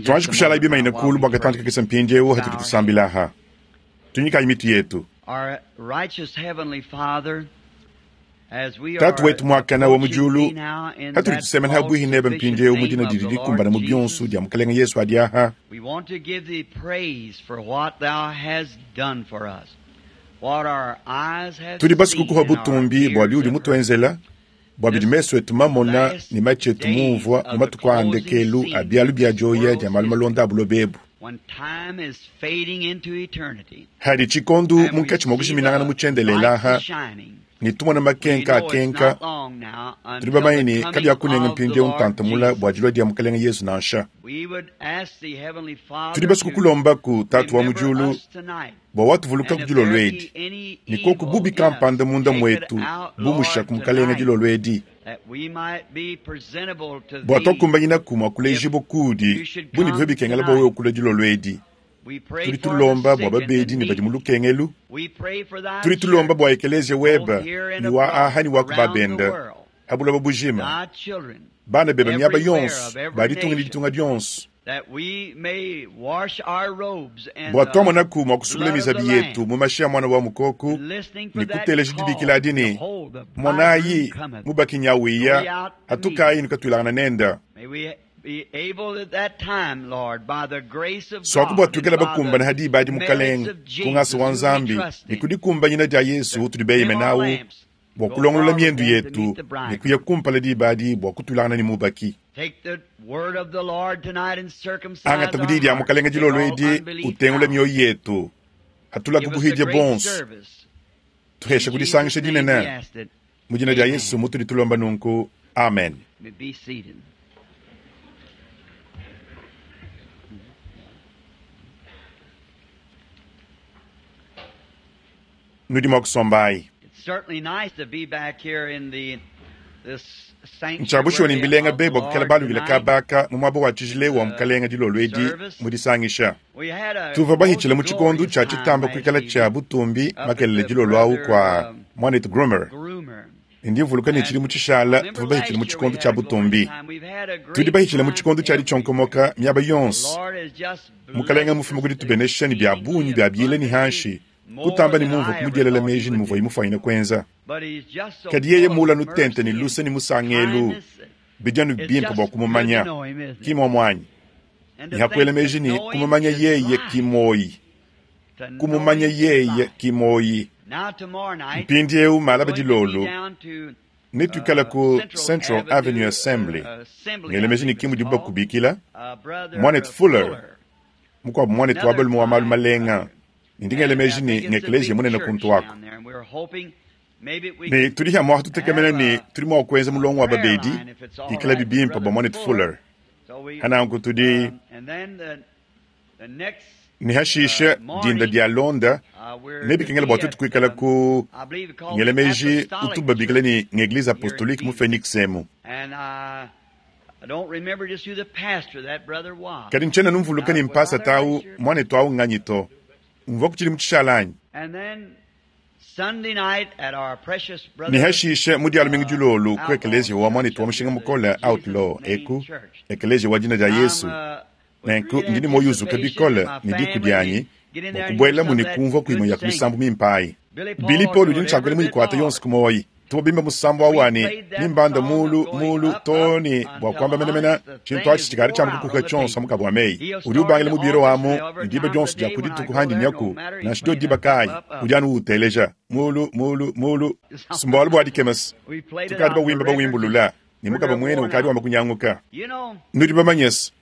Tuanji kushalayi bimanyine kuulu bua katantshi kakese mpindieu hatudi tusambila aha. Tunyikayi mitu yetu. Tatu wetu muakana wa mu diulu, hatudi tusemena habuihi nebe mpindieu mu dina didi dikumbana mu bionso dia Mukelenge Yesu adi aha, tudi basue kukuha butumbi bua biudi mutuenzela, bua bidi mesu etu mamona ne matshi etu mumvua mu matuku a ndekelu a bialu bia dioya dia malu malonda a buloba ebu. Hadi tshikondu munkatshi mua kujiminangana mu tshiendelela aha, ne tumona makenka akenka, tudi bamanye ne kabiakunenga mpindieu ntantamula bua dilua dia Mukelenge Yesu nansha. Tudi basue kukulombaku, Tatu wa mu diulu, bua watuvuluka ku dilolo edi, ne koku bubi kampanda munda muetu bumusha ku Mukelenge dilolo edi, bua tuakumbanyinaku mua kulejibua kuudi bu ne bivua bikengela bua wewe kulua dilolo edi. Tudi tulomba bua babedi ne badi mu lukengelu. Tudi tulomba bua ekeleziya webe ne wa aha ne wa ku babende ha buloba bujima, bana bebe miaba yonso ba ditunga ne ditunga dionso, bua tuamonaku mua kusukula mizabi yetu mu mashi a Muana wa Mukoko ne kuteleja dibikila adi ne, Monayi, mubaki nyawiya, hatukayi ne katuilangana nende. Suaku bua tuikale bakumbane ha diba adi, Mukelenge, ku ngasa wa Nzambi ne ku dikumbanyina dia Yesu utudi beyemenawu, bua kulongolola miendu yetu ne kuya kumpala diba adi bua kutuilangana ne mubaki. Angata ku diyi dia Mukelenge dilolo edi, utengule mioyo yetu, hatula ku buhidia buonso, tuheshe ku disangisha dinene. Mu dina dia Yesu mutudi tulomba nunku, amen. Nudi mua kusombayi. Ntshia bushuwa ne mbilenga be bua kuikala balukile kabaka mu muaba wa tshijila wa Mukelenge dilolo edi mu disangisha. Tuvua bahitshile mu tshikondo tshia tshitamba kuikala tshia butumbi makelele dilolo awu kua muanetu Groomer. Ndi mvuluka ne tshidimu tshishala tuvua bahitshile mu tshikondo tshia butumbi. Tudi bahitshile mu tshikondo tshia ditshionkomoka miaba yonso. Mukelenge mmufume ku ditubenesha ne bia bungi bia biela ne hanshi, kutamba ne mumvua kumudielela meji ne muvuaye mufuanyine kuenza. Kadi yeye muula nutente ne luse ne musangelu, bidi anu bimpe bua kumumanya, ki muomu anyi? Ne hakuela meji ne kumumanya yeye ki muoyi, kumumanya yeye ki muoyi. Mpindieu malaba dilolo netuikale ku Central Avenue Assembly, ngela meji ne ki mudibu bakubikila, muanetu Fuller, mukuabu muanetu wa balume wa malu malenga, ne ndi ngela meji ne ngekeleziya munene kuntu aku. Ne tudi hamua tutekemena ne tudi mua kuenza mulongo wa babedi ikalabi bimpe bua muanetu Fuller. Hananku tudi ne hashishe dinda dia londa nebikengela bua tuetu kuikala ku ngela meji utu babikila ne ng'eglise apostolique mu Phoenix emu. Kadi ntshiena numvuluka ne mpasata au muanetu au nganyi to. Mvua ku tshidimu tshishala anyi? Ne hashishe mu dia lumingu dilolo ku ekeleziya wa muanetu wa mushinga mukole Outlaw eku, ekeleziya wa dina dia Yesu. Nenku ndi ne muoyo uzuka bikole ne diku dianyi bua kubuelamu ne kumvua ku imue ya ku misambu mimpe ayi. Billy Paul udi ne tshiakuela muyikuate yonso ku muoyo. Tuvua bimba musambu au wa ne, Nimbanda mulu mulu too ne bua kuamba menemene tshintu atshi tshikadi tshiamba kukuka tshionso mu kabua meyi. Udi ubangila mu biro amu ne diba dionso dia ku dituku handi nyaku, nansha dio diba kayi, udi anu uwuteleja. Mulu mulu mulu. Mbualu bua dikema se, tukadi bawimba bawimbulula ne mukaba muene ukadi wamba kunyanguka. Nudi bamanye se,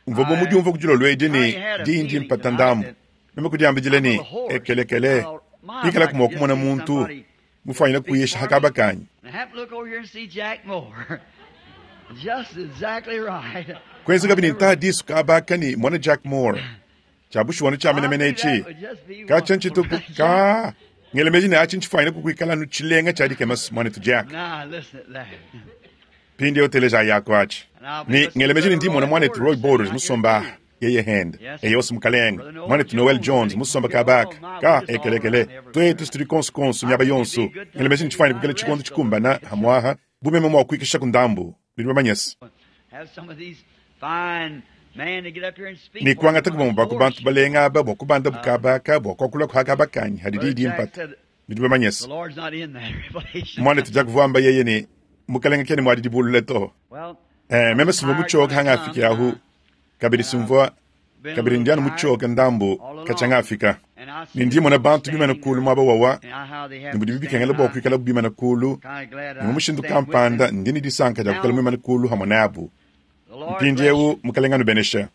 mvua bu mudiumvua ku dilolo edi ne diyi ndi mpata ndambu. Meme kudiambidila ne, Ekelekele, pikalaku mua kumona muntu mufuanyine kuyisha ha kaba kanyi. Kuenzekabi ne ntaha disu kaba aka ne mona Jack Moore. Tshia bushuwa tshia menemene etshi katshia ntshituku ka ngela meji ne atshi ntshifuanyine kukuikala anu tshilenga tshia dikema muanetu Jack. Mpindieu teleja yako atshi ne ngela meji ne ndi mmona muanetu Roy Borders musomba aha yeye hende eyose mukalenge muanetu Noel Jones musomba kaba aka ka ekelekele tuetu situdi konso konso miaba yonso ngela meji ne tshifuanyine kuikala tshikondo tshikumbana hamuaha bu meme mua kuikisha ku ndambu. Nudi bamanye se. Ne kuangataku bamue ba ku bantu balenga aba bua kubandabu kaba aka bua kuakulaku ha kaba kanyi hadi diyi dimpata. Nudi bamanye se, muanetu Jack uvua wamba yeye ne, Mukalenge kena muadi dibulula to. Eh, meme simvua mutshioke hangafiki ahu, kabidi simvua kabidi ndi anu mutshioke ndambu katshia ngafika. Ne ndi mmona bantu bimane kulu muaba wawa, ne mudibi bikengela bua kuikalabu bimane kulu, ne mu mushindu kampanda ndi ne disanka dia kuikala muimane kulu hamue nabu. Mpindieu Mukalenge anubeneshe.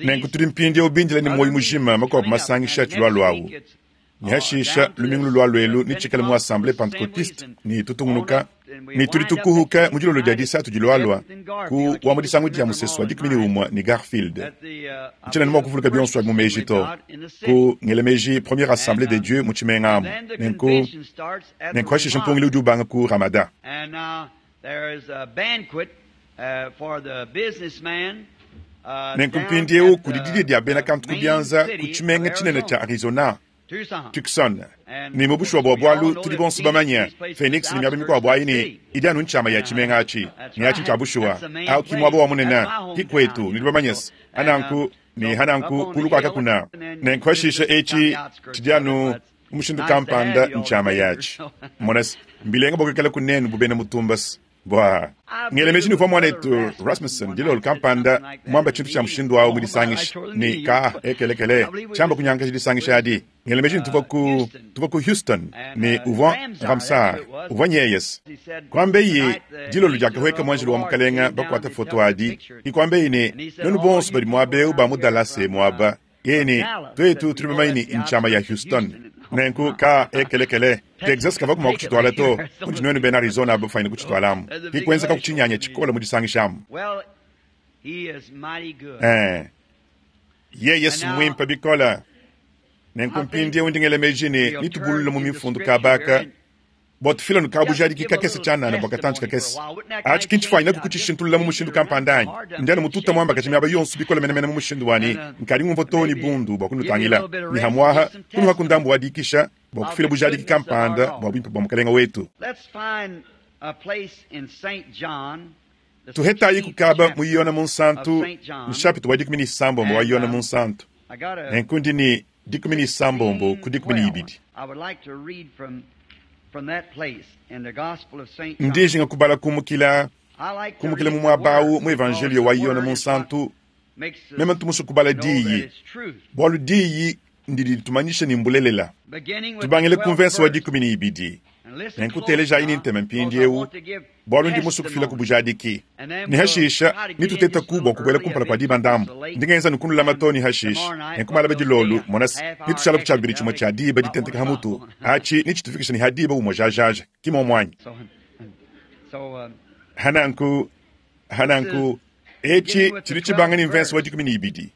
Nenku tudi mpindieu bindile ne muoyo mujima makuabu masangisha atshilualua au. Ne hashisha lumingu lulualua elu netshikale mu Assemblee Pentecotiste ne tutungunuka ne tudi tukuhuka mu dilolo dia disatu dilualua ku wa mu disangu dia musesu wa 11 ne Garfield. Ntshiena ne mua kuvuluka bionso abi mu meji to. Ku ngela meji Première Assemblee de Dieu mu tshimenga amu. Nenku nenku hashisha mpungilu udi ubanga ku Ramada. Nenku mpindieu kudi didia dia bena kantu ku bianza ku tshimenga tshinene tshia Arizona, Tucson. Ne mu bushuwa bua bualu tudi bonso bamanye Phoenix ne miaba mikuabu ayi ne idi anu ntshiama ya tshimenga atshi. Ne atshi ntshia bushuwa. Au ki muaba wa munene, ki kuetu, nudi bamanye se. Hananku ne hananku kulu kua kakuna. Nenku hashisha etshi tshidi anu mu mushindu kampanda ntshiama yatshi. Mona se, mbilenga bua kuikala kunenu bu bena mutumba se. Bua ngela meji ne uvua muanetu Rasmussen dilolo kampanda muamba tshintu tshia mushindu au mu disangisha ne ka ekelekele tshiamba kunyangaja disangisha adi. Ngela meji ne tuvua ku tuvua ku Houston ne uvua Ramsar uvua nyeyes. Kuambeyi dilolo diakahueka muanjelu wa Mukalenga bakuata foto adi ne kuambeyi ne nuenu bonso badi muaba eu ba mu Dallas muaba Yeye ne, Tuetu tudi bamanye ne ntshiama ya Houston. Nenku ka ekelekele, Texas kavaku mua kutshituala to, mudi nuenu bena Arizona bafwanyine kutshitualamu. Ke kuenzekaku tshinyanya tshikole mu disangishamu. Ee, yeye si mmuimpe bikole. Nenku mpindieu ndi ngela meji ne netubulule mu Mifundu kaba aka Bua tufila nukabujadiki kakese tshianana bua katantshi kakese. Atshi ki ntshifwanyinaku kutshishintulula mu mushindu kampanda anyi? Ndi anu mututa muambakaja miaba yonso bikole menemene mu mushindu wa ne, nkadi ngumvua too ne bundu bua kunutangila, ne hamuaha kunuhaku ndambu wa dikisha bua kufila bujadiki kampanda bua buimpe bua Mukalenge wetu. Tuhetayiku kaba mu Yone Munsantu, nshapita wa 16 wa Yone Munsantu. Nenku ndi ne 16 ku 12. Ndi njinga kubala kumukila, kumukila mu muaba awu mu Evanjeliyo wa Yone Munsantu. Meme ntu musue kubala Diyi, bualu Diyi ndidi ditumanyisha ne mbulelela. Tubangile ku mvese wa 12. Nenku telejayi ne ntema mpindieu, bualu ndi musue kufila ku bujadiki. Ne hashisha netutetaku bua kubuela kumpala kua diba ndambu. Ndi ngenza nunku nulama too ne hashisha. Nenku malaba dilolu, mona se, netushala ku tshiabibidi tshimue tshia diba ditenteka ha mutu. Atshi netshitufikisha ne ha diba umue jajaja, ki muomu anyi? Hananku, hananku, etshi tshidi tshibanga ne mvese wa 12.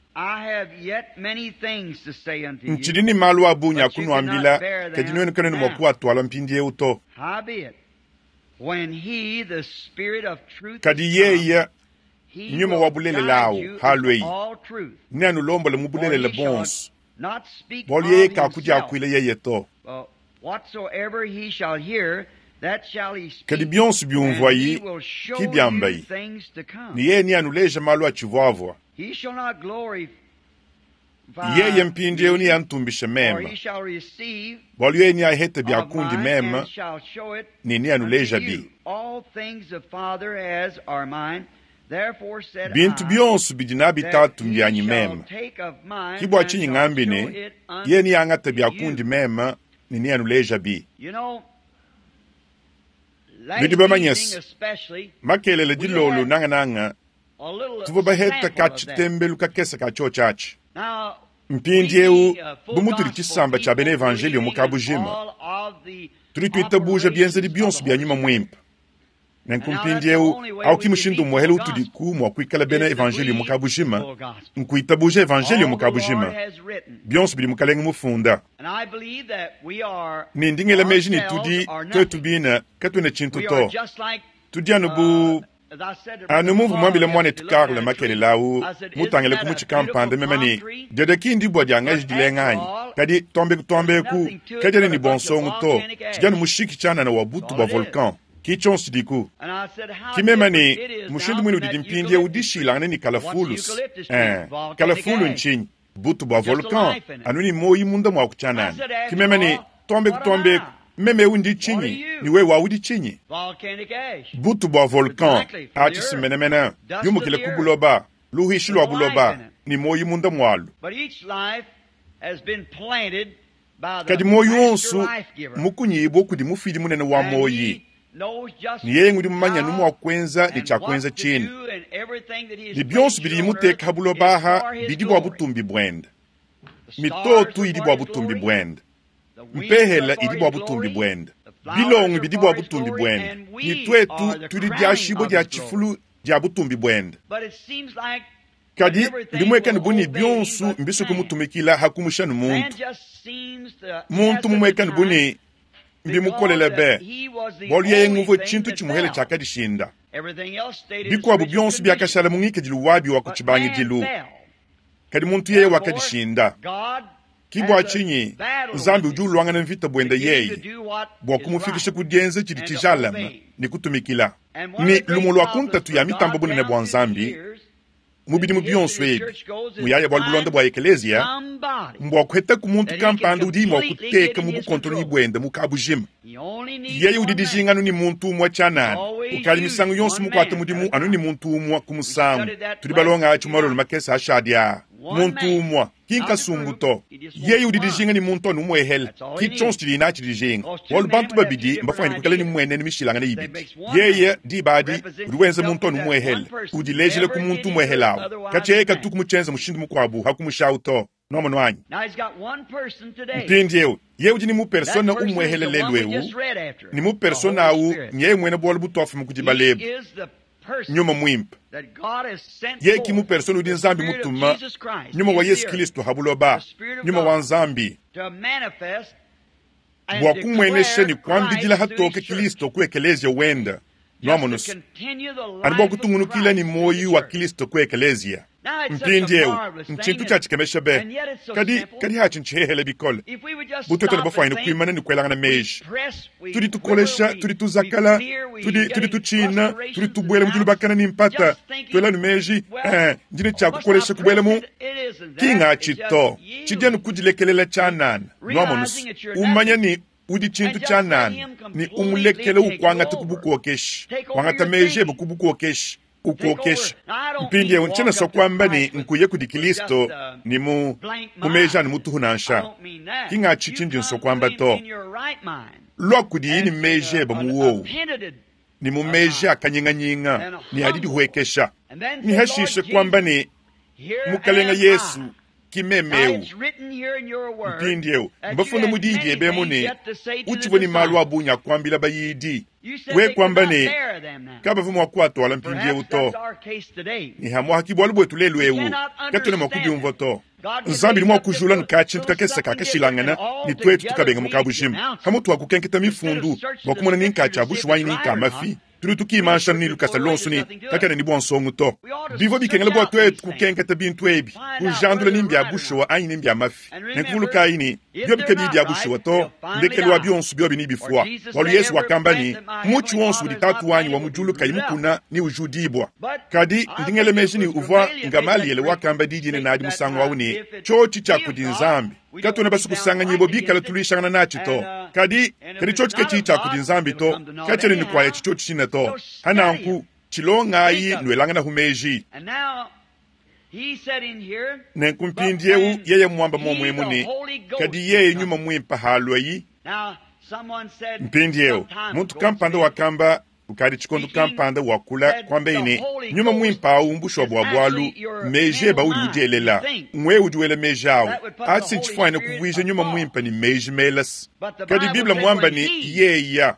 Ntshidi ne malu a bungi a kunuambila, kadi nuenu kanuena mua kuatuala mpindieu to. Kadi yeye, Nyuma wa bulelela au, halueyi, neanulombole mu bulelela buonso, bualu yeye kakudiakuila yeye to. Kadi bionso biumvuayi ki biambayi, ne yeye neanuleje malu atshivuavua. Yeye mpindieu neantumbishe meme, bualu yeye neahete bia kundi meme ne neanulejabi. Bintu bionso bidi nabi Tatu mbianyi meme. Ke bua tshinyi ngambi ne, yeye neangate bia kundi meme ne neanulejabi. Nudi bamanye se, makelela dilolo nangananga tuvua baheta ka tshitembelu kakese ka tshiotshi atshi. Mpindieu, bu mutudi tshisamba tshia bena evanjeliyo mu kabujima, tudi tuitabuja bienzedi bionso bia nyuma muimpe. Nenku mpindieu, au ki mushindu umuehele utudiku mua kuikala bena evanjeliyo mu kabujima, nkuitabuja evanjeliyo mu kabujima, bionso bidi Mukalenge mufunda. Ne ndi ngela meji ne tudi tuetu bine katuena tshintu to, tudi anu bu Anu mumvua muambile muanetu Carl makelela au mutangile ku mutshi kampanda meme ne, Dede ki ndibua dia ngaji dilenga anyi? Kadi tuambe tuambe eku, kadiena ne bua nsongo to, tshidi anu mushiki tshianana wa butu bua volcan. Ki tshionso tshidiku. Ki meme ne, Mushindu muine udidi mpindieu dishilangane ne kalafulus. Ee, kalafulu ntshinyi? Butu bua volcan, anu ne muoyi munda muaku tshianana. Ki meme ne, Tuambeku tuambeku, meme eu ndi tshinyi, ne wewe udi tshinyi? Butu bua volcan, atshi si menemene, yumukile ku buloba, luhishi lua buloba, ne muoyi munda mualu. Kadi muoyi wonso mukunyibue kudi mufidi munene wa muoyi, ne yeye ngudi mumanye anu mua kuenza ne tshia kuenza tshine. Ne bionso bidiye muteka ha buloba aha bidi bua butumbi buende. Mitoto idi bua butumbi buende, mpehela idi bua butumbi buende, bilongo bidi bua butumbi buende, ne tuetu tudi diashibua dia tshifulu dia butumbi buende. Kadi mbimuekane bu ne bionso mbisue kumutumikila ha kumusha ne muntu. Muntu mumuekane bu ne mbimukolele be, bualu yeye nguvue tshintu tshimuhele tshiakadishinda. Bikuabu bionso biakashala mu ngikadilu wabi wa ku tshibangidilu, kadi muntu yeye wakadishinda. Ki bua tshinyi Nzambi udi uluangana mvita buende yeye bua kumufikisha ku dienza tshidi tshijalame ne kutumikila. Ne lumue lua ku ntatu ya mitamba bunene bua Nzambi mu bidimu bionso ebi muyaya bualu bulonda bua ekeleziya mbua kuhetaku muntu kampanda udi mua kuteka mu bukontolonyi buende mu kabujima. Yeye udi dijinga anu ne muntu umue tshianana, ukadi misangu yonso mukuate mudimu anu ne muntu umue ku musangu. Tudi balonga atshi mu malolo makese ashadi aa. Muntu umue, ki nkasumbu to. Yeye udi dijinga ne muntu anu umuehele, ki tshionso tshidiye natshi dijinga, bualu bantu babidi mbafuanyine kuikala ne mmuenenu mishilangane ibidi. Yeye, diba adi, udi wenza muntu anu umuehele, udilejila ku muntu umuehele awu. Katshia yeye katuku mutshienza mushindu mukuabu ha kumushawu to. Nwamonu anyi? Mpindieu, yeye udi ne mu persona umuehele lelu eu, ne mu persona awu nyeye muena bualu butuafuma ku dibala ebu, Nyuma Muimpe. Yeye ki mu persona udi Nzambi mutuma, Nyuma wa Yesu Kilisto ha buloba, Nyuma wa Nzambi, bua kumuenesha ne kuambidila hatoke Kilisto ku ekeleziya wende. Nwamonu's, anu bua kutungunukila ne muoyi wa Kilisto ku ekeleziya. Mpindieu, ntshintu tshia tshikemesha be, kadi, kadi atshi ntshihehele bikole. Bu tuetu bafuanyine kuimana ne kuelangana meji, tudi tukolesha, tudi tuzakala, tudi, tudi tutshina, tudi tubuela mu dilubakana ne mpata, tuela anu meji, eh, ndi ne tshia kukolesha kubuela mu. Ki ngatshi to, tshidi anu kudilekelela tshianana. Nwamonu's, umanya ne udi tshintu tshianana, ne umulekele ukuangata ku bukokeshi, wangata meji ebe ku bukokeshi, ukokesha. Mpindieu ntshiena sua kuamba ne nkuye kudi Kilisto ne mu mu meji anu mutuhu nansha. Ki ngatshi tshindi nsua kuamba to. Lua kudiye ne meji ebe mu wowu, ne mu meji a kanyinganyinga ne a didihuekesha, ne hashishe kuamba ne, Mukalenga Yesu, ki meme eu. Mpindieu mbafunda mu diyi diebe emu ne, utshivua ne malu a bungi a kuambila bayidi. We kuamba ne, kabavua mua kuatuala mpindieu to. Ne hamuaha ki bualu buetu lelu eu, katuena mua kubiumvua to. Nzambi udi mua kujula nu katshintu kakese kakashilangana ne tuetu tukabenga mu kabujima. Pamutu wa kukenketa mifundu bua kumona ni nka tshia bushuwa anyi ni nka mafi, tudi tukimansha ne lukasa luonso ne kakena ne bua nsongo to. Bivua bikengela bua tuetu kukenketa bintu ebi, kujandula ni mbia bushuwa anyi ni mbia mafi. Nenku vulukayi ne, biobi kabiyi bia bushuwa to, ndekelu wa bionso biobi nebifua, bualu Yezu wakamba ne, Mutshi wonso udi Tatu wanyi wa mu diulu kayi mukuna neujudibua. Kadi ndi ngela meji ne, uvua Ngamaliele wakamba di dinene adi musangu au ne, Tshiotshi tshia kudi Nzambi. Katuena basue kusanganyibua bikala tuluishangana natshi to. Kadi, kadi tshiotshi katshiyi tshia kudi Nzambi to, katshiena ne kuaya tshiotshi tshine to. Pa nanku, tshilongayi nuelanganahu meji. Nenku mpindieu yeye muamba muomu emu ne, Kadi yeye Nyuma Muimpe haluayi. Mpindieu muntu kampanda wakamba kukadi tshikondo kampanda wakula kuambeyi ne, Nyuma Muimpe awu mbushuwa bua bualu meji ebe audi udielela ngwewe udi wela meji awu. Atshi ntshifuanyine kuvuija Nyuma Muimpe ne meji melase. Kadi Bible muamba ne, Yeya.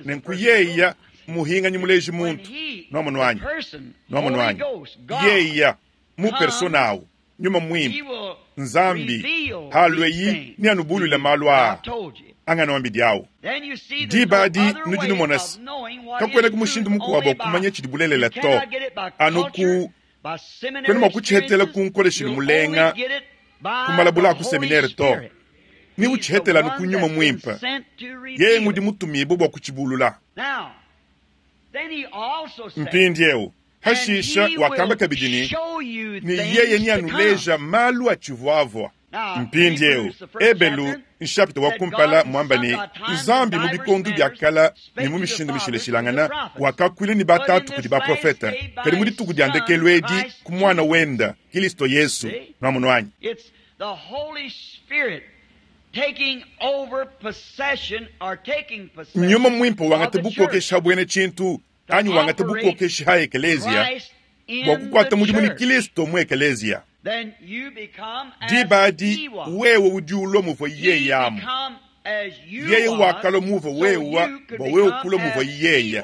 Nenku yeya muhinganyi muleji muntu. Nwamonu anyi? Nwamonu anyi? Yeya mu persona awu, Nyuma Muimpe, Nzambi, halueyi neanubuluile malu aa anganuambidi awu. Diba adi nudi numona se, kakuenaku mushindu mukuabu wa kumanya tshidi bulelela to, anu ku kuena mua kutshihetela ku nkoleshilu mulenga, ku malabula a ku seminere to. Ne utshihetela anu ku Nyuma Muimpe, yeye ngudi mutumibue bua kutshibulula. Mpindieu, hashisha wakamba kabidi ne, ne yeye neanuleja malu atshivuavua. Mpindieu, Ebelu nshapita wa kumpala muamba ne, Nzambi mu bikondo bia kala ne mu mishindu mishilashilangana wakakuila ne batatu kudi baprofeta, kadi mu dituku dia ndekelu edi ku muana wenda Kilisto Yesu. Nuamonu anyi? Nyuma Muimpe wangata bukokeshi ha buena tshintu anyi wangata bukokeshi ha ekeleziya bua kukuata mudimu ne Kilisto mu ekeleziya. Diba adi wewe udi ulua muvua yeye amu. Yeye wakalua muvua wewa bua wewe kulua muvua yeye.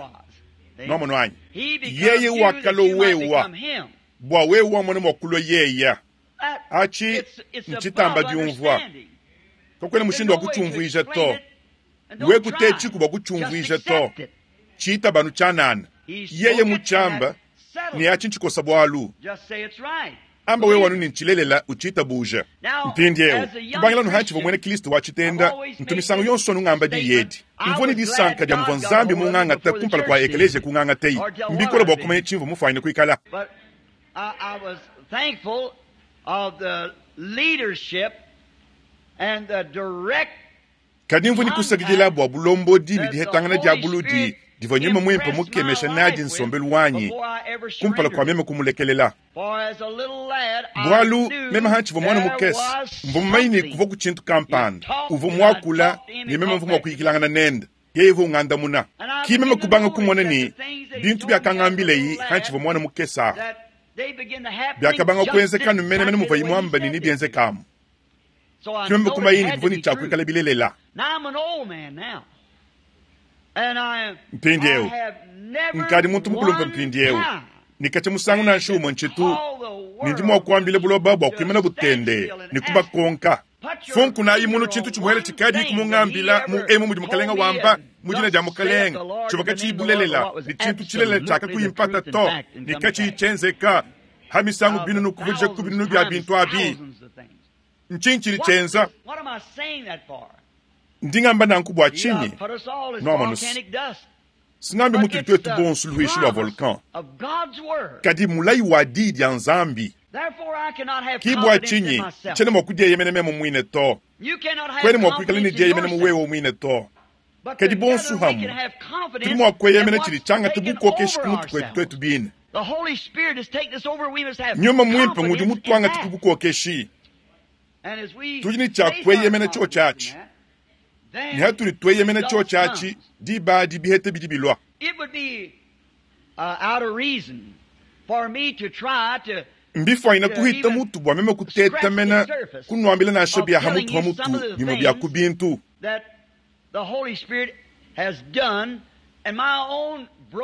Nuamonu anyi? Yeye wakalua wewa bua wewe wamona mua kulua yeye. Achi ntshitamba diumvua. Kakuena mushindu wa kutshiumvuija to. Wewe kutetshi bua kutshiumvuija to. Tshitabanu tshianana. Yeye mutshiamba ne achi ntshikosa bualu. Amba wewe wanu ne ntshilelela utshitabuja. Mpindieu kubangila nuhatshivua muena Kristo wa tshitenda ntu misangu yonso nungamba diyi edi. Mvua ne disanka dia muvua Nzambi mungangata kumpala kua ekeleziya kungangatei. Mbikole bua kumanya tshimvua mufuanyine kuikala. Kadi mvua ne kusakidila bua bulombodi ne dihetangana dia buludi divua Nyuma Muimpe mukemesha nadi nsombelu wanyi kumpala kua meme kumulekelela. Bualu meme hantshivua mwana mukese, mvua mumanye ne kuvua ku tshintu kampanda uvua muakula ne meme mvua mua kuyikilangana nende. Yeye uvua ungandamuna. Ki meme kubanga kumona ne bintu biakangambileyi hantshivua mwana mukese ahu biakabanga kuenzeka menemene muvua muamba ne nebienzekamu. Ki meme kumanya ne bivua ne tshia kuikala bilelela. Mpindieu nkadi muntu mukulumpe mpindieu ne katshia musangu nansha umue ntshitu ne ndi mua kuambila buloba bua kuimana butende ne kubakonka. Funkunayi munu tshintu tshimuele tshikadi kumungambila mu emu mudi mukalenga wamba mu dina dia mukalenga tshivua katshiyi bulelela ne tshintu tshilelela tshiakakuyimpata to ne katshiyi tshienzeka ha misangu binunu kuvudija ku binunu bia bintu abi. Ntshinyi tshidi tshienza? Ndi ngamba nanku bua tshinyi? Nuamonu, singambi mutudi tuetu bonso luishi lua volcan, kadi mulayi wa diyi dia Nzambi. Ki bua tshinyi tshiena mua kudieyemena meme muine to, kuena mua kuikala ne dieyemena mu wewe muine to. Kadi bonso hamwe tudi mua kueyemena tshidi tshiangata bukokeshi ku mutu kuetu tuetu bine. Nyuma Muimpe ngudi mutuangate ku bukokeshi. Tudi ne tshia kueyemena tshiotshi atshi. Ne hatudi tueyemena tshiotshi atshi, diba adi biheta bidi bilua. Mbifuanyine kuhita mutu bua meme kutetamena kunuambila nansha bia ha mutu ha mutu bimue bia ku bintu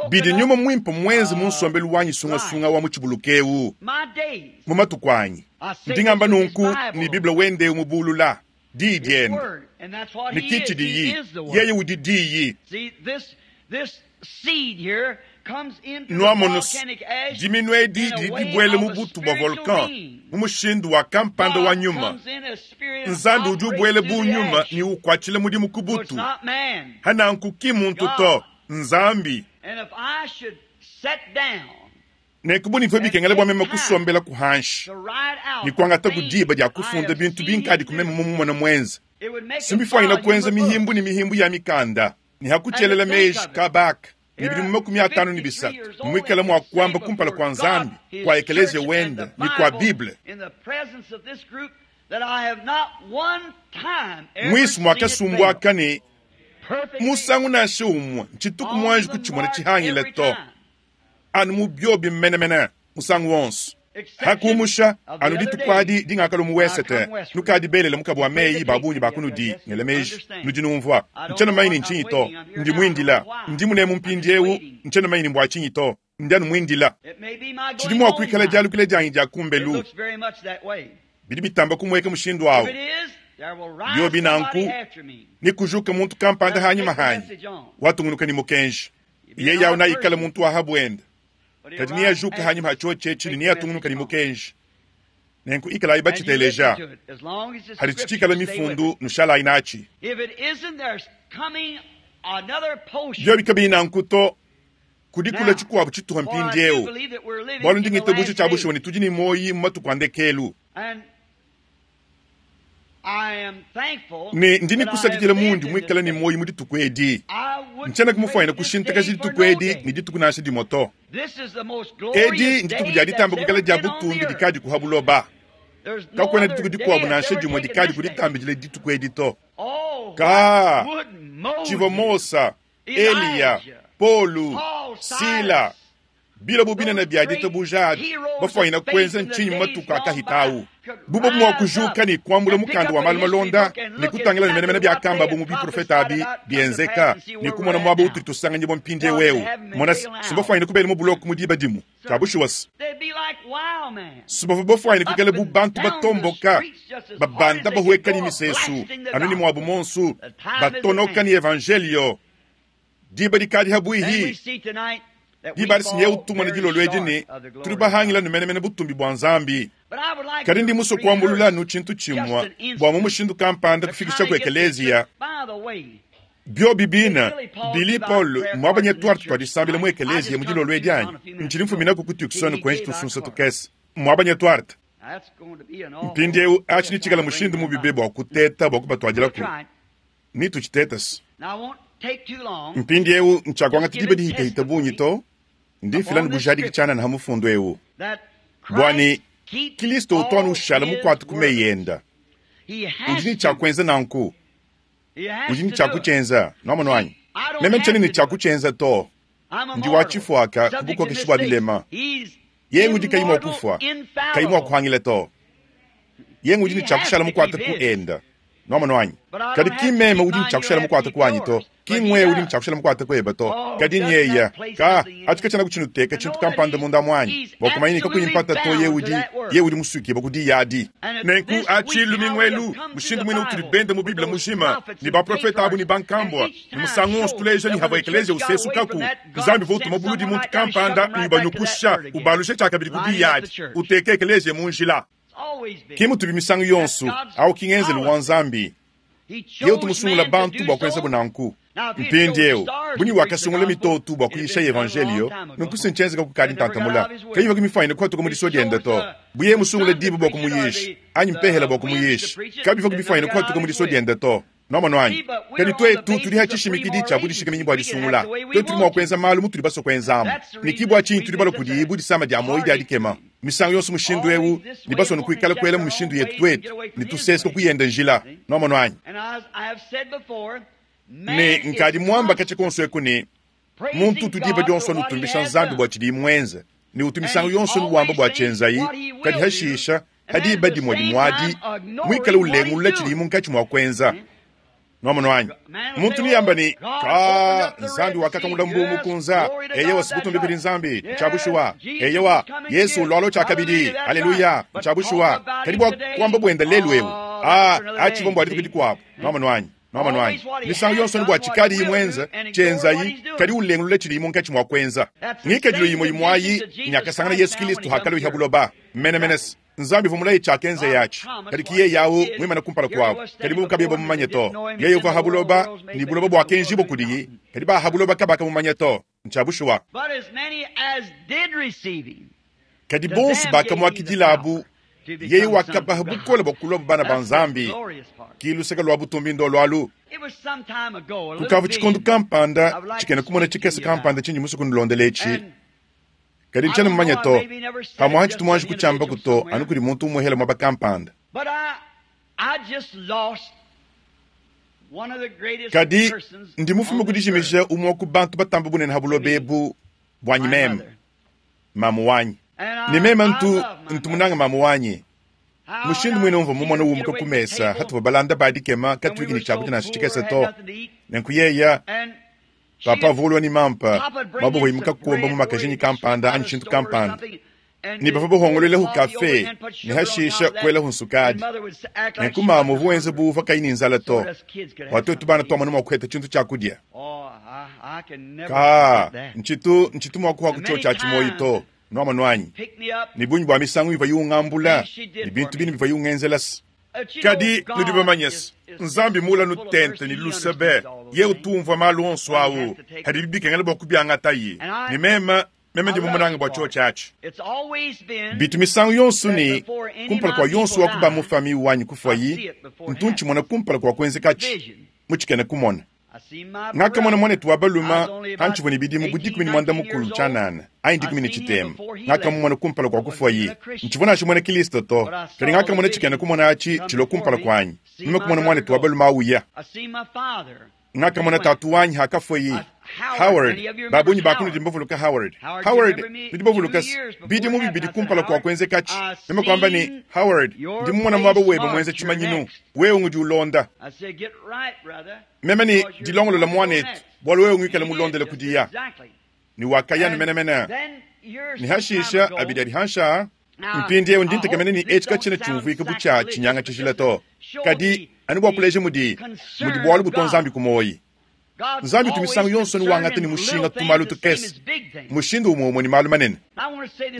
bidi Nyuma Muimpe muenze mu nsombelu wanyi sungasunga wa mu tshibuluka eu mu matuku anyi. Ndi ngamba nunku ne Bible wende mubulula diyi diende ne ki tshidiyi yeye udi diyi. Nuamonu, diminu edi didi dibuele mu butu bua volcan mu mushindu wa kampanda wa nyuma. Nzambi udi ubuele bu nyuma ne ukuatshila mudimu ku butu. Hananku ki muntu to, Nzambi. Nenku bivua bikengela bua meme kusombela ku hanshi ne kuangata ku diba dia kufunda bintu binkadi ku meme mumumona muenze. Simbifuanyine kuenza mihimbu ne mihimbu ya mikanda ne hakutshelela meji kabaka ne bidimu 53 muikala mua kuamba kumpala kua Nzambi, kua ekeleziya wende ne kua Bible. Muisu muakasumbuaka ne musangu nansha umue ntshituku muanji kutshimona tshihangile to, anu mu biobi menemene musangu wonso. Hakumusha anu dituku adi dingakalu mu wesete nukadi belele mukabu wa meyi ba bungi ba kunudi ngela meji nudi numvua ntshiena mumanye ne ntshinyi to, ndi muindila ndi munemu mpindieu ntshiena mumanye ne mbua tshinyi to, ndi anu muindila. Tshidi mua kuikala dialukila dianyi dia kumbelu bidi bitamba kumueka mushindu awu. Biobi nanku ni kujuka muntu kampanda hanyima hanyi watungunuka ni mukenji yeye awu naikala muntu wa habuenda kadi niajuka hanyima ha tshiotshi ne niatungunuka ni mukenji. Nenku ikalayi batshiteleja hadi tshitshikala mifundu nushalayi natshi. Biobi kabiyi nanku to, Kudi kulua tshikuabu tshituha mpindieu, bualu ndi ngitabuja tshia bushuwa ne tudi ne muoyi mu matuku a ndekelu. Ne ndi ne kusakidila mundi muikale ne muoyi mu dituku edi. Ntshiena kumufuanyina kushintakaja dituku edi ne dituku nansha dimue to. Edi ndituku dia ditamba kuikala dia butumbi dikadi kuha buloba. Kakuena dituku dikuabu nansha dimue dikadi kuditambidila dituku edi to. Ka tshivua Mosa, Eliya, Polu, Sila, bilobo binene bia ditabuja abi bafuanyina kuenza ntshinyi mu matuku akahita au? Bubo mua kujuka ne kuambula mukanda wa malu malonda ne kutangila ne menemene biakambabu mu biprofete abi bienzeka ne kumona muaba utudi tusanganyibua mpindieu eu. Mona se, si bafuanyine kubela mu buloko mu diba dimue. Tshia bushuwa se, si bavua bafuanyine kuikala bu bantu batomboka, babanda bahueka ne misesu anu ne muabu muonso, batonoka ne evanjelio. Diba dikadi habuihi. Diba adi sinyewu tumone dilolo edi ne tudi bahangila nu menemene butumbi bua Nzambi. Kadi ndi musue kuambulula anu tshintu tshimue bua mu mushindu kampanda kufikisha ku ekeleziya. Biobi bine, Billy Paul mmuabanye tuarte tua disambila mu ekeleziya mu dilolo edi anyi? Ntshidi mfuminaku ku Tucson kuenji tusunsa tukese. Mmuabanye tuarte. Mpindieu atshi netshikale mushindu mubi be bua kuteta bua kubatuadilaku. Netutshitete. Mpindieu ntshiakuangata diba dihitahita bungi to, ndi mfila ne bujadiki tshianana ha mufundu eu bua ne Kilisto utu anu ushala mukuate ku meyi enda. Udi ne tshia kuenza nanku, udi ne tshia kutshienza. Nuamonu anyi? Meme ntshiena ne tshia kutshienza to. Ndi wa tshifuaka ku bukokeshi bua bilema. Yeye ngudi kayi mua kufua, kayi mua kuhangila to. Yeye ngudi ne tshia kushala mukuate ku enda. Nuamonu anyi? Kadi ki meme udi ne tshia kushala mukuate kuanyi to, ki ngwewe udi ne tshia kushala mukuate kuebe to, kadi nyeya. Ka, atshi katshiena kutshinuteka tshintu kampanda munda muanyi, bua kumanya ne kakuyi mpata to ye udi, ye udi musuikibue ku diyi adi. Nenku atshi lumingu elu, mushindu muine utudi bende mu Bible mujima, ne baprofete abu ne bankambua, ne musangu wonso tuleja ne havua ekeleziya usesukaku, Nzambi uvua utuma buludi muntu kampanda ne ubanyukusha, ubalusha tshiakabidi ku diyi adi, uteka ekeleziya mu njila. Ke mutubi misangu yonso, au ki ngenzelu wa Nzambi. Yeye utu musungula bantu bua kuenzabu nanku. Mpindieu, bunyi wakasungula mitoto bua kuyisha evanjelio, nunku si ntshienzeka kukadi ntantamula. Kayivua mifuanyine kuhatuka mu disua diende to. Bu yeye musungule diba bua kumuyisha, anyi mpehela bua kumuyisha, kabivua mifuanyine kuhatuka mu disua diende to. Nuamonu anyi? Kadi tuetu tudi ha tshishimikidi tshia budishikaminyi bua disungula. Tuetu tudi mua kuenza malu mutudi basue kuenzamu. Ne ki bua tshinyi tudi balua kudiyi bu disama dia muoyo dia dikema misangu yonso mushindu eu, ne basue kuikala kuela mu mishindu yetu tuetu, ne tusesuka kuyenda njila. Nuamonu anyi? Ne nkadi muamba katshia konso eku ne, muntu utu diba dionso anutumbisha Nzambi bua tshidiyi muenze, ne utu misangu yonso nuwamba bua tshienzayi, kadi hashisha ha diba dimue dimue adi muikale ulengulula tshidiyi munkatshi mua kuenza. Nuamonu anyi? Muntu niyamba ne, ka Nzambi wakakangula mbuu mukunza, eyewa sibutumbi kudi Nzambi, ntshia bushuwa. Eyewa, Yesu ulualua tshiakabidi, haleluya, ntshia bushuwa. Kadi bua kuamba buenda lelu eu, a atshivua mbua dituku dikuabu. Nuamonu anyi? Nuamonu anyi? Misangu yonso ne bua tshikadiyi muenze, tshienzayi, kadi ulengulula tshidiyi munkatshi mua kuenza. Ngikadilu imue imue ayi nyakasangana Yesu Kilisto hakaluiha buloba. Menemene se, Nzambi uvua mulaye tshiakenza atshi, kadi ki yeye au muimane kumpala kuabu, kadi bobu kabiyi bamumanye to. Yeye uvua ha buloba, ne buloba buakenjibua kudiyi, kadi ba ha buloba kabakamumanya to. Ntshia bushuwa. Kadi bonso bakamuakidilabu, yeye wakabaha bukole bua kulua bana ba Nzambi. Ki luseke lua butumbi ndolo alu. Kukavua tshikondo kampanda tshikena kumona tshikese kampanda tshindi musue kunulondela etshi, kadi ntshiena mumanye to, pamuapa tshitu muanji kutshiambaku to anu kudi muntu umuehela muaba kampanda. Kadi ndi mufume ku dijimija umue wa ku bantu batamba bunene ha buloba ebu buanyi meme, mamu wanyi. Ne meme ntu ntu munange mamu wanyi. Mushindu muine umvua mumone umuka ku mesa hatuvua balanda ba dikema katuiki ne tshiakudia nansha tshikese to. Nenku yeya papa avua ulua ne mampa mabohoyi mu kakomba mu makajinyi kampanda anyi tshintu kampanda, ne bavua bahongoluelahu kafe ne hashisha kuelahu nsukadi. Nenku mamu uvua wenza bu uvua kayi ne nzala to, bua tuetu bana tuamona mua kuheta tshintu tshia kudia. Ka ntshitu ntshitu mua kuha ku tshiotshi atshi muoyo to, nuamonu anyi? Ne bungi bua misangu ivuaye ungambula ne bintu bine bivuaye ungenzela. Kadi nudi bamanye se, Nzambi mmuula nutente ne luse be, yeye utu umvua malu onso au padibi bikengela bua kubiangataye. Ne meme, meme ndi mumunange bua tshiotshi atshi. Bitu misangu yonso ne, kumpala kua yonso wa ku ba mu famiye wanyi kufuayi, ntu ntshimona kumpala kua kuenzekatshi mu tshikena-kumona. Ngakamona muanetu wa balume pantshivua ne bidimu bu 13 tshianana anyi 13. Ngakamumona kumpala kua kufuaye. Ntshivua nansha muena Kristo to, kadi ngakamona tshikena kumona atshi tshilua kumpala kuanyi. Meme kumona muanetu wa balume au uya. Ngakamona tatu wanyi hakafuaye. Howard, ba bungi ba kunudi mbavuluka Howard. Howard, nudi bavuluka se, bidimu bibidi kumpala kua kuenzekatshi, meme kuamba ne, Howard, ndi mumona muaba webe muenza tshimanyinu, wewe ngudi ulonda. Meme ne, Dilongolola muanetu, bualu wewe nguikale mulondele kudiya. Ne wakaya anu menemene. Ne hashisha abidi adi hansha. Mpindieu ndi ntekemena ne etshi katshiena tshiumvuika bu tshia tshinyanga tshijila to, kadi anu bua kuleja mudi, mudi bualu butua Nzambi ku muoyi. Nzambi utu misangu yonso anu wangata ne mushinga tumalu tukese mushindu umue umue ne malu manene.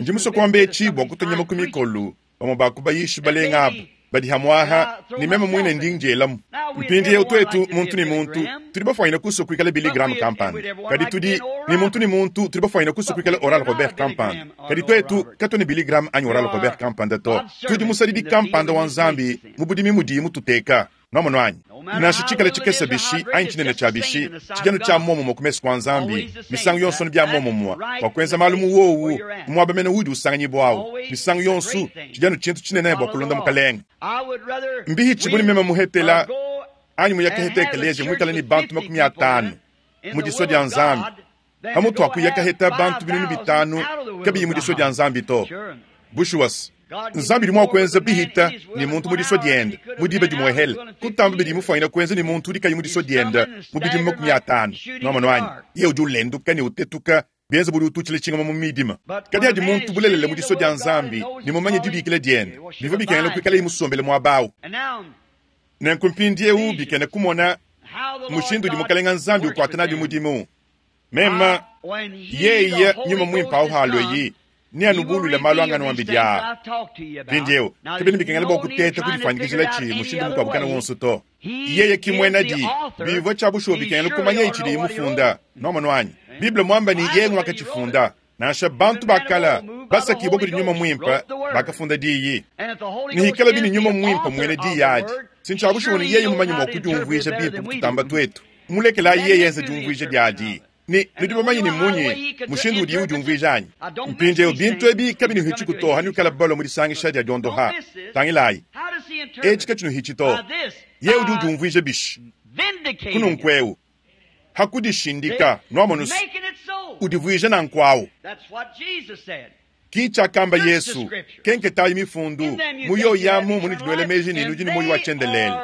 Ndi musue kuamba etshi bua kutua nyama ku mikolo bamue ba ku bayishi balenga aba badi hamuaha, ne meme muine ndi ndielamu. Mpindieu tuetu, muntu ne muntu, tudi bafuanyine kusua kuikala Billy Graham kampanda, kadi tudi ne muntu ne muntu tudi bafuanyine kusua kuikala Oral Robert kampanda, kadi tuetu katuena Billy Graham anyi Oral Robert kampanda to. Tudi musadidi kampanda wa Nzambi mu budimi mudiye mututeka. Nwamonu anyi? Nansha tshikale tshikese bishi anyi tshinene tshia bishi, tshidi anu tshia muomumue ku mesu kua Nzambi. Misangu yonso anu bia muomumue, bua kuenza malu mu wowu, mu muaba mene uudi usanganyibua awu. Misangu yonso tshidi anu tshintu tshinene bua kulonda Mukalenge. Mbihitshibue ne meme muhetela anyi muyakaheta ekeleziya muikale ne bantu 50 mu disua dia Nzambi, pamutu pa kuya kaheta bantu 5000 kabiyi mu disua dia Nzambi to. Bushuwa se, Nzambi udi mua kuenza bihita ne muntu mu disua diende mu diba dimuehele, kutamba bidi mufuanyina kuenza ne muntu udi kayi mu disua diende mu bidimu 50. Nuamonu anyi? Yeye udi ulenduka ne utetuka, bienza bu udi ututshila tshingoma mu midima. Kadi adi muntu bulelela mu disua dia Nzambi ne mumanye dibikila diende, bivua bikengela kuikalaye musombele muaba au. Nenku mpindieu bikena kumona mushindu udi Mukalenga Nzambi ukuata nabi mudimu. Mema, yeye Nyuma Muimpe au halueyi, neanubuluile malu anganuambidi aa. Mpindieu kabiena bikengela bua kuteta kudifuanyikijila tshi mushindu mukuabu kana wonso to. Yeye ki muena di, bivua tshia bushuwa bikengela kumanya tshidiye mufunda. Nuamonu anyi? Bible muamba ne yeye nguakatshifunda. Nansha bantu ba kala basakibua kudi Nyuma Muimpe bakafunda diyi. Ne hikalabi ne Nyuma Muimpe muena diyi adi, si ntshia bushuwa ne yeye mumanye mua kudiumvuija bimpe kututamba tuetu. Mulekelayi yeye enze diumvuija diadi. Ne nudi bamanye ne munyi mushindu udiye udiumvuija anyi? Mpindieu bintu ebi kabinuhitshiku to hanuikala balua mu disangisha dia diondoha. Tangilayi, etshi katshinuhitshi to. Yeye udi udiumvuija bishi? Kununkueu ha kudishindika, nuamonu se, udivuija nanku au. Ki tshiakamba Yesu, Kenketayi mifundu, mu yoyi amu munudi nuela meji ne nudi ne muoyo wa tshiendelele.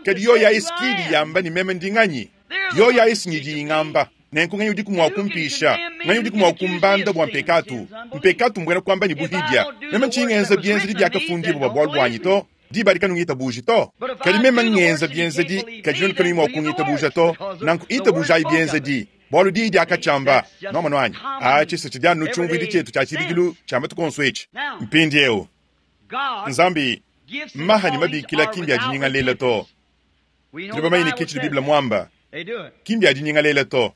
Kadi yoyi ayi si idi yamba ne meme ndi nganyi? Yoyi ayi si ngidi ingamba. Nenku nganyi udiku mua kumpisha? Nganyi udiku mua kumbanda bua mpekatu? Mpekatu mbuena kuamba ne buhidia. Meme ntshiyi ngenza bienzedi biakafundibua bua bualu buanyi to. Diba adi kanungitabuji to. Kadi meme ngenza bienzedi, kadi nuenu kanuyi mua kungitabuja to. Nanku itabujayi bienzedi, bualu diyi diakatshiamba. Nuamonu anyi? Atshi se tshidi anu tshiumvuidi tshietu tshia tshibidilu tshia matuku onso etshi. Mpindieu, Nzambi, maha ne mabikila ki mbia dinyingalela to. Tudi bamanye ne ke tshidi Bible muamba, ki mbia dinyingalela to.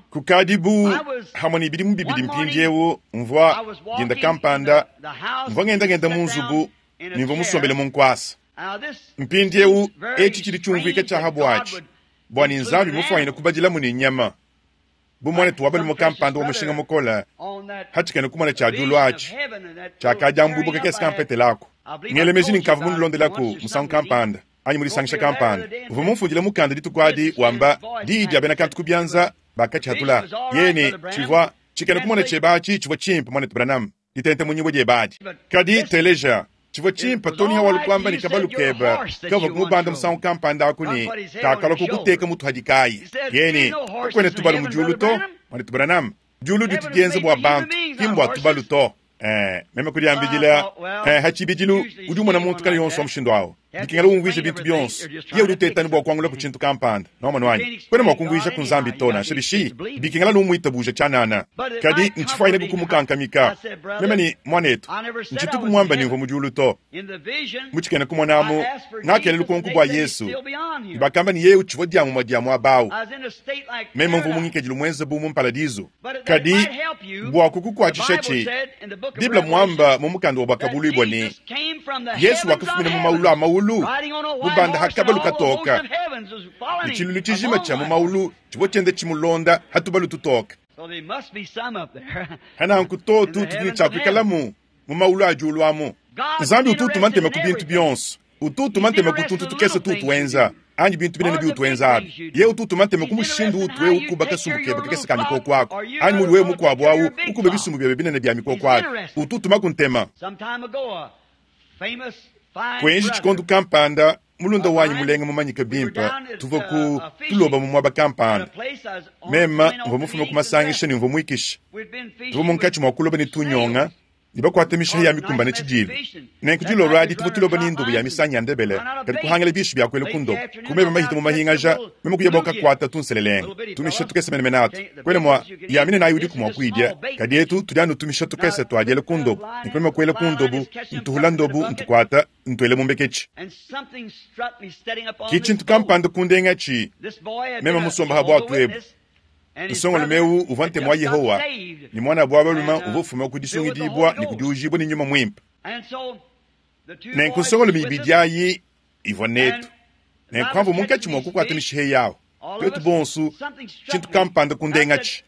Kukadi bu hamue ne bidimu bibidi mpindieu, mvua dinda kampanda mvua ngenda-ngenda mu nzubu ne mvua musombele mu nkuasa. Mpindieu etshi tshidi tshiumvuika tshia ha buatshi bua ne Nzambi mufuanyine kubadilamu ne nyama bu muanetu wa balume kampanda wa mushinga mukole hatshikena kumona tshia diulu atshi tshiakadiambuibua kakese kampetelaku. Ngela meji ne nkavua munulondelaku musangu kampanda anyi mu disangisha kampanda. Uvua mumfundile mukanda dituku adi wamba diyi dia bena kantu ku bianza bakatshihatula. Yeye ne, Tshivua tshikena kumona tshiebe atshi tshivua tshimpe, muanetu Branham, ditente mu nyibue diebe adi. Kadi teleja, tshivua tshimpe to ne hawalu kuamba ne kabalu kebe kavua kumubanda musangu kampanda aku ne kakalua kukuteka mutu hadi kayi. Yeye ne, Kakuena tubalu mu diulu to, muanetu Branham. Diulu ditu dienza bua bantu, ki mbua tubalu to. Meme kudiambidila, ha tshibidilu udi umona muntu kana yonso wa mushindu au. Bikengela umvuije bintu bionso. Yeye udi uteta anu bua kuangula ku tshintu kampanda. Nwamonu anyi? Kuena mua kumvuija ku Nzambi to, nansha bishi. Bikengela anu umuitabuja tshianana. Kadi ntshifuanyine bu kumukankamika. Meme ne, Muanetu, ntshituku muambe ne mvua mu diulu to. Mu tshikena kumona amu, ngakela lukonko bua Yesu, ne bakamba ne yeye utshivua diamumue dia muaba au. Meme mvua mu ngikadilu muenze bu mu mparadizu. Kadi bua kukukuatshishatshi, Bible muamba mu mukanda wa Buakabuluibua ne, Yesu wakafumina mu maulu a maulu, mubanda ha kabalu katoka, ne tshilulu tshijima tshia mu maulu tshivua tshienda tshimulonda ha tubalu tutoka. Hananku totu tudi ne tshia kuikalamu mu maulu a diulu amu. Nzambi utu utuma ntema ku bintu bionso. Utu utuma ntema ku tuntu tukese tuutu wenza anyi bintu binene biutu wenza abi. Yeye utu utuma ntema ku mushindu uutu wewe ukuba kasumbu kebe kakese ka mikoko aku anyi mudi wewe mukuabu au ukuba bisumbu biebe binene bia mikoko abi. Utu utumaku ntema. Kuenji tshikondo kampanda, mulunda wanyi mulenga mumanyike bimpe, tuvua ku tuloba mu muaba kampanda. Meme mvua mufume ku masangisha ne mvua muikishe. Tuvua munkatshi mua kuloba ne tunyonga ne bakuate mishiha ya mikumbane tshidilu. Nenku dilolo adi tuvua tuloba ne ndobo ya misangi ya ndebele, kadi kuhangila bishi bia kuela ku ndobo. Ku meba mahita mu mahingaja, meme kuya bua kakuata tunselelenge, tumisha tukese menemene atu. Kuena mua ya minene ayi udiku mua kuidia, kadi etu tudi anu tumisha tukese tuadiela ku ndobo. Nenku meme kuela ku ndobo, ntuhula ndobo, ntukuata, ntuela mu mbeketshi. Ki tshintu kampanda kundengatshi, meme musomba ha buatu ebu. Nsongalume eu uvua Ntemu wa Yehowa, ne muanabu wa balume uvua ufuma ku disungidibua ne ku diujibua ne nyuma muimpe. Nenku nsongalume ibidi ayi ivua netu. Nenku pamvua munkatshi mua kukuata mishiha yawu, tuetu bonso, tshintu kampanda kundengatshi.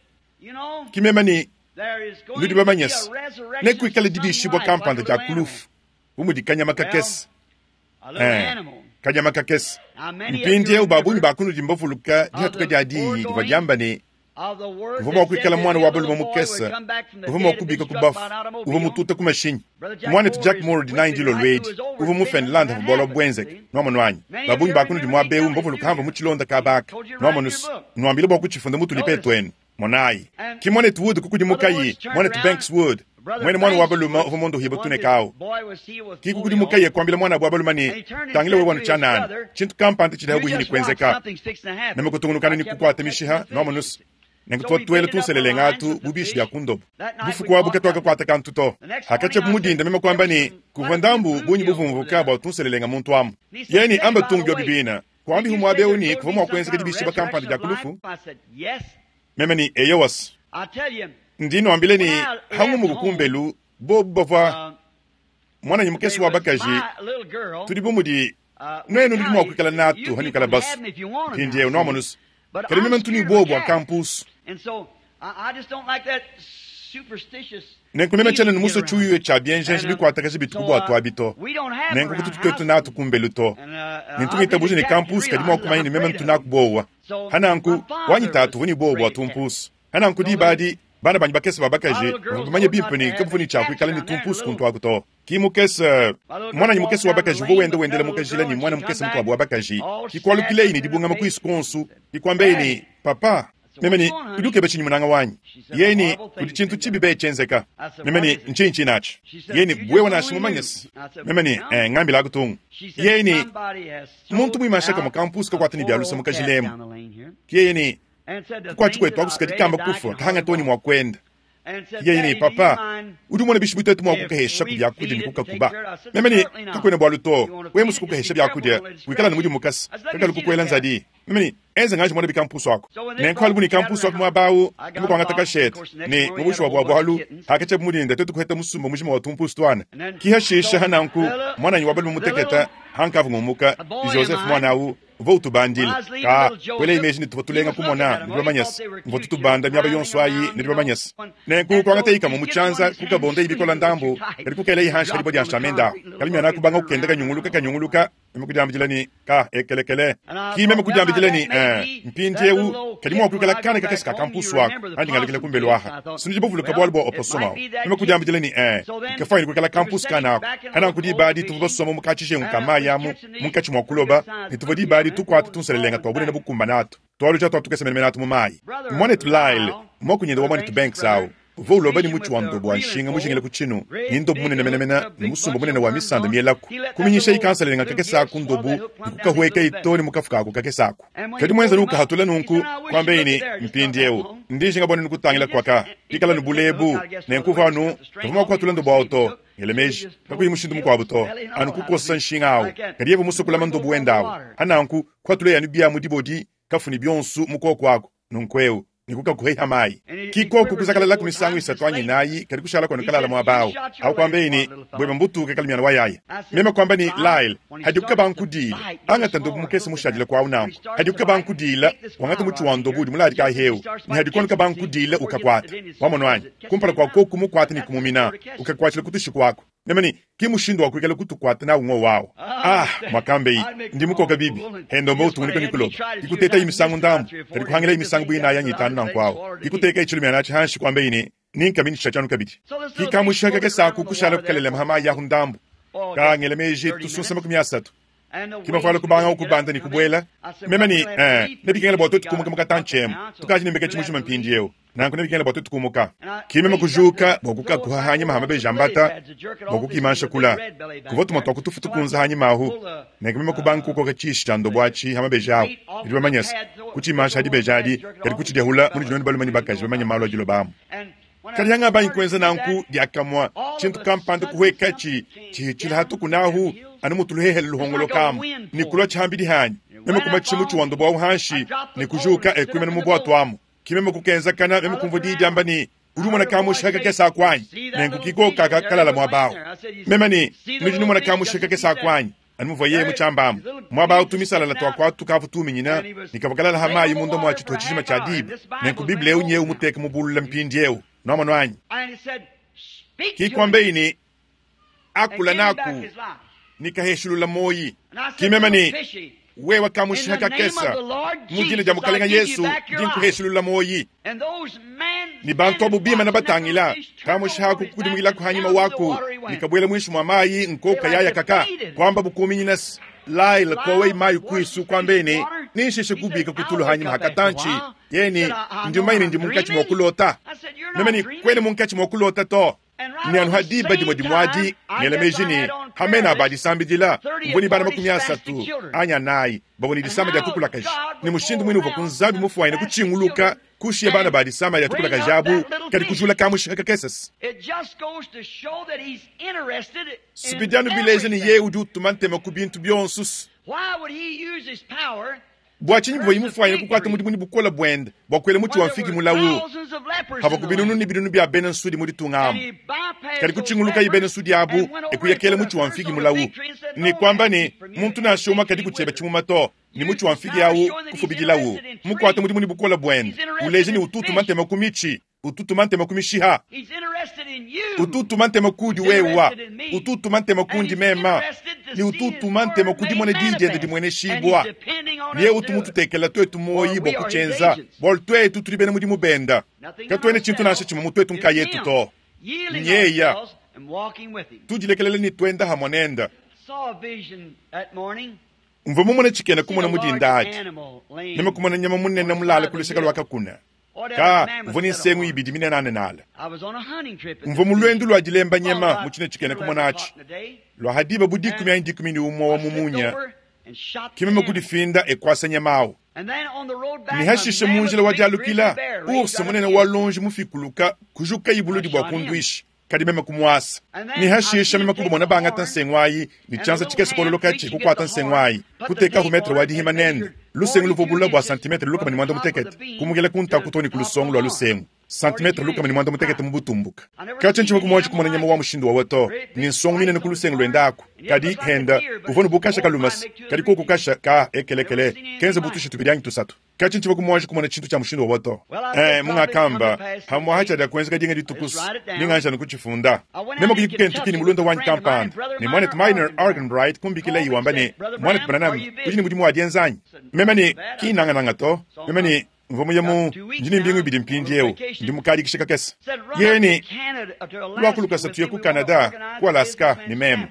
Ki meme ne, Nudi bamanye se, nekuikale dibiishibua kampanda dia ku lufu, bu mudi kanyama kakese. Eh, kanyama kakese. Mpindieu ba bungi ba kunudi mbavuluka dihatuka dia diyi divua diamba ne, uvua mua kuikala muana wa balume mukese uvua mua kubika ku bafu uvua mututa ku mashinyi. Muanetu Jack Moore dinayi dilolo edi uvua mu Finland havua bualu abu buenzeke. Nuamonu anyi? Ba bungi ba kunudi muaba eu mbavuluka hamvua mu tshilonda kaba aka. Nuamonu se, nuambile bua kutshifunda mu tulipe tuenu. Monayi, ki muanetu Wood kukudimukayi, muanetu Banks Wood, muena muana wa balume uvua muondohibue tuneka au. Ki kukudimukaye kuambila muanabu wa balume ne, Tangila wewe anu tshianana, tshintu kampanda tshidi pabuipi ne kuenzeka. Meme kutungunukanu ne kukuata mishiha, nuamonu se, nenku tuvua tuela tunselelenga atu bu bishi bia ku ndobo. Bufuku abu katuakakuata kantu to. Hakatshia mu dinda meme kuamba ne, kuvua ndambu bungi buvumvuka bua tunselelenga muntu amu. Yeye ne, Amba tung biobi bina. Kuambihu muaba eu ne kuvua mua kuenzeka dibishibua kampanda dia ku lufu? Meme ne, Eyowa. Ndi nuambila ne, hangumuka kumbelu, bobu bavua muananyi mukese wa bakaji, tudi bu mudi nuenu nudi mua kuikala natu hanuikala basu. Mpindieu nuamonu se, kadi meme ntu ne buowa bua kampusu. Nenku meme tshiena ne musue tshiuyuya tshia bienjenje bikuatakaja bitu ku buatu abi to. Nenku kututu tuetu natu kumbelu to. Ne ntu ngitabuja ne kampusu kadi mua kumanya ne meme ntu naku buowa. Hananku, wanyi tatu uvua ne buowa bua tumpusu. Hananku diba adi, bana banyi bakese ba bakaji bavua bamanye bimpe ne kabavua ne tshia kuikala ne tumpusu kuntu aku to. Ki mukese, muananyi mukese wa bakaji uvua wenda wendela mu kajila ne muana mukese mukuabu wa bakaji, ki kualukileyi ne dibungama kuisu kuonso, ki kuambeyi ne, Papa, Meme ne, Udi ukeba tshinyi munanga wanyi? Yeye ne, Kudi tshintu tshibi be tshienzeka. Meme ne, Ntshinyi tshinatshi? Yeye ne, Wewe nansha mumanye se. Meme ne, Eh, ngambilaku tungu. Yeye ne, Muntu muimansha kamue kampusu kakuata ne bia luse mu kajila emu. Yeye ne, Kukuatshi kuetu aku sikadi kamba kufua, kahanga too ne mua kuenda. Yeye ne, Papa, udi umona bishi bu tuetu mua kukaheshaku biakudia ne kukakuba? Meme ne, Kakuena bualu to. Wewe musue kukahesha biakudia, wikala ne mudimu mukese, kakalu kukuela nzadi. Meme ne, Enza ngaji muana bikampusu aku. Nenku alu bu ne kampusu aku muaba au, meme kuangata kashete, ne mu bushuwa bua bualu, hakatshia mu dinda tuetu kuheta musumba mujima wa tumpusu tuana. Ki hashisha ha nanku, muananyi wa balume muteketa, hankavua ngumuka, Joseph muana au, uvua utubandila. Ka, kuelayi meji ne tuvua tulenga kumona, nudi bamanye se, mvua tutubanda miaba yonso ayi, nudi bamanye se. Nenku kuangatayi kamue mu tshianza, kukabondayi bikola ndambu, kadi kukelayi hanshi ha dibue dia nshamenda ahu. Kalimiana kubanga kukenda kanyunguluka kanyunguluka, meme kudiambidila ne, Ka, ekelekele. Ki meme kudiambidila ne, Eh, mpindiewu, kadi mua kuikala kana kakese ka kampusu aku, andi ngalukila kumbelu aha. Sinudi bavuluka bualu bua opossum awu. Meme kudiambidila ne, Eh, nkafuanyine kuikala kampusu kana aku. Hananku diba adi tuvua basomba mu katshijengu ka mayi amu, munkatshi mua kuloba, ne tuvua diba adi tukuata tunselelenga tua bunene bukumbane atu, tualuja tua tukese menemene atu mu mayi. Muanetu Lyle, muakunyende wa muanetu Banks awu. Uvua uloba ne mutshi wa ndobo wa nshinga mujingila ku tshinu, ne ndobo munene menemene ne musumba munene wa misanda mielaku. Kuminyishayi kansalenga kakese aku ndobu ne kukahuekayi too ne mu kafuka aku kakese aku. Kadi muenza nukahatula nunku, kuambeyi ne, Mpindieu, ndi njinga bua nukutangila kuaka, pikala nu bulebu, nenku uvua anu kavua mua kuhatula ndobo awu to. Ngela meji, kakuyi mushindu mukuabu to, anu kukosa nshinga awu. Kadi yeye musue kulama ndobo wende awu. Pananku, kuhatulaye anu bia mu dibodi, kafu ne bionsu mu koku aku. Nunku'eu, ne kukakuheha mayi. Ki koku kuzakalalaku misangu isatu anyi inayi, kadi kushala kuenu kalala muaba awu. Awu kuambeyi ne, Bueba mbutuke kalumiana wa yaya. Meme kuamba ne, Lyle, hadiku kabankudiila, angata ndobu mukese mushadile kuawu nanku. Hadiku kabankudiila, wangata mutshi wa ndobu udi muladika ahewu, ne hadiku anu kabankudiila ukakuata. Wamonu anyi? Kumpala kua koku kumukuata ne kumumina, ukakuatshila ku tushiku aku. Meme ne, Ki mushindu wa kuikala kutukuata nawu ngowu awu. Ah, muakambeyi, ndi mukoka bibi. Hendomba utungunuka ne kuloba. Kikutetayi misangu ndambu, kadi kuhangilayi misangu bu inayi anyi itanu nanku awu. Kikutekayi tshilumiana atshi hanshi, kuambeyi ne, Ninkamini tshisha tshianu kabidi. Kikamusha kakese aku kushala kukalelema ha mayi ahu ndambu. Ka ngela meji tusunsa 30. Ki mavuala kubangawu kubanda ne kubuela. Meme ne, Ee, nebikengela bua tuetu kumuka mu katantshi emu. Tukaji ne mbeketshi mujima mpindieu. Nanku nebikengela bua tuetu kumuka. Ki meme kujuka bua kukakuha hanyima ha mabeji a mbata bua kukimansha kula. Kuvua tumue tua ku tufu tukunza hanyima ahu. Nenku meme kubanga kukoka tshishi tshia ndobo atshi ha mabeji ahu. Nudi bamanye se, kutshimansha ha dibeji adi, kadi kutshidiahula munudi nuenu balume ne bakaji bamanye malu a diloba amu. Kadi hangabangi kuenza nanku, diakamue tshintu kampanda kuhuekatshi tshihitshila hatuku nahu, anu mutu luhehele luhongolokamu ne kulua tshiambidi hanyi. Meme kumatshisha mutshi wa ndobo au hanshi ne kujuka e kuimana mu buatu amu. Ki meme kukenzakana, meme kumvua diyi diamba ne, Udi umona kamusha kakese aku anyi? Nenku ki koka kakalala muaba au. Meme ne, Nudi numona kamusha kakese aku anyi? Anu muvua yeye mutshiamba amu. Muaba au tumisalala tua kuatu kavua tuminyina ne kavua kalala ha mayi munda mua tshituha tshijima tshia diba. Nenku Bible eu nyewu muteka mubulula mpindieu. Nuamonu anyi? Ki kuambeyi ne, Akula naku ne kaheshilula muoyi. Ki meme ne, Wewe kamushiha kakesa, mu dina dia Mukalenga Yesu ndi nkuheshilula muoyi. Ne bantu abu bimana batangila, kamushiha aku kukudimukilaku hanyima waku ne kabuela muinshi mua mayi nkoka yaya kaka, kuamba bukuminyina se, Lyle kowei mayi kuisu kuambeye ne, Ninshishe kubika ku tulu hanyima ha katantshi. Yeye ne, Ndi mumanye ne ndi munkatshi mua kulota. Meme ne, Kuena munkatshi mua kulota to. Ne anu ha diba dimue dimue adi, ngela meji ne, ha mena a ba disambidila, mvua ne bana 30 anyi anayi bavua ne disama dia tukulakaji, ne mushindu muine uvua ku Nzambi mufuanyine kutshinguluka kushiya bana ba disama dia tukulakaji abu, kadi kujula kamushinga kakese. Bidi anu bileja ne yeye udi utuma ntema ku bintu bionso. Bua tshinyi bivua bimufuanyine kukuata mudimu ne bukole buende bua kuela mutshi wa mfigi mulawu? Pavuaku binunu ne binunu bia bena nsudi mu ditunga amu. Kadi kutshingulukaye bena nsudi abu e kuya kela mutshi wa mfigi mulawu ne kuamba ne, Muntu nansha umue kadi ku tshiebe tshimuma to. Ne mutshi wa mfigi au kufubidilawu. Mukuate mudimu ne bukole buende, uleja ne, utu utuma ntema ku mitshi. Utu utuma ntema ku mishiha. Utu utuma ntema kudi wewa. Utu utuma ntema kundi mema. Ne utu utuma ntema ku dimona diyi diende dimueneshibua. Ne yeye utu mututekela tuetu muoyi bua kutshienza, bualu tuetu tudi bena mudimu benda. Katuena tshintu nansha tshimue mu tuetu nkayetu to. Nyeya. Tudilekelele ne tuenda hamue nenda. Mvua mumone tshikena kumona mu dinda adi. Meme kumona nyama munene mulale ku luseke lua kakuna. Ka uvua ne nsengu ibidi minenanenale. Mvua mu luendu lua dilemba nyama mu tshine tshikena kumona atshi. Lua ha diba bu dikumi anyi 11 wa mu munya, ke meme kudifinda e kuasa nyama au. Ne hashishe mu njila wa dialukila, ours munene wa luonji mufikuluka kujukayi buludi bua kunduisha. Kadi meme kumuasa. Ne hashisha meme kubamona bangata nsengu ayi ne tshianza tshikese kololokatshi kukuata nsengu ayi, kutekahu metre wa dihima nende, lusengu luvua bule bua santimetre 160, kumukila ku ntaku too ne ku lusongo lua lusengu, santimetre 160 mu butumbuka. Katshia ntshivua kumuanji kumona nyama wa mushindu wawa to, ne nsongo minene ku lusengu luende aku. Kadi henda uvua ne bu kasha kalumase, kadi koku kasha ka ekelekele kenza bu tusha tubidi anyi tusatu. Katshi ntshivua kumuanji kumona tshintu tshia mushindu wawa to. Eh, mungakamba, pamu'apa tshiadiakuenzeka dinga dituku, ninganji anu kutshifunda. Meme kuyi ku Kentucky ne mulunda wanyi kampanda, ne muanetu Miner Arganbright kumbikilaye wamba ne, Muanetu Branham, udi ne mudimu wa dienza anyi? Meme ne, Ki nangananga to. Meme ne, Mvua muye mu, ndi ne mbingu ibidi mpindieu, ndi mu kadikisha kakese. Yeye ne, Luaku lukasa tuye ku Canada, ku Alaska, ne meme.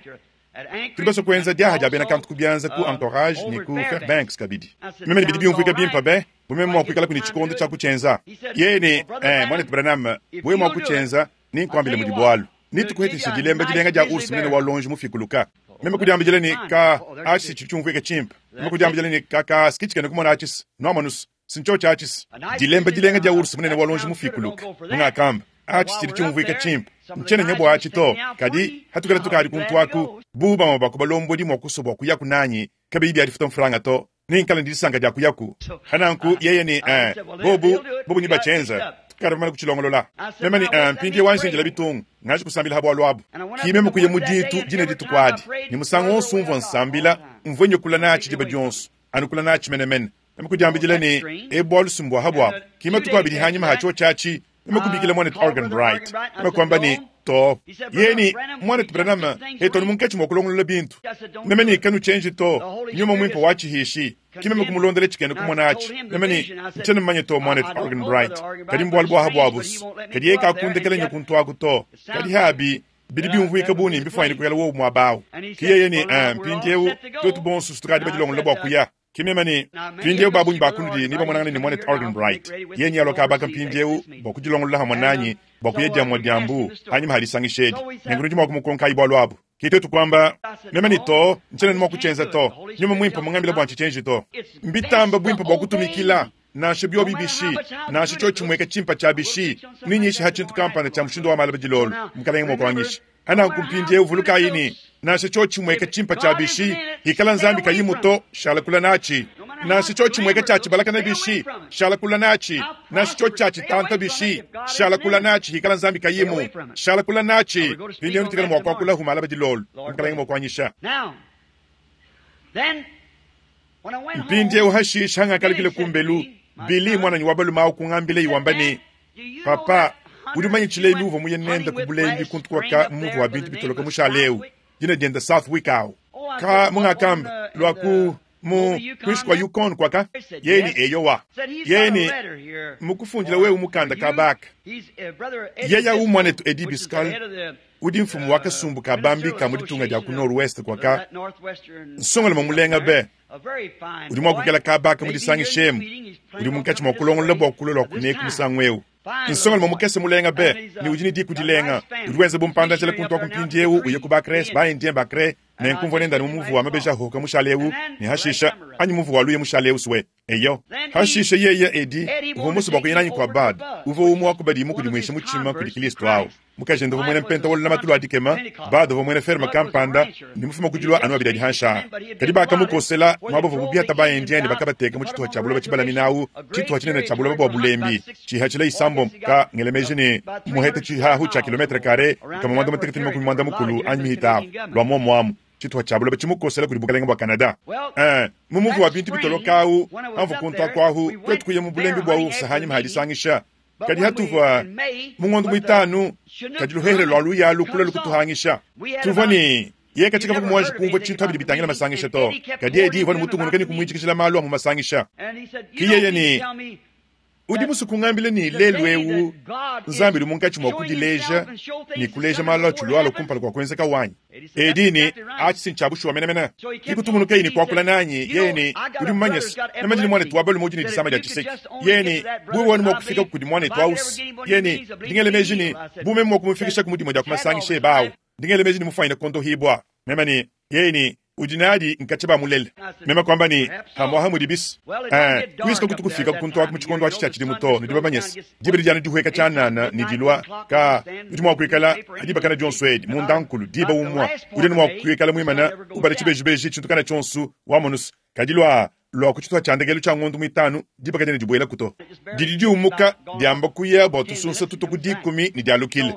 Tudi basue kuenza diaha dia bena kantu ku bianza ku Anchorage ne ku Fairbanks kabidi. Meme ne bidi biumvuika bimpe be, bu meme mua kuikalaku ne tshikondo tshia kutshienza. Yeye ne, Eh, Muanetu Branham, bu wewe mua kutshienza, nenkuambile mudi bualu. Netukuheteshe dilemba dilenga dia ours munene wa luonji mufikuluka. Meme kudiambidila ne, Ka, atshi si tshidi tshiumvuika tshimpe. Meme kudiambidila ne, Ka, ka, si tshikena kumona atshi si. Nuamonus, si ntshiotshi atshi si. Dilemba dilenga dia ours munene wa luonji mufikuluka. Mungakamba, Atshi tshidi tshiumvuika tshimpe. Ntshiena nya bua atshi to. Kadi, hatukala tukadi kuntu aku, bu bamue ba ku balombodi mua kusua bua kuyaku nanyi, kabiyi bia difuta mfranga to, nenkale ne disanka dia kuyaku. Pananku yeye ne, Eh, bobu, bobu nebatshienze. Tukadi bamane kutshilongolola. Meme ne, Eh, mpindieu anji ndila bitungu, nganji kusambila ha bualu abu. Ki meme kuya mu ditu dine dituku adi, ne musangu wonso umvua nsambila, mvua nyukula natshi diba dionso, anu kula natshi menemene. Meme kudiambidila ne, Ebu bualu si mbua ha buabu. Ki matuku abidi hanyima ha tshiotshi atshi, meme kubikila muanetu Organ Bright. Meme kuamba ne, To. Yeye ne, Muanetu Branham, etu anu munkatshi mua kulongolola bintu. Meme ne, Kanutshienji to. Nyuma Muimpe watshihishi. Ki meme kumulondela tshikena kumona atshi. Meme ne, Ntshiena mumanye to, muanetu Organ Bright. Kadi mbualu bua ha buabu's. Kadi yeye kakundekela nya kuntu aku to. Kadi habi, bidi biumvuika bu ne mbifuanyine kuikala wowu muaba au. Ki yeye ne, Eh, mpindieu, tuetu bonso tukadi badilongolola bua kuya. Ki meme ne, mpindieu ba bungi ba kunudi nebamonangane ne muanetu Organ Bright. Yeye nealua kaba aka mpindieu bua kudilongolola hamue nanyi bua kuya diamua dia mbu hanyima ha disangisha edi. Nenku nudi mua kumukonkayi bualu abu. Ke tuetu kuamba, meme ne, To, ntshiena ne mua kutshienza to. Nyuma Muimpe mmungambile bua ntshitshienji to. Mbitamba buimpe bua kutumikila, nansha biobi bishi, nansha tshiotshi tshimueka tshimpe tshia bishi. Nenyishe ha tshintu kampanda tshia mushindu wa malaba dilolo, Mukalenge mua kuanyisha. Hananku mpindieu vulukayi ne, nansha tshiotshi tshimueka tshimpe tshia bishi, hikala Nzambi kayimu to, shala kula natshi. Nansha tshiotshi tshimueka tshia tshibalakana bishi, shala kula natshi. Nansha tshiotshi tshia tshitanta bishi, shala kula natshi. Hikala Nzambi kayimu, shala kula natshi. Mpindieu nutikale mua kuakulahu malaba dilolo, Mukalenge mua kuanyisha. Mpindieu hashisha hangakalukila kumbelu, Billy muananyi wa balume au kungambila wamba ne, Papa, udi mumanye tshilembi uvua muye nende ku bulembi kuntu kuaka mu muvu wa bintu bitoloka mushale eu, dina diende Southwick au. Ka mungakamba lua ku mu kuinshi kua Yukon kuaka? Yeye ne eyowa. Yeye ne mukufundila wewe mukanda ka baka. Yeye au muanetu Eddie Byskal udi mfumu wa kasumbu ka bambi ka mu ditunga dia ku Nord-Ouest kuaka, nsongalume mulenga be. Udi mua kuikala kaba aka mu disangisha emu. Udi munkatshi mua kulongolola bua kulua lua kuneku musangu eu. Nsongalume mukese mulenga be, ne udi ne diku dilenga. Udi wenza bumpanda-njila kuntu aku mpindieu, uya ku ba-Cres, ba-Indien ba-Cre, nenku mvua nende anu mu muvu wa mabeji ahuhuka mushale eu, ne hashisha, anyi muvu wa luya mushale eu sue. Eyo. Hashisha yeye, Eddie, uvua musue bua kuya nanyi kua Bud, uvua umue wa ku badi mukudimuisha mutshima kudi Kilisto au. Mukajende uvua muena mpenta wa lulamatu lua dikema, Bud uvua muena ferme kampanda ne mufume ku dilua anu abidi adi hanshi aa. Kadi bakamukosela muaba uvuabu biata ba-Indien ne bakabateka mu tshituha tshia buloba tshibalamina au, tshituha tshinene tshia buloba bua bulembi, tshihatshila isambombo ka ngela meji ne muheta tshihahu tshia kilometre kare 160 anyi mihita ahu lua muomu amu. Tshituha tshia buloba tshimukosela kudi bukalenge bua Canada. Ee, mu muvu wa bintu bitoloka au, hamvua kuntu aku ahu, tuetu kuya mu bulembi bua ours hanyima ha disangisha. Kadi hatuvua mu ngondo muitanu, kadi luhehele lua luya lukula lukutuhangisha. Tuvua ne yeye katshikavua muanji kumvua tshintu abidi bitangila masangisha to, kadi Eddie uvua ne mutungunuke ne kumuitshikijila malu a mu masangisha. Ki yeye ne, Udi musue kungambila ne, lelu eu Nzambi udi munkatshi mua kudileja ne kuleja malu atshilualua kumpala kua kuenzeka wanyi? Eddie ne, Atshi si ntshia bushuwa menemene. Ke kutungunukaye ne kuakula nanyi, yeye ne, Udi mumanye se, meme ndi ne muanetu wa balume udi ne disama dia tshiseki. Yeye ne, Bu wewe anu mua kufika kudi muanetu au se. Yeye ne, Ndi ngela meji ne, bu meme mua kumufikishaku mu dimue dia ku masangisha ebe au, ndi ngela meji ne mufuanyine kuondohibua. Meme ne, Yeye ne, Udi nadi nkatshia bamulele. Meme kuamba ne, Pamuaha mudi bis. Ee, kuisu kakutu kufika kuntu aku mu tshikondo atshi tshia tshidimu to, nudi bamanye se, diba didi anu dihueka tshianana ne dilua. Ka, udi mua kuikala, ha diba kana dionso edi, mundankulu, diba umua, udi anu mua kuikala muimana, ubala tshibejibeji, tshintu kana tshionso, wamonu se, kadi lua, lua ku tshituha tshia ndekelu tshia ngondo muitanu, diba kadiena dibuelaku to. Didi diumuka, diamba kuya bua tusunsa tutua ku dikumi ne dialukila.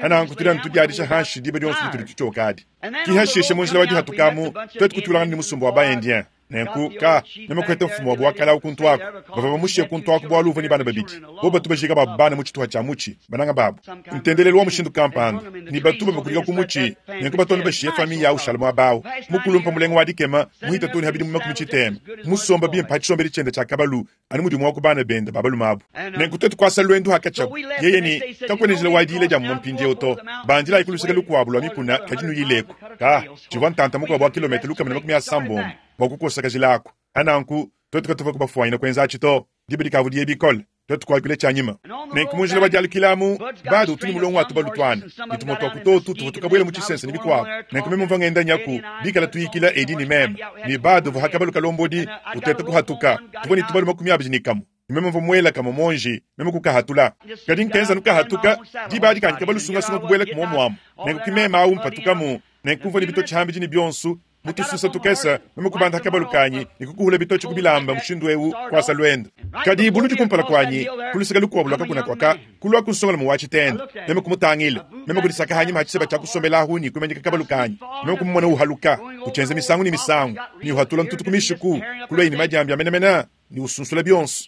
Hananku tudi anu tudiadisha hanshi diba dionso ditudi tutshioka adi. Ki hashishe mu njila wa dihatukamu, tuetu kutuilangana ne musumba wa ba-Indien. Nenku, ka, meme kuheta mfumu wabu wa kale awu kuntu aku. Bavua bamushiye kuntu aku bualu uvua ne bana babidi. Bobu batu bajiika babu bana mu tshituha tshia mutshi, bananga babu. Ntendelelu wa mushindu kampanda, ne batu babakulika ku mutshi, nenku batu anu bashiye famiye awu ushala muaba awu. Mukulumpa mulenga wa dikema, muhita too ne ha bidimu makumi tshitema, musomba bimpe ha tshisombedi tshiende tshia kabalu, anu mudi umue wa ku bana bende ba balume abu. Nenku tuetu kuasa luendu hakatshiabu, yeye ne, Kakuena njila wa diyila dia mumue mpindieu to. Bandilayi ku luseke lukuabu lua mikuna, kadi nuyileku. Ka, tshivua ntanta mukuabu wa kilometre 130 bua kukosa kajila aku. Pa nanku, tuetu katuvua kubafuanyina kuenza atshi to. Diba dikavua diye bikole, tuetu kuakula tshianyima. Nenku mu njila wa dialukila amu, Bud utu ne mulongo wa tubalu tuana, ne tumue tua ku totu tuvua tukabuela mu tshisense ne bikuabu. Nenku meme mvua ngenda nyaku, bikala tuyikila Eddie ne meme, ne Bud uvua ha kabalu kalombodi, uteta kuhatuka. Tuvua ne tubalu 21, ne meme mvua muela kamue muonji, meme kukahatula. Kadi nkenza anu kahatuka, diba adi kanyi kabalu sungasunga kubuela ku muomu amu. Nenku ki meme awu mpatukamu, nenku mvua ne bitotshi hambidi ne bionso, mu tususa tukese, meme kubanda kabalu kanyi ne kukuhula bitotshi ku bilamba mushindu eu kuasa luende. Kadi buludi kumpala kuanyi, ku luseke lukuabu lua kakuna kuaka, kulua ku nsongalume wa tshitende. Meme kumutangila, meme kudisaka hanyima ha tshiseba tshia kusombela ahu ne kumanyika kabalu kanyi. Meme kumumona uhaluka, utshienza misangu ne misangu, ne uhatula ntutu ku mishiku, kuluaye ne madiambi a menemene ne usunsula bionso.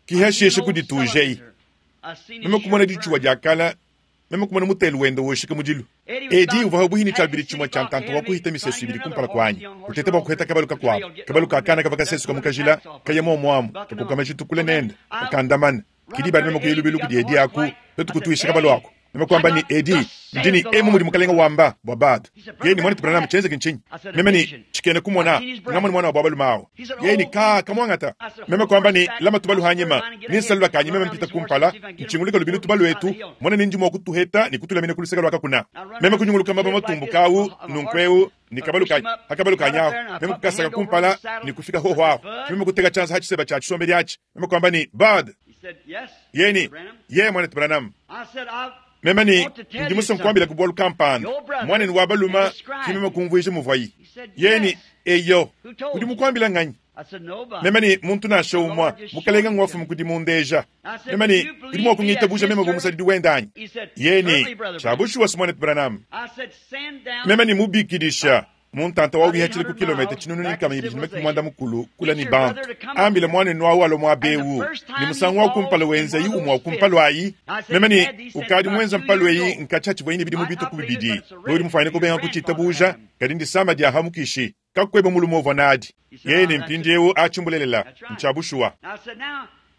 Kihashishe kuditujei. Meme kumona ditshuwa dia kala, meme kumona mutelu wende woshika mudilu. Eddie uvua pabuihi ne tshiabidi tshimue tshia ntanta wa kuhita misesu ibidi kumpala kuanyi, uteta bua kuheta kabalu kakuabu. Kabalu ka kana kavua kasesuka mu kajila, kaya muomu amu, kakoka majitu kule nende, kakandamana. Kidi badi meme kuya lubilu kudi Eddie aku, tuetu kutuisha kabalu aku. Meme kuamba ne, Eddie, ndi ne emu mudi mukalenge wamba bua Bud. Yeye ne, Muanetu Branham, tshienzeke ntshinyi? Meme ne, Tshikena kumona, ngamone muana wa balume awu. Yeye ne, Ka, kamuangata. Meme kuamba ne, Lama tubalu hanyima, ne nsalula kanyi meme mpita kumpala, ntshinguluka lubilu tubalu etu, mona ne ndi mua kutuheta ne kutulamina ku luseke lua kakuna. Meme kunyunguluka maba matumbuka awu, nunku eu ne kabalu kanyi, ha kabalu kanyi ahu, meme kukasaka kumpala ne kufika hoho ahu. Meme kuteka tshianza ha tshiseba tshia tshisombedi atshi, meme kuamba ne, Bud! Yeye ne, Ye, muanetu Branham. Meme ne, Ndi musue nkuambilaku bualu kampanda. Muanenu wa balume, ki meme kumvuija muvuayi. Yeye ne, Eyo. Udi mukuambila nganyi? Meme ne, Muntu nansha umue. Mukalenge ngwafuma kudi mundeja. Meme ne, Udi mua kungitabuja meme bu musadidi wende anyi? Yeye ne, Tshia bushuwa, Muanetu Branham. Meme ne mubikidisha mu ntanta wa wihatshile ku kilometre 1260 kula ne bantu. Ambila muanenu awu alua muaba eu, ne musangu wa kumpala wenzayi umue wa ku mpalu ayi. Meme ne, Ukadi muenza mpalu eyi nkatshia tshivuayi ne bidimu bitue ku bibidi. Wewe udi mufuanyine kubenga kutshitabuja, kadi ndisama dia ha mukishi. Kakueba mulume uvua nadi. Yeye ne, Mpindieu atshi mbulelela, ntshia bushuwa.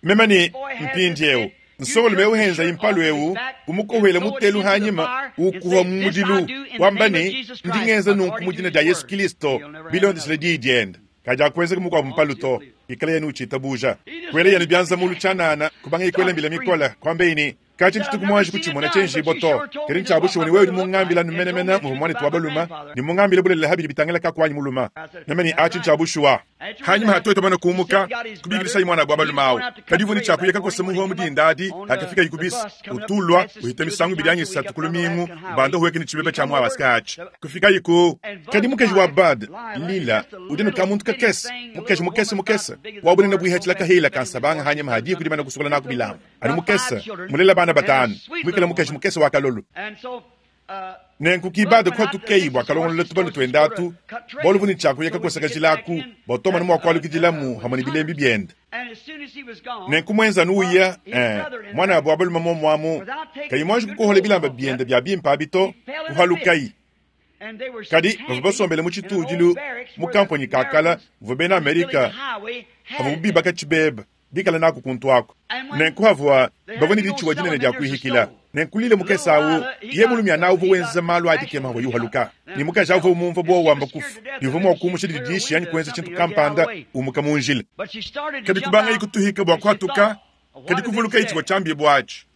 Meme ne, Mpindieu, nsongalume eu henzayi mpalu eu, umukohela mutelu hanyima, ukuha mu mudilu, wamba ne, Ndi ngenza nunku mu dina dia Yesu Kilisto, bilondeshile diyi diende. Kadiakuenzeka mukuabu mpalu to, ikala yenu utshitabuja. Kuela yenu bianza mulu tshianana, kubangayi kuela mbila mikole, kuambeyi ne, Katshia tshituku muanji kutshimona tshienjibua to, kadi ntshia bushuwa ne wewe udi mungambila anu menemene muvua muanetu wa balume ne mungambile bulelela ha bidi bitangila kakuanyi mulume. Meme ne, Atshi ntshia bushuwa. Hanyima ha tuetu bamane kumuka, kubikidishayi muanabu wa balume awu. Kadi uvua ne tshia kuya kakosa muhua mu dinda adi, hakafikayi ku bise, utulua, uhita misangu ibidi anyi isatu ku lumingu, ubanda uhueka ne tshibeba tshia mu Alaska atshi. Kufikayi ku. Kadi mukaji wa Bud, Lila, udi anu kamuntu kakese, mukaji mukese mukese, wa bunene buihatshila kahela ka nsabanga hanyima ha diku dimane kusukola naku bilamba. Anu mukese, mulela bana batanu, muikale mukaji mukese wa kalolu. Nenku kibade kuhatukeyi bua kalongolola tubalu tuende atu, bualu bu ne tshiakuya kakosa kajilaku bua tuamone mua kualukidilamu hamue ne bilembi biende. Nenku muenza anu uya, eh, muanabu wa balume muomuamu, kayi muanji kukohola bilamba biende bia bimpe abi to, kuhalukayi. Kadi bavua basombele mu tshitudilu mu kamponyi ka kala muvua bena Amerika bavua bibaka tshibeba bikala naku kuntu aku. Nenku havua bavua ne ditshuwa dinene dia kuihikila. Nenku lile mukese awu, ye mulumiana uvua wenza malu a dikema avua yuhaluka, ne mukaji awu uvua umumvua buowa wamba kufu, ne uvua mua kuumusha dididishi anyi kuenza tshintu kampanda umuka mu njila. Kadi kubangayi kutuhika bua kuhatuka, kadi kuvulukayi tshivua tshiambibua atshi.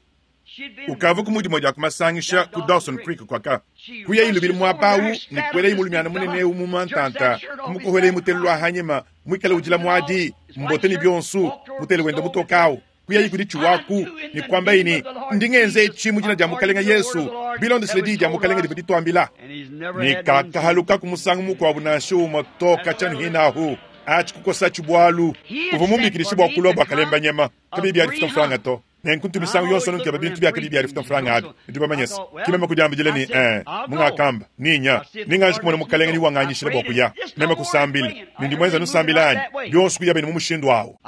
Ukavua ku mudimue dia ku masangisha ku Dawson Creek kuaka. Kuyayi lubilu muaba awu ne kuelayi mulumiana munene eu mu mantanta, kumukohelayi mutelu lua hanyima, muikale udila muadi, mbote ne bionso, mutele wenda mutoka awu. Kuyayi kudi tshiwaku ne kuambayi ne, Ndi ngenza etshi mu dina dia Mukalenge Yesu, bilondeshile diyi dia Mukalenge divua dituambila. Ne kakahalukaku musangu mukuabu nansha umue to katshia anu hinahu. Atshi kukosatshi bualu. Uvua mumbikidishe bua kulua bua kalemba nyama, kabiyi bia difuta mfranga to. Nenku ntu misangu yonso anu nkeba bintu bia kabiyi bia difuta mfranga abi. Nudi bamanye se, ki meme kudiambidila ne, Ee, mungakamba, Ninya, nenganji kumona Mukalenge ni wanganyishila bua kuya. Meme kusambila, ne ndi muenze anu nsambila anyi? Bionso kuya bene mu mushindu awu.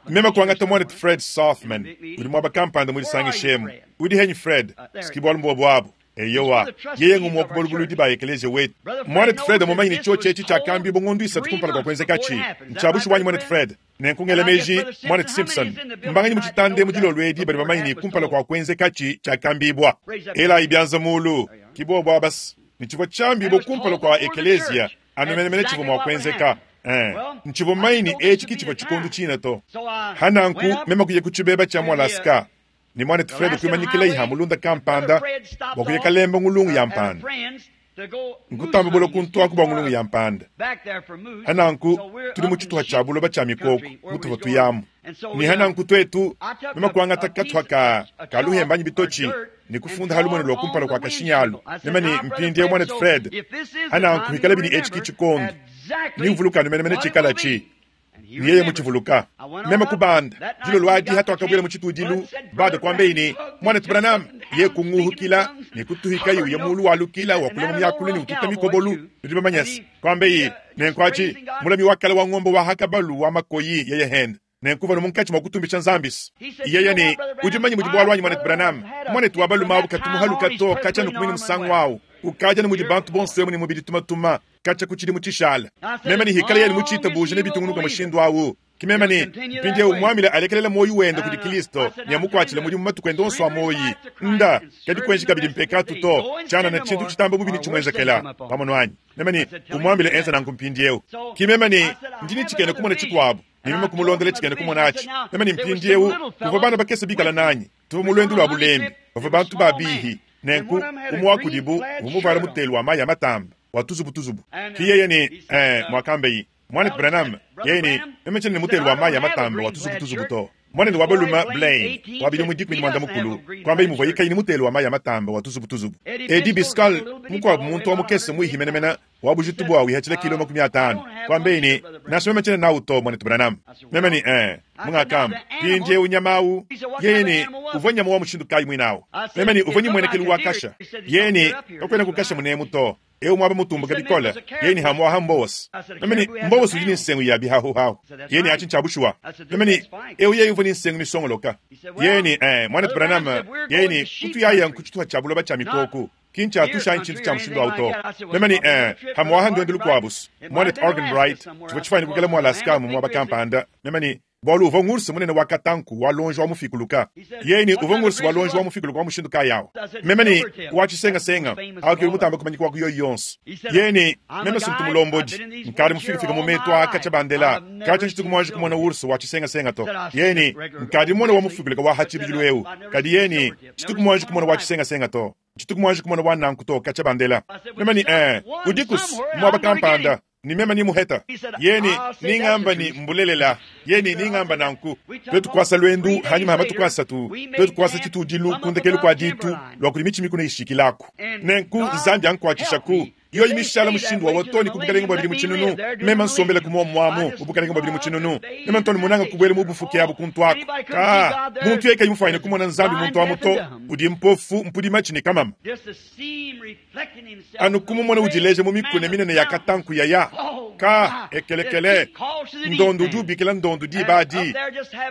Meme kuangata muanetu Fred Sothmann, udi muaba kampanda mu disangisha emu. Udi henyi, Fred? S'ki bualu mbuobu abu. Eyowa, yeye ng'umue wa ku balubuludi ba ekeleziya wetu. Muanetu Fred mmumanye ne, tshiotshi etshi tshiakambibua ngondo isatu kumpala kua kuenzekatshi. Ntshia bushuwa anyi, muanetu Fred? Nenku ngela meji, Muanetu Simpson, mbanganyi mu tshitanda emu dilolo edi badi bamanye ne kumpala kua kuenzekatshi tshiakambibua? Elayi bianza muulu. Ki bobu aba's. Ne tshivua tshiambibua kumpala kua ekeleziya, anu menemene tshivua mua kuenzeka. Ee, ntshivua mumanye ne etshi ki tshivua tshikondu tshine to. Ha nanku, meme kuya ku tshibeba tshia mu Alaska, ne Muanetu Fred kuimanyikilayi ha mulunda kampanda bua kuya kalemba ngulungu ya mpanda. Nkutamba bula kuntu aku bua ngulungu ya mpanda. Ha nanku tudi mu tshituha tshia buloba tshia mikoko mutuvua tuyamu. Ne ha nanku tuetu, meme kuangata katuha ka, ka luhemba anyi bitotshi ne kufunda ha lumonu lua kumpala kua kashinyi alu, meme ne, Mpindieu, Muanetu Fred, ha nanku hikalabi ne etshi ki tshikondo, ne uvuluka anu menemene tshikalatshi. Ne yeye mutshivuluka. Meme kubanda dilolo adi hatuakabuela mu tshitudilu, bade kuambeyi ne, Muanetu Branham, ye kunguhukila ne kutuhikayi uya mulu walukila wakula mu miakulu ne ututa mikobolu. Nudi bamanye se, kuambeyi nenku atshi, mulami wa kale wa ngombe wa hakabalu wa makoyi yeye hende. Nenku uvua munkatshi mua kutumbisha Nzambi se, yeye ne, Udi mumanye mudi bualu anyi, Muanetu Branham? Muanetu wa balume awu katu muhaluka to katshia nukumina musangu awu. Ukadi anu mudi bantu bonso emu ne mubidi tumatuma. Katshia ku tshidimu tshishala, meme ne hikala yeye mutshitabuje ne bitungunuka mushindu awu, ki meme ne, mpindiewu muambile alekelele muoyi wende kudi Kilisto ne amukuatshile mudimu matuku ende onso a muoyi. Nda, kadi kuenji kabidi mpekatu to, tshianana tshintu tshitamba bubi netshimuenzekela. Wamonu anyi? Meme ne, umuambile enze nanku mpindiewu. Ki meme ne, ndi ne tshikena kumona tshikuabu, ne meme kumulondela tshikena kumona atshi. Meme ne, mpindiewu, kuvua bana bakese bikala nanyi. Tuvua mu luendu lua bulembi, bavua bantu ba bihi. Nenku, umue wa kudibu uvua muvuale mutelu wa mayi a matamba wa tuzubu-tuzubu. Ki yeye ne, Ee, muakambeyi, Muanetu Branham, yeye ne, meme tshiena ne mutelu wa mayi a matamba wa tuzubu-tuzubu to. Muanende wa balume, Blaine, wa bidimu 18, kuambaye muvuaye kayi ne mutelu wa mayi a matamba wa tuzubu-tuzubu. Eddie Byskal, mukuabu muntu wa mukese muihi menemene, wa bujitu bua wihatshila kilo 50, kuambaye ne, Nansha meme tshiena nawu to, Muanetu Branham. Meme ne, Ee, mungakamba, mpindieu nyama awu. Yeye ne, Uvua nyama wa mushindu kayi muine awu? Meme ne, Uvua ne mmuenekelu wa kasha. Yeye ne, Kakuena kukasha munemu to. Eu muaba mutumbuke bikole. Yeye ne, Hamuaha mbowose. Meme ne, Mbowose udi ne nsengu ya bihahuhahu. Yeye ne, Atshi ntshia bushuwa. Meme ne, Eu yeye uvua ne nsengu misongoloka. Yeye ne, Ee, Muanetu Branham, yeye ne, kutuyaya nku tshituha tshia buloba tshia mikoku. Ki ntshiatusha anyi tshintu tshia mushindu awu to. Meme ne, Ee, hamuaha nduendu lukuabu's, Muanetu Arganbright, tshivua tshifuanyine kuikala mu Alaska mu muaba kampanda. Meme ne, Bualu uvua ngurse munene wa katanku wa luonji wa mufikuluka. Yeye ne, Uvua ngurse wa luonji wa mufikuluka wa mushindu kayi awu? Meme ne, Wa tshisengasenga. Awu ke udi mutambe kumanyika wa ku yoyi yonso. Yeye ne, Meme si ntu mulombodi. Nkadi mufikafika mu metu aa katshia bandela. Katshia ntshituku muanji kumona urse wa tshisengasenga to. Yeye ne, Nkadi mumone wa mufikuluka wa ha tshibidilu eu, kadi yeye ne, tshituku muanji kumona wa tshisengasenga to. Tshituku muanji kumona wa nanku to katshia bandela. Meme ne, Ee, udikus muaba kampanda, ne meme ni muheta. Yeye ne, Ningamba ne, Mbulelela. Yeye ne, Ningamba nanku. Tuetu kuasa luendu hanyima ha matuku asatu, tuetu kuasa tshitudilu ku ndekelu kua ditu lua kudi mitshi mikuna ishikilaku. Nenku Nzambi ankuatshishaku. Yoyi mishala mushindu wawa too ne ku bukalenge bua bidimu tshinunu, meme nsombelaku muomuamu mu bukalenge bua bidimu tshinunu. Meme ntu anu munanga kubuela mu bufuki abu kuntu aku. Kaa, muntu yeye kayi mufuanyine kumona Nzambi muntu amu to, udi mpofu, mpudi matshi ne kamama. Anu kumumona udileja mu mikuna minene ya katanku yaya. Kaa, ekelekele, ndondu udi ubikila ndondu diba adi,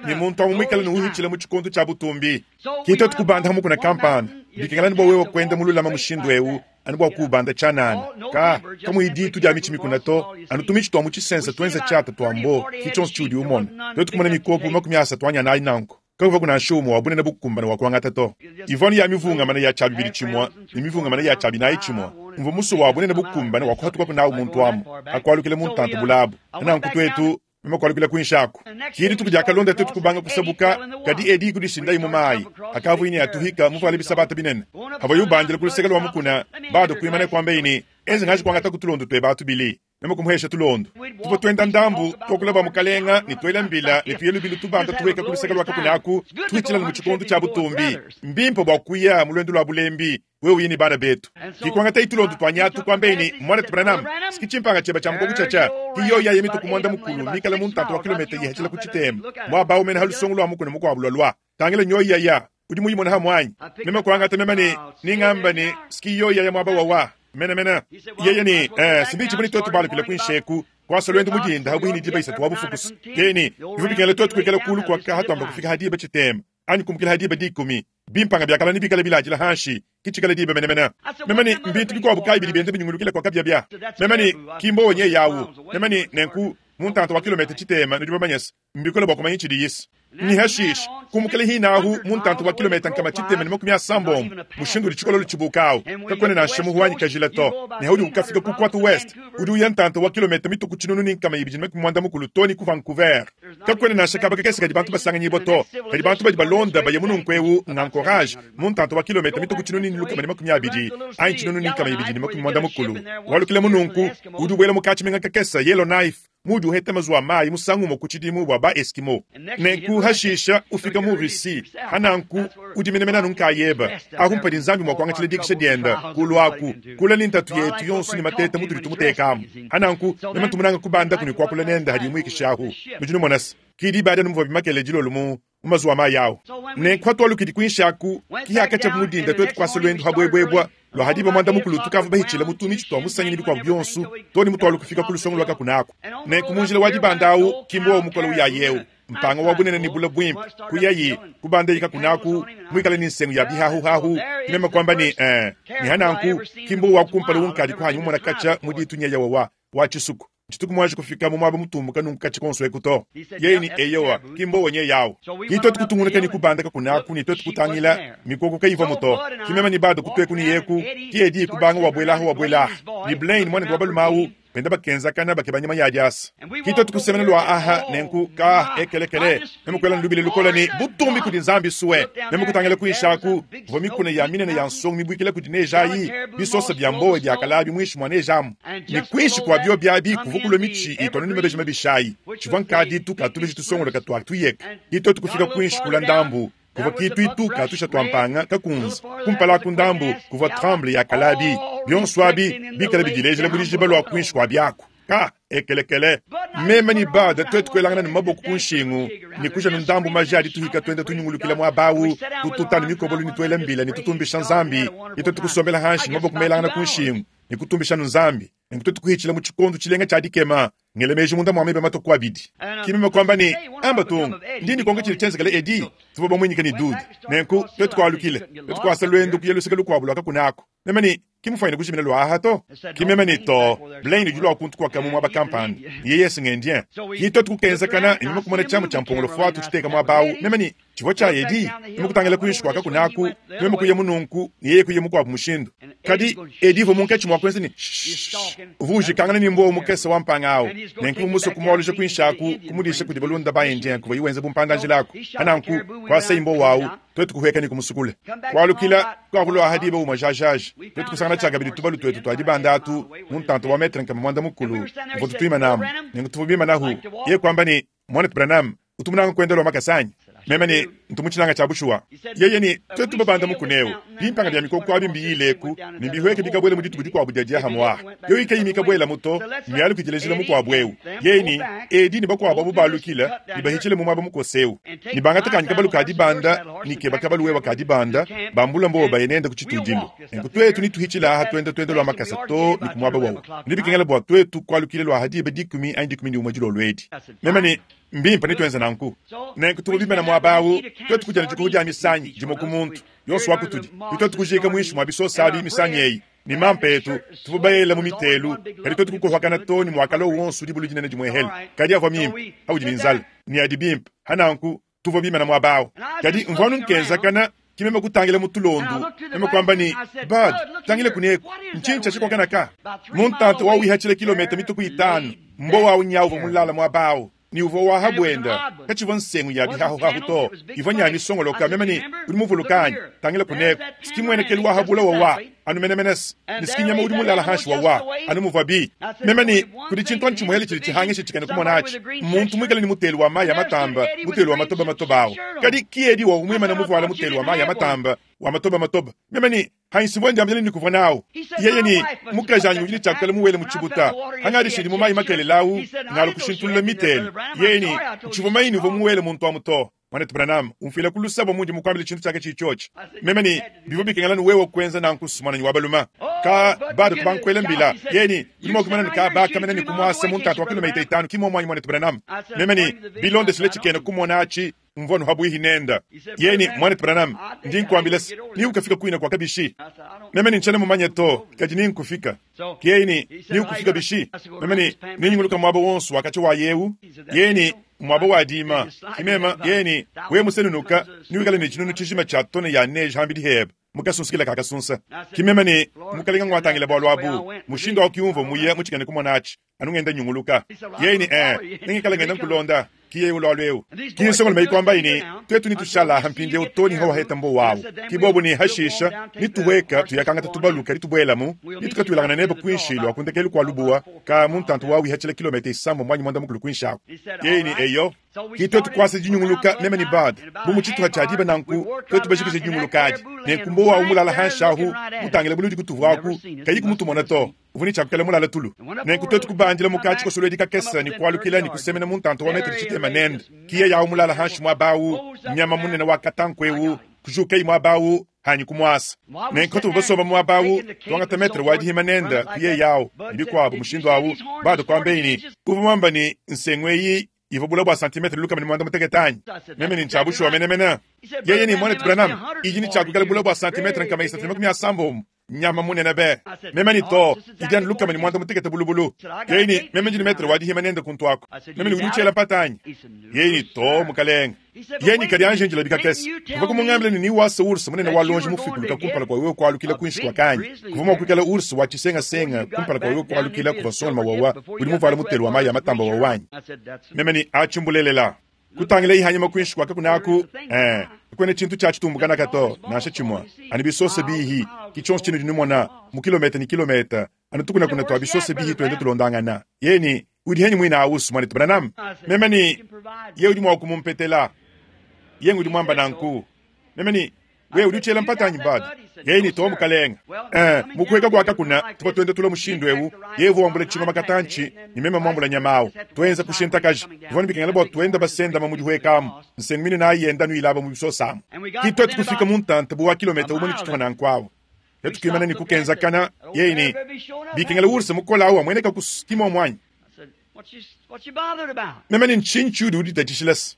ne muntu amu muikale ne uhitshila mu tshikondo tshia butumbi. Ki tuetu kubanda ha mukuna kampanda, bikengela anu bua wewe kuenda mululama mushindu eu, anu bua kuubanda tshianana. Ka, kamuyi ditu dia mitshi mikuna to, anu tumitshi tua mu tshisense tuenza tshiata tua mbo, ki tshionso tshiudi umona. Tuetu kumona mikoku 30 anyi anayi nanku, kakuvuaku nansha umue wa bunene bukumbane wa kuangata to. Ivua anu ya mivungamane ya tshia bibidi tshimue ne mivungamane ya tshia binayi tshimue. Mvua musue wa bunene bukumbane wa kuhatukaku nawu muntu amu, akualukila mu ntanta bulabu. Nanku tuetu Meme kualukila kuinshi aku. Ki dituku diakalonda tuetu kubanga kusabuka, kadi edi kudishindayi mu mayi akavuaye ne atuhika muvuale bisabata binene. Pavuaye ubandila ku luseke lua mukuna, bado kuimana kuambaye ne, Enze ngaji kuangataku tulondo tueba tubili. Meme kumuhesha tulondo. Tuvua tuenda ndambu, tuakula bua Mukalenga ne tuela mbila ne tuya lubilu tubanda tuhueka ku luseke lua kakuna aku, tuhitshila mu tshikondo tshia butumbi. Mbimpe bua kuya mu luendu lua bulembi, wewe uye ne bana betu. Ki kuangatayi tulondo tua nyatu, kuambaye ne, Muanetu Branham, siki tshimpanga tshieba tshia mukoku tshiatshia, ki yoyi ayi mituku muanda mukulu mikale mu ntanta wa kilometa yihatshila ku tshitema, muaba awu mene ha lusongo lua mukuna mukuabu lualua. Tangila nyoyi yaya, udi muyimone ha muanyi. Meme kuangata meme ne, ningamba ne, siki yoyi yaya muaba wawa. Mene mene. Yeye ne, eh, si bitshivua ne tuetu balukile kuinshi eku, kuasa luendu mu dinda ha buihi ne diba isatu wa bufukusu. Yeye ne, bivua bikengela tuetu kuikala kulu kuaka hatuamba kufika ha diba tshitema, anyi kumukila ha diba dikumi. Bimpanga biakala ne bikale biladila hanshi, ki tshikale diba mene mene. Meme ne, mbintu bikuabu kayi bidi bienda binyungulukila kua kabiabia? Meme ne, ki mbowa nyeye awu. Meme ne, nenku, mu ntanta wa kilometa tshitema, nudi bamanye se, mbikole bua kumanya tshidi Yesu. Ne hashishe, kumukila hine ahu mu ntanta wa kilometa nkama tshitema ne makumi asambombo, mushindu udi tshikololo tshibuka awu, kakuena nansha muhu wanyi kajila to. Ne haudi ukafika ku Côte Ouest, udi uya ntanta wa kilometa mituku tshinunu ne nkama ibidi ne makumi muanda mukulu to ne ku Vancouver. Kakuena nansha kaba kakese kadi bantu basanganyibua to. Kadi bantu badi balonda baya mununku eu ng'Anchorage, mu ntanta wa kilometa mituku tshinunu ne lukama ne makumi abidi anyi tshinunu ne nkama ibidi ne makumi muanda mukulu. Walukila mununku, udi ubuela mu katshimenga kakese Yellowknife, muudi uheta mazuwa a mayi musangu umue ku tshidimu bua ba Eskimo. Nenku hashisha ufika mu Russie, hananku udi menemene anu nkayeba. Ahu mpadi Nzambi mua kuangatshila dikisha dienda kulu aku, kula ne ntatu yetu yonso ne mateta mutudi tumutekamu. Hananku meme ntumunanga kubandaku ne kuakula nende hadi muikisha ahu. Nudi numona se, ki diba adi anu muvua bimakele dilolo mu mu mazuwa mayi awu. Nenku hatualukidi kuinshi aku, ki hakatshia mu dinda tuetu kuasa luendu ha buebuebua lua ha diba muanda mukulu tukavua bahitshila mu tumitshi tua musangi ne bikuabu bionso too ne mutualu kufika ku lusongo lua kakuna aku. Nenku mu njila wa dibanda awu, ki mbowa mukole uyayi eu, mpanga wa bunene ne bula buimpe, kuyayi kubandayi kakuna aku muikale ne nsengu ya bihahuhahu. Ki meme kuamba ne, eh, ne hananku ki mbowa wa kumpala unkadi kuhanyi mumona katshia mu ditu nyeya wawa wa tshisuku. Tshituku muanji kufika mu muaba mutumbuka nunku katshia konso eku to. Yeye ne, Eyowa, ki mbowa nyeye awu. Ki tuetu kutungunuka ne kubanda kakuna aku ne tuetu kutangila, mikoko kayivuamu to. Ki meme ne Bud kutueku ne yeku, ki Eddie kubanga wabuela aha wabuela aha, ne Blaine muanende wa balume awu, benda bakenzakana bakeba nyama ya diasa. Ki tuetu kusemena lua aha, nenku, ka, ekelekele, meme kuela ne lubila lukole ne, Butumbi kudi Nzambi sue! Meme kutangila kuinshi aku, kuvua mikuna ya minene ya nsongo mibuikila kudi neje ayi, bisosa bia mbowa biakalabi muinshi mua neje amu. Ne kuinshi kua biobi abi kuvua kulua mitshi itua anu ne mabeji mabishi ayi. Tshivua nkaditu ka tubeji tusongoloka tua tuyeka. Ki tuetu kufika kuinshi kula ndambu, kuvua kituitu ka tusha tua mpanga kakunze. Kumpala aku ndambu, kuvua tremble ya kalabi. Bionso abi bikale bidilejela bu dijiba lua kuinshi kua biaku. Ka ekelekele. Meme ne Bud tuetu kuelangana ne maboko ku nshingu ne kuja nu ndambu maja adi tuhika tuenda tunyungulukila muaba awu, tututa ne mikobolo ne tuela mbila ne tutumbisha Nzambi. Ne tuetu kusombela hanshi ne maboko melangana ku nshingu ne kutumbisha nu Nzambi. Nenku tuetu kuhitshila mu tshikondo tshilenga tshia dikema, ngela meji munda mua meba matue ku abidi. Ki meme kuamba ne, Amba tung, ndi ndikonka tshidi tshienzekele Eddie? Tuvua bamuinyike ne Dude. Nenku tuetu kualukila, tuetu kuasa luendu kuya luseke lukuabu lua kakuna aku. Meme ne, Ki mufuanyine kujimina lua aha to. Ki meme ne, To, Blaine udi lua kuntu kuaka mu muaba kampanda, ne yeye se ng'Indien. Ki tuetu kukenzakana ne meme kumona tshiamu tshia mpongolo fuatu tshiteka muaba awu. Meme ne, Tshivua tshia Eddie. Meme kutangila kuinshi kua kakuna aku, meme kuya mu nunku ne yeye kuya mukuabu mushindu. Kadi Eddie uvua munkatshi mua kuenza ne, Shh! Uvua ujikangana ne mbuowu mukese wa mpanga awu. Nenku mvua musue kumualuja kuinshi aku, kumudisha kudi balunda ba Indien kuvuaye wenza bumpanda-njila aku. Pa nanku, kuasaye mbuowu awu, tuetu kuhueka ne kumusukula. Kualukila kuakulua aha diba umue jajaja, tuetu kusangana tshiakabidi tubalu tuetu tua dibanda atu mu ntanta wa metre nkama muanda mukulu muvua tutuimanamu. Nenku tuvua bimanahu. Yeye kuamba ne, Muanetu Branham, utu munanga kuenda lua makasa anyi? Meme ne, Ntu mutshinanga tshia bushuwa. Yeye ne, Tuetu babanda mukuna eu, bimpanga bia mikoko abi mbiyileku ne mbihueke bikabuela mu dituku dikuabu dia diahamue aha. Yoyi kayi mikabuelamu to, mmialuke dilejila mukuabu eu. Yeye ne, Edi ne bakuabu abu balukila ne bahitshile mu muaba mukose eu ne bangata kanyi kabalu ka dibanda ne keba kabalu wewa ka dibanda, bambula mbowa baye nende ku tshitudilu. Nenku tuetu netuhitshile aha tuenda tuenda lua makasa to ne ku muaba wawu. Nebikengela bua tuetu kualukila lua aha diba dikumi anyi dikumi ne umue dilolo edi. Meme ne, Mbimpe, netuenze nanku. Nenku tuvua bimane muaba awu, tuetu kudia ne dikuhu dia misanyi, dimue ku muntu yonso wa kutudi, ne tuetu kujiika muinshi mua bisosa abi misanyi eyi ne mampa etu. Tuvua baela mu mitelu, kadi tuetu kukohakana too ne muakalua wonso dibulu dinene dimuehele. Kadi avua mimpe, audi ne nzala, ne adi bimpe. Ha nanku tuvua bimane muaba awu. Kadi mvua anu nkenzakana, ki meme kutangila mu tulondu, meme kuamba ne, Bud, tangila kuneku, ntshinyi tshia tshikokanaka? Mu ntanta wa wihatshila kilometa mituku itanu, mbowa awu nyawu uvua mulala muaba awu, ne uvua wa ha buenda, katshivua nsengu ya bihahuhahu to, ivua nya misongoloka. Meme ne, Udi muvuluka anyi? Tangila kuneku, siki muenekelu wa ha bula wawa. Anu menemenes, ne si nyama udi mulala hanshi wawa, anu muvuabi. Meme ne, kudi tshintu anu tshimuele tshidi tshihangisha tshikena kumona atshi, muntu muikale ne mutelu wa mayi a matamba, mutelu wa matoba matoba awu. Kadi ki Eddie wawu muimane muvuale mutelu wa mayi a matamba, wa matoba matoba. Meme ne, Hanshi mvua ndiambila ne kuvua nawu. Yeye ne, Mukajanyi udi ne tshiakukala muwele mu tshibuta. Hangadishidi mu mayi makelela awu, ngalu kushintulula mitelu. Yeye ne, Ntshivua manyi ne uvua muwele muntu amu to. Muanetu Branham, umfuila ku luse bua mundi mukuambile tshintu tshiaka tshiyi tshiotshi. Meme ne, Bivua bikengela ne wewe kuenza nanku, muananyi wa balume. Ka bado kubankuela mbila. Yeye ne, Udi mua kuimana ne kaba kamena ne kumuasa mu ntatu wa kilometa itanu, ki muomu anyi, muanetu Branham? Meme ne, Bilondeshile tshikena kumona atshi, mvua anu habuihi nenda. Yeye ne, Muanetu Branham, ndi nkuambila se, ni ukafika kuina kua kabishi. Meme ne, Ntshiena mumanye to, kadi ni nkufika. Yeye ne, Ni ukufika bishi? Meme ne, Ninyunguluka muaba wonso wa katshia wa yewu. Yeye ne, Muaba wa dima. Ki meme, yeye ne, Wewe musenunuka, niwikale ne tshinunu tshijima tshia tone ya neige hambidi hebe, mu kasunsikila ka kasunsa. Ki meme ne, Mukalenga nguatangila bualu abu. Mushindu awu ki umvua muye mu tshikena kumona atshi, anu ngenda nyunguluka. Yeye ne, Ee, nengikale ngenda nkulonda. Ki yeye ulualu eu. Ki nsongolume ikuambayi ne, Tuetu nitushala aha mpindieu too ne hawaheta mbowa awu. Ki bobu ne, Hashisha, nituhueka tuyakangata tubalu kadi tubuelamu, nitukatuilangana nebe kuinshi lua ku ndekelu kua lubuwa, ka mu ntantu wawu ihatshila kilometa isambombo anyi muanda mukulu kuinshi aku. Yeye ne, Eyo. Ki tuetu kuasa dinyunguluka, meme ne Bud, bu mu tshituha tshia diba nanku, tuetu bajikije dinyunguluka adi. Nenku mbowa awu mulala hanshi ahu, mutangile buludi kutuvuaku, kayi kumutumona to. Uvua ne tshiakukela mulala tulu. Nenku tuetu kubandila mu katshikosolodi kakese ne kualukila ne kusemena mu ntanta wa metele tshitema nende. Ki yeye awu mulala hanshi muaba awu, nyama munene wa katanku eu, kujukayi muaba awu, hanyi kumuasa. Nenku tuvua basomba muaba awu, tuangata metre wa dihima nende, ku yeye awu, ne bikuabu mushindu awu, bado kuambeyi ne, uvua muamba ne, nsengu eyi ivua bula bua santimetre 160 anyi? Meme ne, Ntshia bushuwa menemene. Yeye ne, Muanetu Branham, idi ne tshiakuikala bula bua santimetre 380. Nyama munene be. Meme ne, Too, idi anu 160 bulubulu. Yeye ne, Meme ndi ne metre wa dihima nende kuntu aku. Meme ne, Udi utshiela mpata anyi? Yeye ne, Too, mukalenge. Yeye ne, Kadi anji njila bikakese. Kuvua kumungambila ne, niwase ours munene wa lonji mufikuluka kumpala kua wewe kualukila kuinshi kua kanyi. Kuvua mua kuikala ours wa tshisengasenga kumpala kua wewe kualukila kuvua songoloma wawa udi muvuale mutelu wa mayi a matamba wawa anyi? Meme ne, Atshi mbulelela. Kutangilayi hanyima kuinshi kua kakuna aku, eh, kakuena tshintu tshia tshitumbukanaka to, nansha tshimue. Anu bisosa bihi, ki tshionso tshinudi numona, mu kilometa ne kilometa, anu tukunakuna tua bisosa bihi tuenda tulondangana. Yeye ne, Udi henyi muine awusu, muanetu Branham? Meme ne, Ye udi mua kumumpetela. Ye ngudi muamba nanku. Meme ne, Wewe udi utshiela mpata anyi, Bud? Yeye ne, Too, mukalenge. Eh, mu kuheka kua kakuna, tuvua tuenda tulua mushindu eu, yeye uvua wambula tshingoma katantshi, ne meme muambula nyama au. Tuenza kushintakaja. Bivua ne bikengela bua tuenda basendama mu dihueka amu, nsengu minene ayi yenda anu ilaba mu bisosa amu. Ki tuetu kufika mu ntanta bu wa kilometa umue ne tshitupa nanku awu. Tuetu kuimana ne kukenzakana, yeye ne, Bikengela ours mukole au amueneka ku ki muomu anyi? Meme ne, Ntshinyi tshiudi uditatshishila se?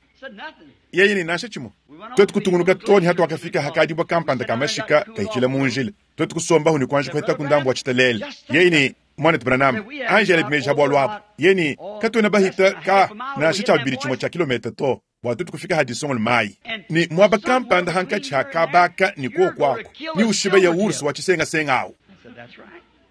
Yeye ne, Nansha tshimue. Tuetu kutungunuka too ne hatuakafika hakadibua kampanda ka mashika kahitshila mu njila. Tuetu kusombahu ne kuanji kuhetaku ndambu wa tshitalele. Yeye ne, Muanetu Branham, anji elabi meji ha bualu abu. Yeye ne, Katuena bahita ka nansha tshia bibidi tshimue tshia kilometa to bua tuetu kufika ha disongolo mayi. Ne muaba kampanda hankatshi ha kaba aka ne kuoku aku, ne ushiba ya ours wa tshisengasenga awu.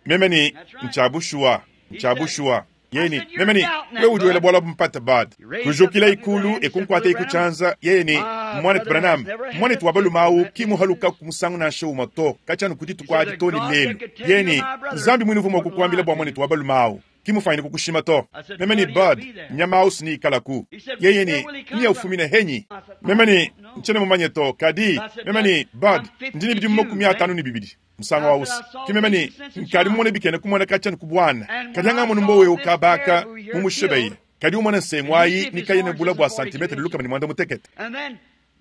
Meme ne, Ntshia bushuwa, ntshia bushuwa. Yeye ne, Meme ne, wewe udi wela bualu abu mpata, Bud. Kujukila ikulu e kunkuata iku tshianza. Yeye ne, Muanetu Branham, muanetu wa balume awu ki muhalukaku musangu nansha umue to, katshia anu ku dituku adi too ne lelu. Yeye ne, Nzambi muine uvua mua kukuambila bua muanetu wa balume awu. Ki mufanyine kukushima to. Meme ne, Bud, nyama awu siniikalaku. Yeye ne, Nya ufumina henyi? Meme ne, Ntshiena mumanye to. Kadi, meme ne, Bud, ndi ne bidimu 52. Musangu awusi, ki meme ne, Nkadi mumone bikena kumona katshia ne ku buana. Kadi angamonu mbowa eu kaba aka mu mushebeye, kadi umona nsengu ayi ne kayena bula bua santimetre 160.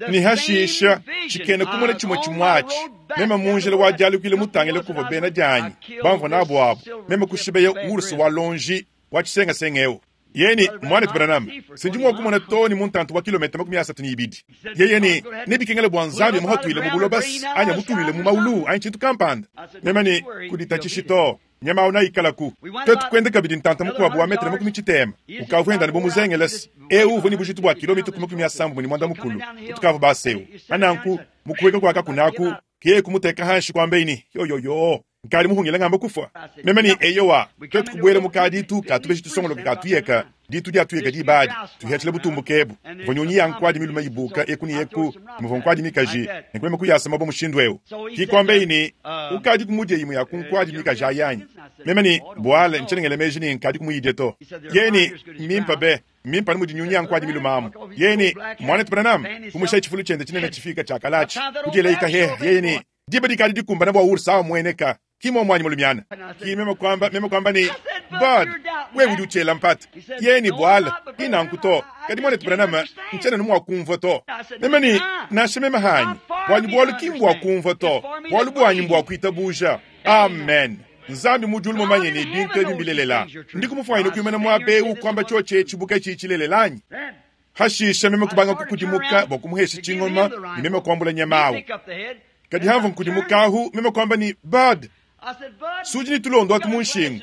Ne hashisha, tshikena kumona tshimue tshimue atshi, meme mu njila wa dialukila mutangile kuvua bena dianyi bamvua nabu abu, meme kushibeya ours wa lonji wa tshisengasenga eu. Yeye ne, Muanetu Branham, sindi mua kumona too ne mu ntantu wa kilometa 32. Yeye ne, Nebikengele bua Nzambi amuhatuile mu buloba anyi amutuluile mu maulu anyi tshintu kampanda. Meme ne, Kuditatshishi to, nyama au naikalaku. Tuetu kuenda kabidi ntanta mukuabu wa metre 30, ukavua enda anu bu muzengelese. Eu uvua ne bujitu bua kilo mitue ku 80 kutukavua base eu. Pa nanku, mu kuhueka kua kakuna aku, ke yeye kumuteka hanshi kuambeyi ne, Yoyoyo, nkadi muhungile ngamba kufua. Meme ne, Eyowa, tuetu kubuela mu kaditu ka tubeji tusongoloke ka tuyeka. Ditu diatuyeka diba adi, tuhiatshila butumbuke ebu. Muvua nyunyi ya nkuadi milume ibuka eku ne eku, muvua nkuadi mikaji, nenku meme kuyasa mabue mushindu eu. Ki kuambeyi ne, Ukadiku mudie imue ya ku nkuadi mikaji ayi anyi? Meme ne, Buale, ntshiena ngela meji ne nkadiku muyidie to. Yeye ne, Mmimpe be! Mmimpe anu mudi nyunyi ya nkuadi milume amu. Yeye ne, Muanetu Branham, kumushaye tshifulu tshiende tshinene tshifiike tshia kalatshi, kudielaye kahehe. Yeye ne, Diba dikadi dikumbane bua ours amueneka. Ki muomu anyi mulumiana? Ki meme kuamba, meme kuamba ne, Bud, wewe udi utshiela mpata. Yeye ne, Buala, ki nanku to. Kadi muanetu Branham, ntshiena anu mua kumvua to. Meme ne, Nansha meme hanyi. Buanyi bualu ki mbua kumvua to. Bualu buanyi mbua kuitabuja. Amen. Nzambi mu diulu mumanye ne bintu ebi mbilelela. Ndiku mufuanyine kuimana muaba eu kuamba tshiotshi etshi bu katshiyi tshilelela anyi? Hashisha meme kubanga kukudimuka bua kumuhesha tshingoma ne meme kuambula nyama au. Kadi hamvua nkudimuka ahu, meme kuamba ne, Bud, sudi ne tulondo atu mu nshingu.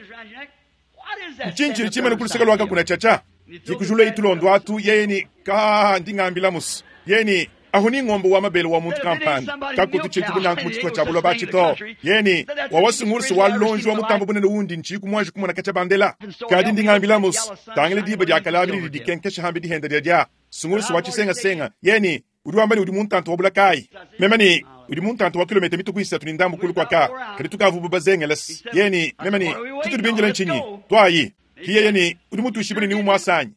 Ntshinyi tshidi tshimane ku luseke lua kakuna tshiatshia? Dikujula tulondo atu, yeye ne, Ka, ndi ngambila musu. Yeye ne, Ahu ni ngombe wa mabele wa muntu kampanda. Kakutu tshintu bu nanku mu tshitupa tshia buloba atshi to. Yeye ne, Wawa sungulusu wa lonji wa mutambu bunene undi ntshiyi ku muanji kumona katshia bandela. Kadi ndi ngambila musu, tangila diba dia kalabi didi dikenkesha hambi dihenda dia dia sungulusu wa tshisengasenga. Yeye ne, Udi wamba ne udi mu ntanta wa bula kayi? Meme ne, Udi mu ntanta wa kilometa mituku isatu ne ndambu kulu kua ka, kadi tukavu bazengela. Yeye ne, Meme ne, tshitudi bindile ntshinyi? Tuayi. Ki yeye ne, Udi mutuishibue ne niumuasa anyi?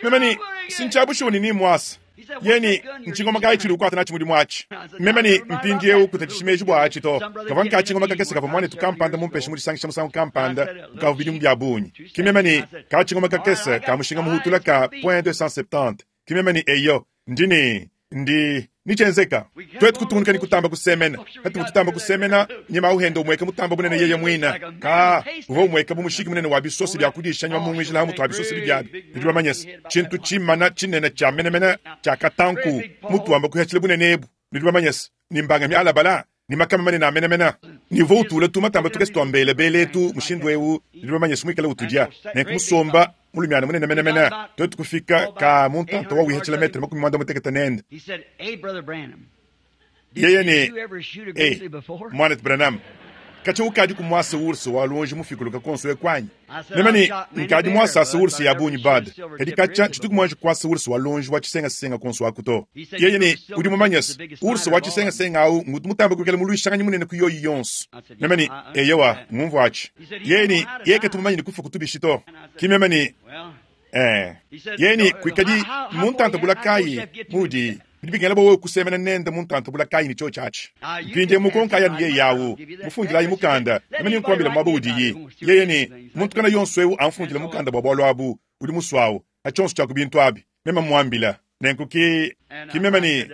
Meme ne, Si ntshia bushuwa ne nimuasa. Yeye ne, Ntshingoma kayi tshidi ukuata natshi mudimu atshi? Meme ne, Mpindieu kutatshishi meji bua atshi to. Kavua nka tshingoma kakese kavua muanetu kampanda mumpeshe mu disangisha musangu kampanda kukavua bidimu bia bungi. Ki meme ne, Ka tshingoma kakese ka mushinga muhutula ka point 270. Ki meme ne, Eyo, ndi ne, ndi ne tshienzeka. Tuetu kutungunuka ne kutamba kusemena. Patuvua tutamba kusemena, nyama au henda umueka mutamba bunene yeye muine. Ka, uvua umueka bu mushiki munene wa bisosa bia kudisha nyama munguijila ha mutu wa bisosa bibiabi. Nudi bamanye se, tshintu tshimana tshinene tshia menemene tshia katanku mutu wamba kuhatshila bunene ebu. Nudi bamanye se, ne mbanga mialabala ne makama manene a menemene, ne uvua utula tumatamba tukese tua mbelebele etu mushindu eu. Nudi bamanye se, muikale utudia nenku musomba mulumiana munene menemene. Tuetu kufika ka mu ntanta wa wihatshila metre 56 nende. Yeye ne, E, muanetu Branham, katshia ukadi ku muasa ours wa luonji mufikuluka konso eku anyi? Meme ne, Nkadi muasasa ours ya bungi, Bud, kadi katshia tshituku muanji kuasa ours wa luonji wa tshisengasenga konso aku to. Yeye ne, Udi mumanye se, ours wa tshisengasenga au ngutu mutambe kuikala muluishanganyi munene ku yoyi yonso. Meme ne, Eyowa, ngumvua atshi. Yeye ne, Yeye katu mumanye ne kufa kutu bishi to. Ki meme ne, Eh. Yeye ne, Kuikadi mu ntanta bula kayi mudi bidi bikengela bua wewe kusemena nende mu ntanta bula kayi ne tshiotshi atshi. Mpindieu mukonkayi anu yeye au, mufundilayi mukanda, meme nenkuambile muaba udiyi. Yeye ne, muntu kana yonso eu amfundile mukanda bua bualu abu, udi musuawu, pa tshionso tshia ku bintu abi. Meme mmuambila. Nenku ki, ki meme ne,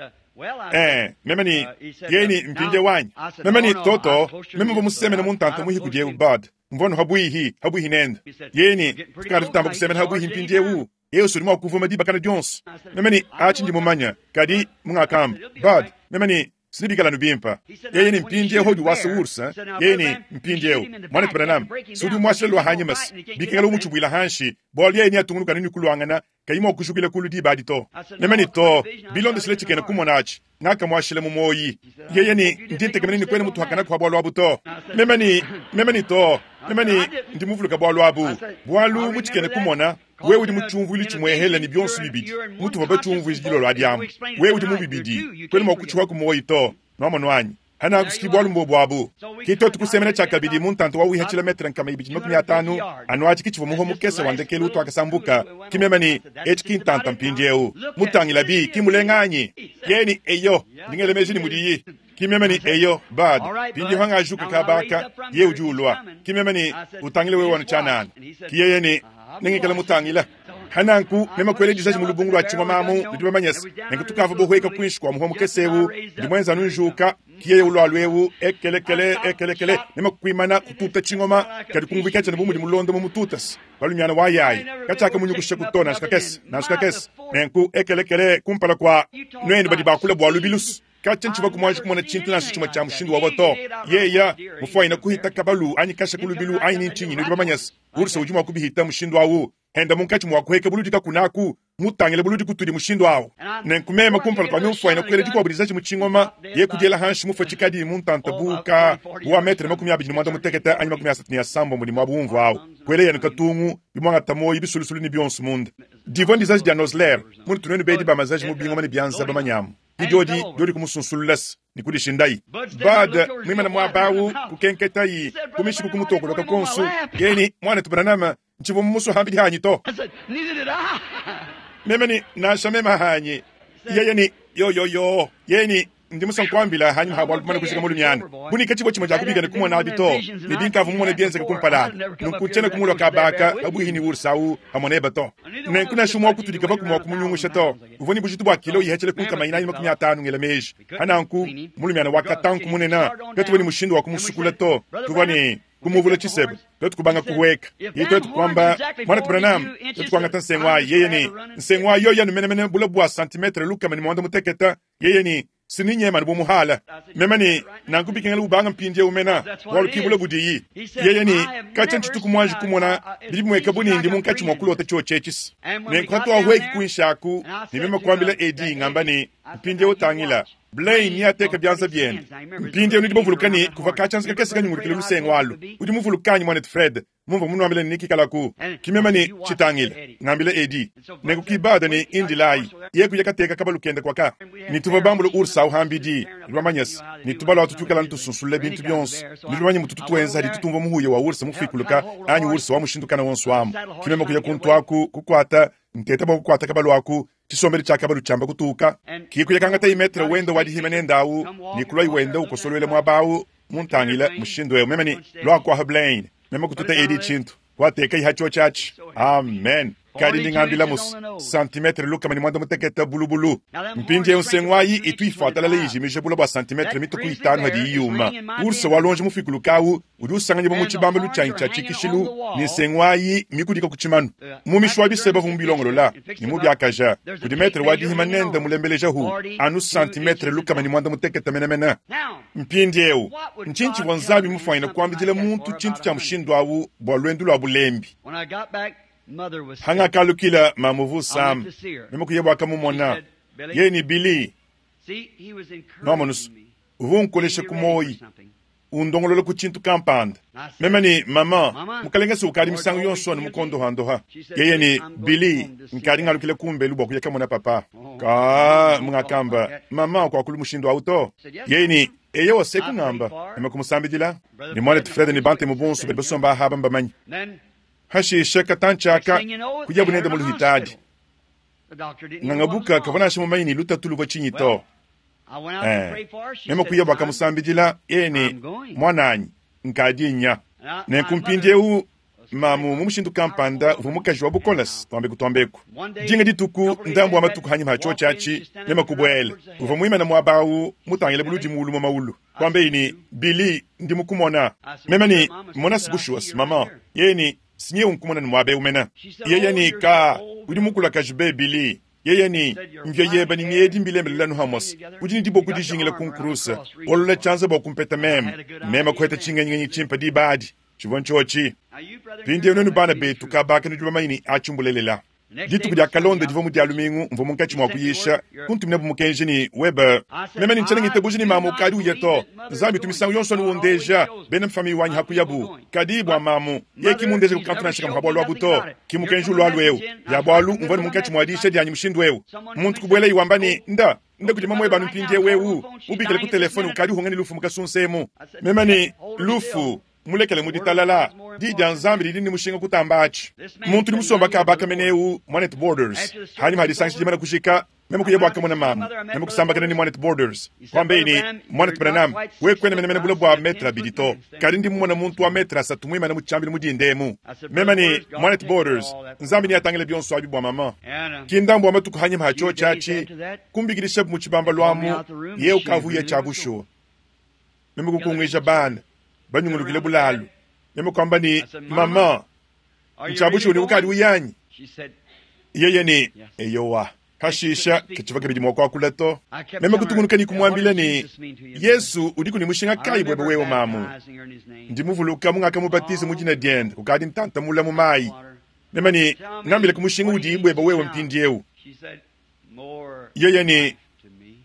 Eh, meme ne, yeye ne, mpindieu anyi? Meme ne, toto, meme mvua musemene mu ntanta muihi kudi eu Bud. Mvua anu habuihi, habuihi nende. Yeye ne, tukadi tutamba kusemena habuihi mpindieu. Yesu udi mua kuvuma diba kana dionso. Meme ne, atshi ndi mumanya. Kadi, mungakamba, Bud, meme ne, sinibikala anu bimpe. Yeye ne, mpindieu udi wasa ours. Yeye ne, mpindieu, muanetu Branham, si udi umuashila lua hanyima se bikengela umutshibuila hanshi, bualu yeye neatungunuka anu ne kuluangana, kayi mua kujukila kulu diba adi to. Meme ne, to, bilondeshile tshikena kumona atshi, ngakamuashila mu muoyi. Yeye ne, ndi ntekemena ne kuena mutuhakanaku ha bualu abu to. Meme ne, meme ne, to, meme ne, ndi muvuluka bualu abu, bualu mu tshikena kumona, wewe udi mu tshiumvuilu tshimuehele ne bionso bibidi, mutuvua batshiumvuije dilolo adi amu. Wewe udi mu bibidi, kuena mua kutshihuaku muoyi to. Nuamonu anyi? Hanakusiki bualu mbobu abu. Ki tuetu kusemena tshiakabidi mu ntanta wa wihatshila metre 250, anu atshi ki tshivua muhua mukese wa ndekelu utuakasambuka. Ki meme ne, etshi ki ntanta mpindieu. Mutangilabi, ki mulenga anyi? Yeye ne, eyo, ndi ngela meji ne mudiyi. Ki meme ne, eyo, Bud, mpindieu hangajuka kaba aka, yeye udi ulua. Ki meme ne, utangile wewe anu tshianana. Ki yeye ne, nengikale mutangila. Hananku meme kuela dizaji mu lubungu lua tshingoma amu, nudi bamanye se, nenku tukavua bohueka kuinshi kua muhua mukese eu, ndi muenza anu njuka, ki yeye ulualu eu, ekelekele, ekelekele, meme kuimana kututa tshingoma, kadi kumvuika tshiena bu mudi mulondo mu mututase, balumiana wa yayi, katshiakamunyukusha ku to nansha kakese, nansha kakese, nenku ekelekele kumpala kua nuenu badi bakula bua lubilusu. Katshia ntshivua kumuanji kumona tshintu nansha tshimue tshia mushindu wawa to. Yeya mufuanyine kuhita kabalu anyi kasha ku lubilu anyi ni ntshinyi, nudi bamanye se, ours udi mua kubihita mushindu au. Enda munkatshi mua kuheka buludi kakunaku, mutangile buludi kutudi mushindu awu. Nenku meme kumpala kua mimfuanyi kuela dikuabu dizaji mu tshingoma, ye kudiela hanshi mufue tshikadi mu ntanta bu ka bu wa metre 25 anyi 36 ne muabu umvua awu. Kuela yenu katungu, bimuangata muoyo bisulusulu ne bionso munda. Divua ndizaji dia Nosler, munutu nuenu bedi ba mazaji mu bingoma ne bianza bamanyamu. Ke diodi, diodi kumusunsululase ne kudishindayi. Bud muimane muaba awu, kukenketayi ku mishiku kumutokoloka kuonso. Yeye ne, Muanetu Branham, ntshivua mumusue hambidi hanyi to. Meme ne, Nansha meme hanyi. Yeye ne, Yo, yo, yo. Yeye ne, Ndi musue nkuambila hanyima ha bualu bumane kujika mulumiana. Bu ne katshivua tshimue dia kubika ne kumona abi to, ne binkavua mumone bienzeka kumpala abi. Nunku tshiena kumulua kaba aka pabuihi ne ours au pamue nebe to. Nenku nansha umue wa kutudi kavaku mua kumunyungusha to. Uvua ne bujitu bua kilo ihethele ku 450 ngela meji. Pa nanku, mulumiana wa katanku munene, katuvua ne mushindu wa kumusukula to. Tuvua ne kumuvula tshiseba, tuetu kubanga kuhueka. Ye tuetu kuamba, Muanetu Branham, tuetu kuangata nsengu ayi. Yeye ne, Nsengu ayi yoyi anu menemene bule bua santimetre 160. Yeye ne, Sininyema anu bu muhala. Meme ne, Nanku bikengela ubanga mpindiewu mena, bualu ki bule budiyi. Yeye ne, Katshia ntshituku muanji kumona bidi bimueka bu ne ndi munkatshi mua kulota tshiotshi etshis. Nenku hatuahueki kuinshi aku, ne meme kuambila Eddie ngamba ne, Mpindiewu tangila, Blaine neateke bianza biende. Mpindiewu nudi bavuluka ne kuvua katshianza kakese kanyungulukile lusengu alu. Udi muvuluka anyi, muanetu Fred? Mumvua munuambile ne nekikalaku. Ki meme ne, Tshitangila, ngambila Eddie. Nenku ki Bud ne Indilayi, ye kuya kateka kabalu kende kuaka. Ne tuvua bambule ours awu hambidi, nudi bamanye's, ne tubalu atu tuikala anu tusunsulula bintu bionso. Nudi bamanye mututu tuenza hadi tutumvua muhuya wa ours mufuikuluka anyi ours wa mushindu kana wonso amu. Ki meme kuya kuntu aku, kukuata, nteta bua kukuata kabalu aku, tshisombedi tshia kabalu tshiamba kutuka. Ki kuya kangatayi metre wenda wa dihima nende awu, ne kuluayi wenda ukosoluela muaba awu, muntangila mushindu eu. Meme ne, Lua kuaha Blaine. Meme kututa edi tshintu, kuatekayi ha tshiotshi atshi. Amen. Kadi ndi ngambila mus santimetre 160 bulubulu. Mpindieu nsengu ayi itu ifuatalala ijimija bula bua santimetre mitue ku itanu hadiyi yuma. Urse wa luonji mufikuluke au udi usanganyibua mu tshibambalu tshianyi tshia tshikishilu ne nsengu ayi mikudika ku tshimanu. Mumishi wa biseba uvua mubilongolola ne mubiakaja kudi metre wa dihima nende mulembelejahu anu santimetre 160 menemene. Mpindieu, ntshinyi tshivua Nzambi mufuanyine kuambidila muntu tshintu tshia mushindu au bua luendu lua bulembi? Hangakalukila mamu uvua usama, meme kuya bua kamumona. Yeye ne Billy, nuamonus, uvua unkolesha ku muoyi, undongolola ku tshintu kampanda. Meme ne, Maman, Mukalenge se ukadi misangu yonso anu mukondohandoha. Yeye ne, Billy, nkadi ngalukila kumbelu bua kuya kamona papa. Kaa, mungakamba, Maman, kuakulu mushindu au to. Yeye ne, Eyowa, se kungamba. Meme kumusambidila, ne muanetu Fred ne Bantemu bonso badi basomba aha mbamanye. Hashishe katantshi aka, kuyabu nende mu luhitadi. Ngangabuka kavua nansha mumanye ne lutatu luvua tshinyi to. Eh, meme kuya bua kamusambidila, yeye ne, Muananyi, nkadi nya. Nenku mpindieu mamu mu mushindu kampanda uvua mukaji wa bukoles, tuambeku tuambeku. Dinga dituku ndambu wa matuku hanyima ha tshiotshi atshi, meme kubuela. Uvua muimane muaba au mutangile buludi muulu mu maulu. Kuambeyi ne, Billy, ndi mukumona. Meme ne, Mona bushuwa, maman. Yeye ne, Sinyewu nkumona ne muaba eu mena. Yeye ne, Ka, udi mukulakaji be, Billy. Yeye ne, Mvia yeba ne ngedi mbilembelela anu hamose. Udi ne diboko dijingila ku nkuruse, olola tshianza bua kumpeta meme. Meme kuheta tshingenyingenyi tshimpe diba adi. Tshivua ntshiotshi. Mpindieu nuenu bana betu kabaka nudi bamanye ne atshi mbulelela. Dituku diakalonda divua mu Dia lumingu, mvua munkatshi mua kuyisha, kuntuminabu mukenji ne, Webe, meme ne ntshiena ngitabuja ne mamu ukadi uya to. Nzambi utu misangu yonso anu undeja bena mfamiye wanyi hakuyabu. Kadi bua mamu, yeye ki mundeja ku kantu nansha kamue pa bualu abu to. Ki mukenji ulualua eu. Bia bualu mvua ne munkatshi mua diyisha dianyi mushindu eu. Muntu kubuelayi wamba ne, Nda, nda kudi mamuebe anu mpindieu eu, mubikile ku telefone ukadi uhunga ne lufu mu kasunsa emu. Meme ne, Lufu, mulekele mu ditalala. Diyi dia Nzambi didi ne mushinga kutamba atshi. Muntu udi musomba kaba aka mene eu, muanetu Borders. Hanyima ha disangisha dimana kujika, meme kuya bua kamona mamu, meme kusambakena ne muanetu Borders. Kuambeyi ne, Muanetu Branham, wewe kuena menemene bule bua metre abidi to, kadi ndi mumona muntu wa metre asatu muimane mu tshiambilu mu dinda emu. Meme ne, Muanetu Borders, Nzambi neatangile bionso abi bua maman. Ki ndambu wa matuku hanyima ha tshiotshi atshi, kumbikidishabu mu tshibambalu amu, yeye ukavua uya tshia bushuwa. Meme kukunguija bana banyungulukile bulalu. Meme kuamba ne, Maman, ntshia bushuwa ne ukadi uya anyi? Yeye ne, Eyowa. Pashisha katshivua kabidi mua kuakula to. Meme kutungunuka ne kumuambila ne, Yesu udiku ne mushinga kayi buebe wewe mamu? Ndi muvuluka mungakamubatiza mu dina diende kukadi ntanta mule mu mayi. Meme ne, Ngambilaku mushinga udiyi buebe wewe mpindiewu. Yeye ne,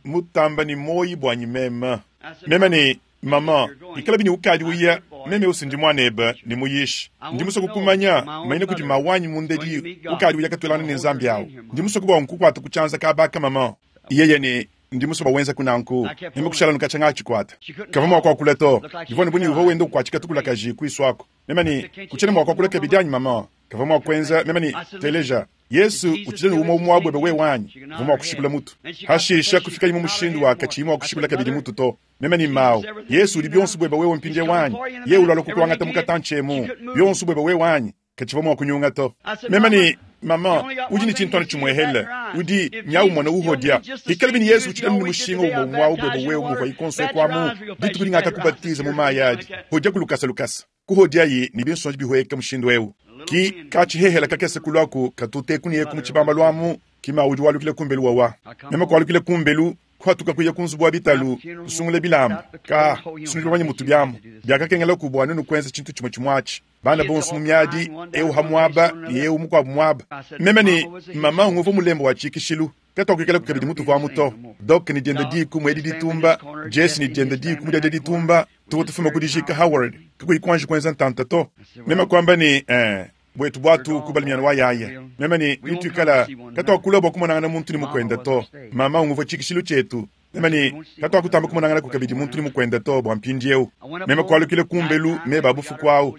Mutamba ne muoyi buanyi meme. Meme ne, Maman, ikalabi ne ukadi uya, meme ewu si ndi muanebe ne muyishi. Ndi musue kukumanya, manyina kudi mawanyi mundedi ukadi uya katuelangana ne Nzambi awu. Ndi musue bua nkukuata ku tshianza kaba aka, maman. Yeye ne, Ndi musue bua wenzaku nanku. Meme kushala nu katshia ngakatshikuata. Kavua mua kuakula to. Bivua anu bu ne uvua wenda ukuatshika tukulakaji kuisu aku. Meme ne, Kutshiena mua kuakula kabidi anyi, maman? Kavua mua kuenza. Meme ne, Teleja. Yesu utshidi anu umue umue buebe wewe anyi? Uvua mua kushikula mutu. Hashisha kufikayi mu mushindu wa katshiyi mua kushikula kabidi mutu to. Meme ne, Mawu, Yesu udi bionso buebe wewe mpindieu anyi? Yeye ulualua kukuangata mu katantshi emu. Bionso buebe wewe anyi? Katshivua mua kunyunga to. Meme ne, Maman, udi ne tshintu anu tshimuehele. Udi nya umona uhodia. Ikalabi ne Yesu utshidi anu ne mushinga umue umue awu buebe wewe muvua ikonso eku amu dituku dingakakubatiza mu mayi adi. Hodia ku lukasa lukasa. Kuhodiayi ne binsonji bihueka mushindu eu. Ki ka tshihehela kakese kuluaku katuteku ne eku mu tshibambalu amu, ki ma udi walukila kumbelu wawa. Meme kualukila kumbelu, kuhatuka kuya ku nzubu wa bitalu, kusungula bilamba. Ka, sunudi bamanye mutu biamu. Biakakengelaku bua nuenu kuenza tshintu tshimue tshimue atshi. Bana bonso mu miadi, eu ha muaba ne eu mukuabu muaba. Meme ne maman nguvua mulembe wa tshikishilu. Katuakuikalaku kabidi mutuvuamu to. Doc ne diende diku mu edi ditumba, Jesse ne diende diku mu diadia ditumba. Tuvua tufuma ku dijika Howard, kakuyi kuanji kuenza ntanta to. Meme kuamba ne, Ee, buetu buatu kubala mianu wa yaya. Meme ne, Bituikala katuakulua bua kumonangana muntu ne mukuende to. Mama unguvua tshikishilu tshietu. Meme ne, Katuakutamba kumonanganaku kabidi muntu ne mukuende to bua mpindieu. Meme kualukila kumbelu meba a bufuku au,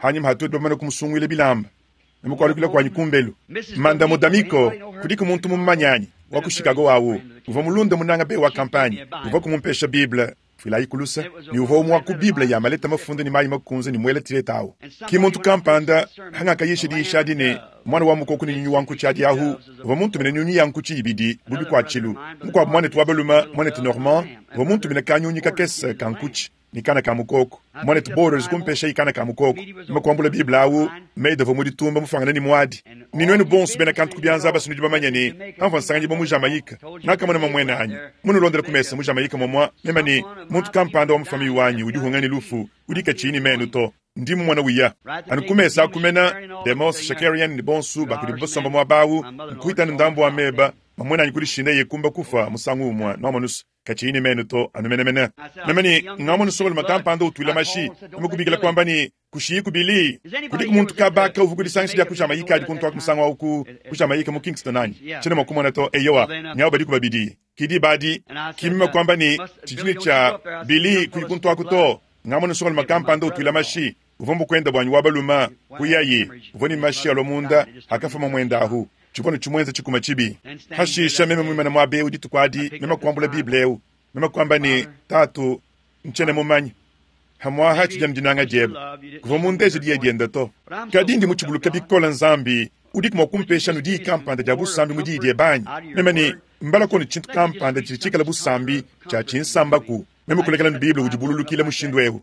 hanyima ha tuetu bamane kumusunguila bilamba. Meme kualukila kuanyi kumbelu. Mandamo D'Amico, kudiku muntu mumumanye anyi? Wa ku Chicago awu. Uvua mulunda munanga be wa kampanye. Uvua kumumpesha Bible. Fuilayi ku luse, ne uvua umue wa ku Bible ya maleta mafunda ne mayi makunze ne muela tireta awu. Ki muntu kampanda, hangakayisha diyisha adi ne, Muana wa mukoko ne nyunyu wa nkutshi adi ahu, uvua muntumine nyunyu ya nkutshi ibidi bu bikuatshilu. Mukuabu muanetu wa balume, muanetu Normand, uvua muntumine kanyunyi kakese ka nkutshi ne kana ka mukoko. Muanetu Borders kumpeshayi kana ka mukoko. Meme kuambula Bible awu, Meda uvua mu ditumba mufuangane ne muadi. Ne nuenu bonso bena kantu ku bianza aba nudi bamanye ne, pamvua nsanganyibua mu Jamaïque, ngakamona mamuenanyi munulondele ku mesa mu Jamaïque momua, meme ne, Muntu kampanda wa mu famiye wanyi udi uhunga ne lufu, udi katshiyi ne menu to. Ndi mumona uya anu ku mesa aku mena, Demos Shakarian ne bonso ba kudibu basomba muaba awu, nkuhita anu ndambu wa meba, mamuenanyi kudishinda kumba kufua musangu umue, nuamonus. Katshiyi ne menu to, anu menemene. Meme ne, Ngamona nsongalume kampanda utuila mashi, meme kubikila kuamba ne, Kushiyiku Billy. Kudiku muntu kaba aka uvua ku disangisha dia ku Jamaïque adi kuntu aku musangu au ku, ku Jamaïque mu Kingston anyi? Tshiena mua kumona to. Eyowa, nyawu badiku babidi. Ki diba adi, ki meme kuamba ne, Tshidi ne tshia, Billy, kuyi kuntu aku to. Ngamona nsongalume kampanda utuila mashi. Uvua mbukuende buanyi wa balume. Kuyaye. Uvua ne mashi alua munda, akafua mamuende ahu. Tshivua anu tshimuenza tshikuma tshibi. Hashisha meme muimane muaba eu dituku adi, meme kuambula Bible eu. Meme kuamba ne, Tatu, ntshiena mumanye. Hamuaha tshidi anu dinanga diebe. Kuvua mundeje diya diende to. Kadi ndi mutshibuluke bikole Nzambi, udiku mua kumpesha anu diyi kampanda dia busambi mu diyi diebe anyi? Meme ne, Mbalaku anu tshintu kampanda tshidi tshikale busambi, tshia tshinsambaku. Meme kulekela anu Bible udibululukila mushindu eu.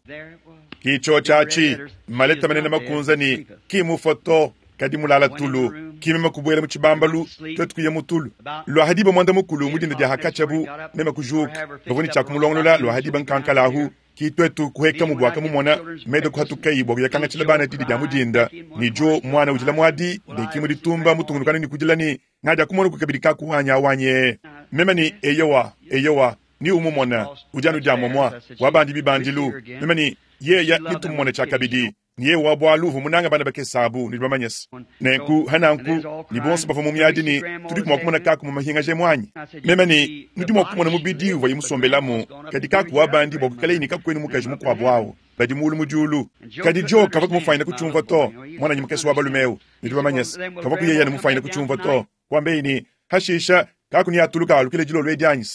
Ki tshiotshi atshi, maleta manene makunza ne ki mufua to, kadi mulala tulu. Ki meme kubuela mu tshibambalu, tuetu kuya mu tulu. Lua diba muanda mukulu mu dinda dia hakatshiabu, meme kujuka. Bavua ne tshia kumulongolola lua diba nkankala ahu. Ki tuetu kuhekamu bua kamumona, meda kuhatukayi bua kuya kangatshila bana didi dia mu dinda, ne Jo muana udila muadi, ne ki mu ditumba mutungunukana ne kudila ne, Ngadia kumona ku kabidi kaku wanyi awanyi. Meme ne, Eyowa, eyowa, ni umumona, udi anu dia momua, wabandi bibandilu. Meme ne, Yeya nitumumone tshiakabidi. Ne yeya wa bualu uvua munange bana bakese abu, nudi bamanyese. Nenku, hananku, ne bonso bavua mu miadi ne, Tudiku mua kumona kaku mu mahingaja emu anyi? Meme ne, Nudi mua kumona mubidi uvuaye musombelamu, kadi kaku wabandi bua kuikalaye ne kakuenu mukaji mukuabu awu, badi muulu mu diulu. Kadi Joe kavua kumufuanyina kutshiumvua to, muananyi mukese wa balume eu, nudi bamanyese, kavua kuyeya ne mufuanyina kutshiumvua to. Kuambeyi ne, Hashisha, kaku neatuluka alukile dilolo edi anyi?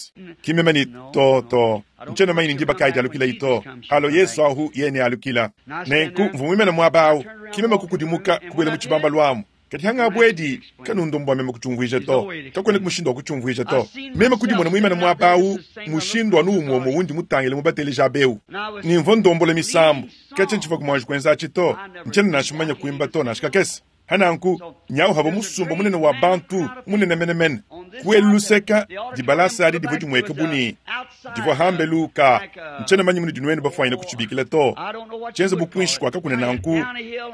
Ki meme ne, To, to, ntshiena mumanye ne ndiba kayi dialukilayi to. Alo Yesu ahu, yeye nealukila. Nenku mvua muimane muaba awu, ki meme kukudimuka, kubuela mu tshibambalu amu. Kadi hangabu edi, kanundombu bua meme kutshiumvuija to. Kakuenaku mushindu wa kutshiumvuija to. Meme kudimona muimane muaba awu, mushindu anu umue umue undi mutangile mubateleji aba eu. Ne mvua ndombola misambu. Katshia ntshivua muanji kuenza atshi to. Ntshiena nansha mumanye kuimba to, nansha kakese. Hananku, nyawu hava musumba munene wa bantu, munene menemene. Ku elu luseka, dibalasa adi divua dimueka bu ne, divua hambelu ka ntshiena manya munudi nuenu bafuanyine kutshibikila to, tshienze bu kuinshi kua kakuna nanku,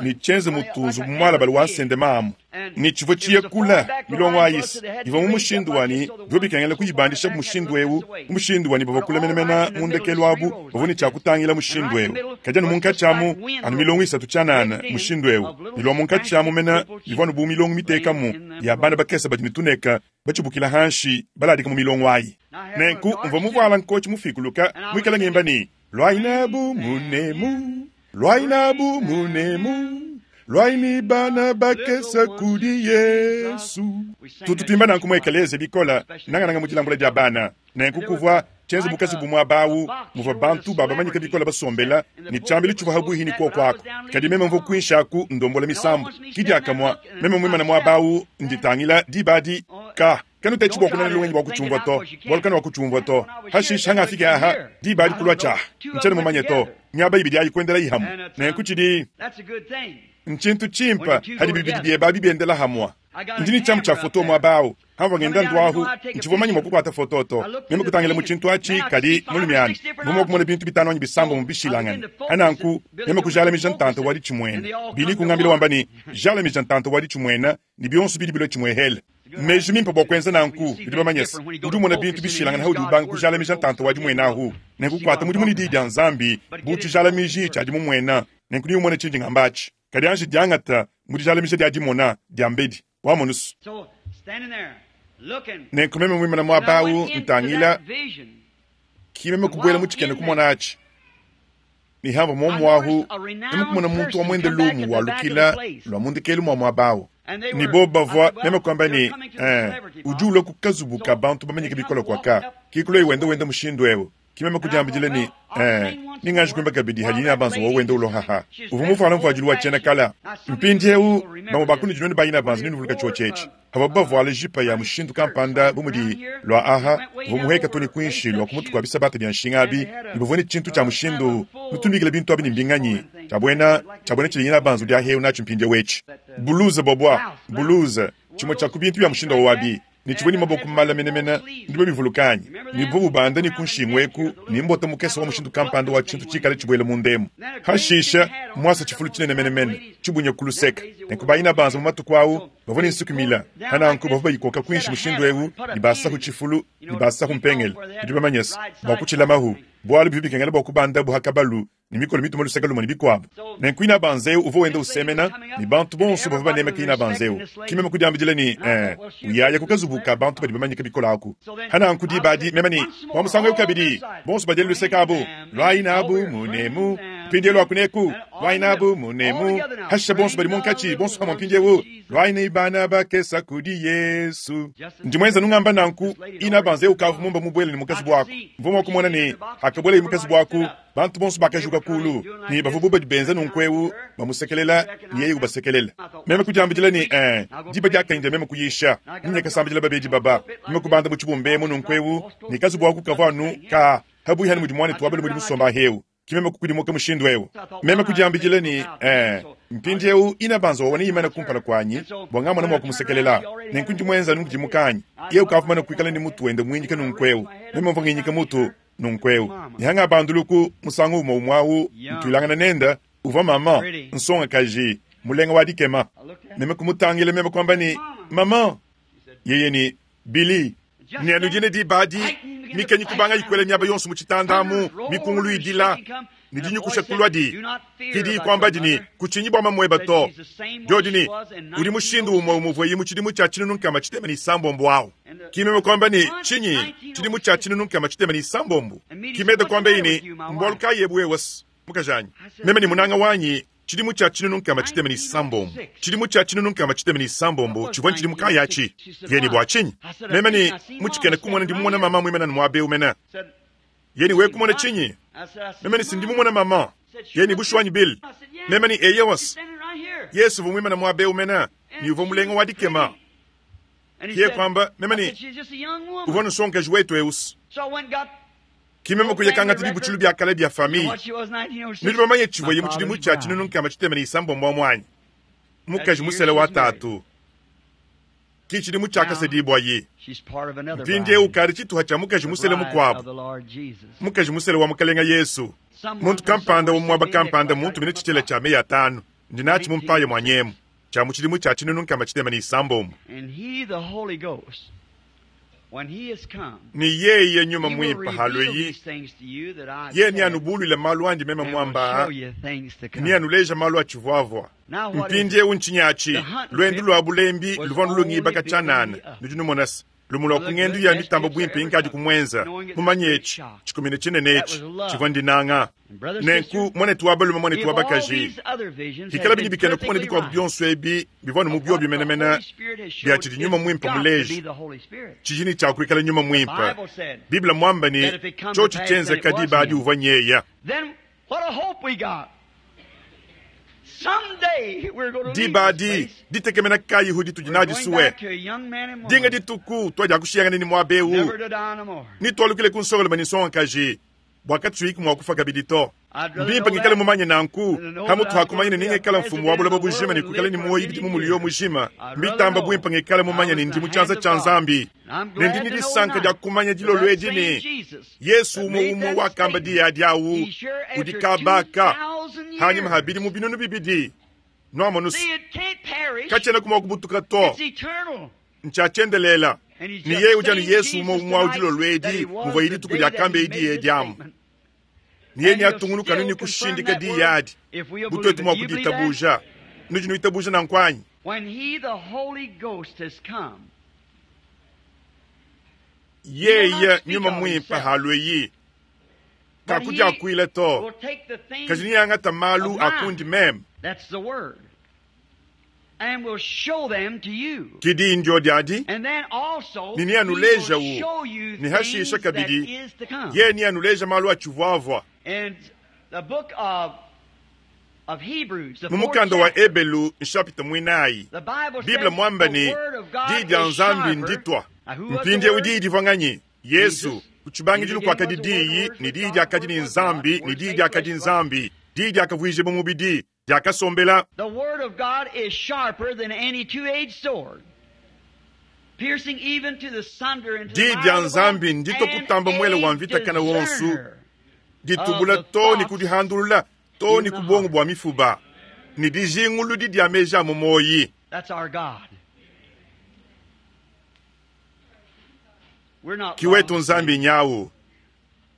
ne tshienze mutu nzubu mualabale wa nsende mamu, ne tshivua tshiye kule. Milongo ayi ivua mu mushindu wa ne, bivua bikengela kuyibandisha mushindu eu, mu mushindu wa ne, bavua kule menemene mu ndekelu abu bavua ne tshia kutangila mushindu eu. Kadi anu munkatshi amu, anu milongo isatu tshianana mushindu eu, ne lua munkatshi amu mene ivua anu bu milongo mitekamu ya bana bakese badi ne tuneka batshibukila hanshi baladika mu milongo ayi. Nenku mvua muvuala nkotshi mufikuluka muikale ngimba ne, Luayi nabu munemu, luayi nabu munemu, luayi ne bana bakese kudi Yesu. Tutu tuimba nanku mu ekelezia bikole, nangananga mu dilambula dia bana. Nenku kuvua tshienze bu kazubu muaba awu muvua bantu ba bamanyike bikole basombela, ne tshiambilu tshivua pabuipi ne kuoku aku. Kadi meme mvua kuinshi aku ndombola misambu. Ki diakamue meme muimane muaba awu nditangila diba adi, ka kanutetshi bua kunana lungenyi bua kutshiumvua to, bualu kanuakutshiumvua to. Hashishe hangafike aha, diba adi kulua tshiaha, ntshiena mumanye to. Miaba ibidi ayi kuendelayi hamue. Nenku tshidi ntshintu tshimpe hadi bibidi biebe abi biendela hamue. Ndi ne tshiamu tshia foto muaba au. Hamvua ngenda nduahu, ntshivua mumanye mua kukuata foto to. Meme kutangila mu tshintu atshi, kadi mulume anyi mvua mua kumona bintu bitanu anyi bisambombo bishilangane. Hananku meme kujalamija ntanta wa ditshimuena. Billy kungambila wamba ne, Jalamija ntanta wa ditshimuena ne bionso bidi bilua tshimuehele. Mmeji mimpe bua kuenza nanku. Nudi bamanye se, udi umona bintu bishilangane haudi ubanga kujalamija ntanta wa dimuena ahu. Nenku kuata mudimu ne Diyi dia Nzambi bu tshijalamiji tshia dimumuena. Nenku neumone tshindi ngamba atshi. Kadi anji diangata mu dijalamija dia dimona diambedi. Wamonusu. Nenku meme muimane muaba au ntangila, ki meme kubuela mu tshikena kumona atshi. Ne hamvua muomu ahu, meme kumona muntu wa muende lumu walukila lua mu ndekelu mua muaba au. Ne bobu bavua, meme kuamba ne, eh, udi ulua ku kazubu ka bantu bamanyike bikole kuaka. Ki kuloyi wenda wenda mushindu eu. Ki meme kudiambidila ne, eh, ninganji kuimba kabidi hadi ina banza wa wenda ulohaha. Uvua muvuala mvuadilu wa tshiena kala. Mpindieu, bamue ba kunudi nuenu ba ina banza nenuvuluka tshiotshi etshi. Pavuabu bavuala jipa ya mushindu kampanda bu mudi lua aha, uvua muheka too ne kuinshi lua ku mutu kua bisabata bia nshinga abi, ne bavua ne tshintu tshia mushindu nutumikila bintu abi ne mbinganyi, tshia buena tshia buena tshidi ina banza udi ahewu natshi mpindieu etshi. Buluze bobua, buluze, tshimue tshia ku bintu bia mushindu awu abi. Ne tshivua ne maboko male menemene, nudi babivuluka anyi? Ne buvua bubanda ne ku nshingu eku ne mbota mukese wa mushindu kampanda wa tshintu tshikale tshibuele munda emu. Hashishe, muasa tshifulu tshinene menemene, tshibunya ku luseke. Nenku bayina banza mu matuku au bavua ne nsuki mile, pa nanku bavua bayikoka kuinshi mushindu eu ne basahu tshifulu ne basahu mpengele. Nudi bamanye se, bua kutshilamahu, bualu bivua bikengela bua kubandabu ha kabalu ne mikolo mituma luseke lumue ne bikuabu. Nenku inabanza eu uvua wenda usemena, ne bantu bonso bavua banemeka inabanza eu. Ki meme kudiambidila ne, eh, uyaya ku kazubu ka bantu badi bamanyike bikole aku. Hananku diba adi meme ne, bua musangu eu kabidi, bonso badiele luseke abu, luayi nabu munemu, mpindieu luaku neku, luayi nabu munemu, hashishe bonso badi munkatshi, bonso pamue mpindieu, luayi ne bana bakesa kudi Yesu. Ndi muenza nungamba nanku, inabanza eu ukavua mumba mubuele ne mu kazubu aku. Mvua mua kumona ne, hakabuelaye mu kazubu aku, Bantu bonso bakajuka kulu, ne bavua bu badi benza nunku eu bamusekelela ne yeye ubasekelela. Meme kudiambidila ne, eh, diba diakanyi dia meme kuyisha. Meme kasambidila babedi baba. Meme kubanda mu tshibumba emu nunku eu, ne kazubu aku kavua anu ka pabuipi anu mudi muanetu wa balume udi musomba ahewu. Ke meme kukudimuka mushindu eu. Meme kudiambidila ne, eh, mpindieu inabanza wawa neimane kumpala kuanyi bua ngamona mua kumusekelela. Nenku ndi muenza anu nkudimuka anyi? Yeye ukavua mumane kuikala ne mutu wende muinyika nunku eu. Meme mvua nginyika mutu Nunku'eu, ne hangabanduluku musangu umue umue au ntuilangana nende, uvua maman, nsongakaji mulenga wa dikema. Meme kumutangila, meme kuamba ne, Maman! Yeye ne, Billy! Ne anu dine diba adi, mikenyi kubanga ikuela miaba yonso mu tshitanda amu, mikungulu idila, ne dinyukusha kulua di. Ke diyi kuambadi ne, Kutshinyi bua mamueba to. Diodi ne, Udi mushindu umue umuvuaye mu tshidimu tshia 1600 awu. Ki meme kuamba ne, Tshinyi? Tshidimu tshia 1600? Ki Meda kuambaye ne, Mbualu kayi ebu wewe-s, mukajanyi? Meme ne munanga wanyi, tshidimu tshia 1600. Tshidimu tshia 1600 tshivua ntshidimu kayi atshi? Yeye ne, Bua tshinyi? Meme ne, Mu tshikena kumona ndi mumona mama muimane anu muaba eu mene. Yeye ne, Wewe kumona tshinyi? Meme ne, Si ndi mumona mama. Yeye ne, Bushuwa anyi, Bill? Meme ne, Eyowa-s. Yesu uvua muimane muaba eu mene, ne uvua mulenga wa dikema. Yeye kuamba, Meme ne, uvua nsongakaji wetu eu-s. Ki meme kuya kangata bibutshilu bia kale bia famiye. Nudi bamanye tshivuaye mu tshidimu tshia 1606 amu anyi? Mukaji musela wa tatu. Ki tshidimu tshiakasedibwaye. Mpindyewu ukaadi cituha cya mukaji musele mukwabo, mukaji musele wa Mukalenga Yesu. Muntu kampanda wa mu mwaba kampanda mmuntumine cicela cya meyi atanu, ndi naci mu mpaaya mwanyemu, cya mu cidimu cya 1606. Ne yeye Nyuma Mwimpe halweyi, yeye neanubulwile malu andi meme mwamba aa, neanuleje malu atshivwavwa. Mpindyewu ntshinyi aci? Lwendu lwa bulembi luvwa nulungibaka tshianana. Nudi numonase lumu lwa ku ngendu ya mitamba bwimpe inkadi kumwenza, mumanye eci, tshikumina tshinene eci, tshivwa ndinanga. Nenku, mwanetu wa balume, mwanetu wa bakaji, hikala bidi bikena kumona bikwabo byonso ebi bivwa anu mu byobyo menemene bya tshidi Nyuma Mwimpe muleje, tshidi ne tshia kwikala Nyuma Mwimpe. Bible mwamba ne, Tshiotshi tshienzeka diba adi uvwa nyeya. Diba adi, ditekemena kayihu ditudi nadi sue? Dinga dituku tuadiakushiyangana ne muaba eu, ne tualukile ku nsongalume ne nsongakaji, bua katutshiyiku mua kufua kabidi to. Mbimpe ngikale mumanye nanku, pamutu pa kumanya ne nengikale mfumu wa buloba bujima ne kuikala ne muoyo bidimu muliyo mujima. Mbitamba buimpe ngikale mumanye ne ndi mu tshianza tshia Nzambi, ne ndi ne disanka dia kumanya dilolo edi ne, Yesu umue umue wakamba diyi adi awu udi kabaka hanyima ha bidimu 2000. Nuamonuse, katshiena mua kubutuka to, ntshia tshiendelela. Ne yeye udi anu Yesu umue umue awu dilolo edi muvua dituku diakamba diyi edi amu. Ne yeye neatungunuka anu ne kushindika diyi adi bu tuetu mua kuditabuja. Nudi nuitabuja nanku anyi? Yeye Nyuma Mwimpe halweyi, kakudyakwila to, kadi neangata malu a kundi meme. Ki diyi ndyodi adi, ne neanulejawu, ne hashisha kabidi yeye neanuleja malu atshivwavwa. Mu mukanda wa Ebelu nshapita mwinayi, Bible mwamba ne, Diyi dya Nzambi nditwa. Mpindyewu Diyi divwa nganyi? Yesu. Ku tshibangidilu kwakadi Diyi, ne Diyi dyakadi ne Nzambi, ne Diyi dyakadi Nzambi. Diyi dyakavwijibwa mubidi, dyakasombela. Diyi dya Nzambi nditwa kutamba mwele wa mvita kana wonsu, ditubula too ne ku dihandulula too ne ku buongo bua mifuba, ne dijinguludi dia meji a mu muoyi. Ki wetu Nzambi nyawu.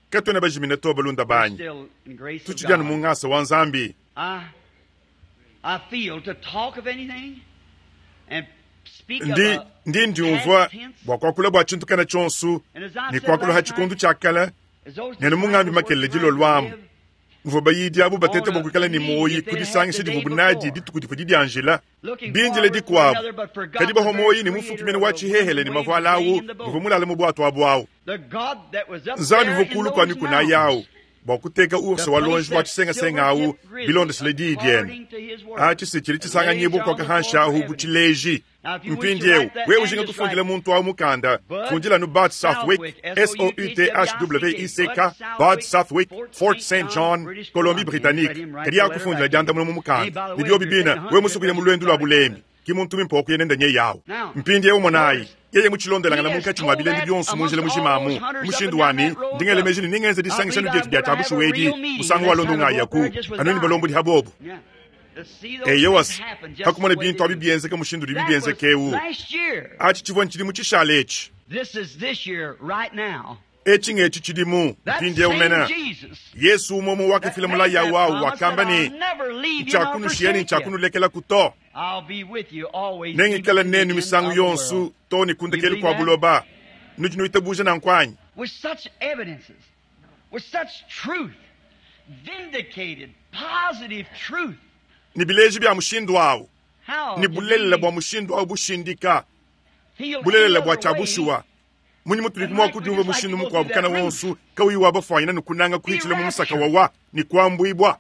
Katuena bajimine to, balunda banyi. Tutshidi anu mu ngasa wa Nzambi. Ndi, ndi ndiumvua bua kuakula bua tshintu kana tshionso ne kuakula ha tshikondu tshia kale, nenu mungambi makelela dilolo amu muvua bayidi abu batete bua kuikala ne muoyi ku disangisha divuabu nadi dituku divua didianjila bindile dikuabu, kadi bavua muoyi ne mufuki mene wa tshihehele ne mavuala awu muvua mulale mu buatu abu awu. Nzambi uvua kulu kua mikuna ayi awu bua kuteka urse wa luonji wa tshisengasenga awu bilondeshile diyi diende. Atshi se tshidi tshisanganyibua kuaka hanshi ahu bu tshileji. Mpindiewu, wewe ujinga kufundila muntu awu mukanda, fundila anu Bud Southwick, S-O-U-T-H-W-I-C-K, Bud Southwick, Fort Saint John, Colombie Britannique. Kadi akufundila diandamuna mu mukanda. Ne biobi bine, wewe musue kuya mu luendu lua bulembi, ki muntu muimpe wa kuya nende nyeye awu. Mpindiewu monayi, yeye mutshilondelangana munkatshi mua bilembi bionso mu njila mujima amu, mu mushindu wa ne, ndi ngela meji ne nengenze disangisha anu dietu dia tshia bushuwa edi, musangu walonda ungayaku, anu ne balombodi ha bobo. Eyowa, pa kumona bintu abi bienzeka mushindu udibi bienzeka eu, atshi tshivua ntshidimu tshishale etshi. Etshi ng'etshi tshidimu mpindieu mene. Yesu umue umue wakafila mulayi au au wakamba ne, Ntshiakunushiya ne ntshiakunulekelaku to. Nengikale nenu misangu yonso too ne ku ndekelu kua buloba. Nudi nuitabuja nanku anyi? Ne bileji bia mushindu au, ne bulelela bua mushindu au bushindika, bulelela bua tshia bushuwa, munyi mutudi mua kudiumvua mushindu mukuabu kana wonso kauyi wa bafuanyina ne kunanga kuhitshila mu musaka wawa ne kuambuibua?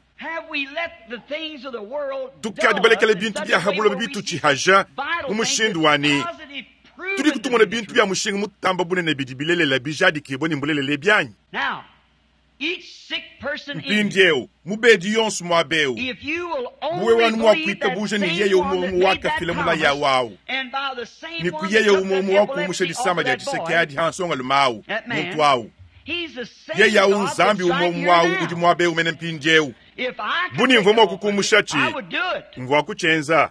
Tukadi balekele bintu bia ha buloba bitutshihaja mu mushindu wa ne tudi kutumona bintu bia mushinga mutamba bunene bidi bilelela bijadikibua ne mbulelela ebi anyi? Mpindiewu, mubedi yonso muaba eu, bu wewe anu mua kuitabuja ne yeye umue umue wakafila mulayi awu, ne ku yeye umue umue wakumusha disama dia tshiseke adi ha nsongalume awu, muntu awu, yeye awu Nzambi umue umue awu udi muaba eu mene mpindiewu. Bu ne mvua mua kukumushatshi, mvua kutshienza,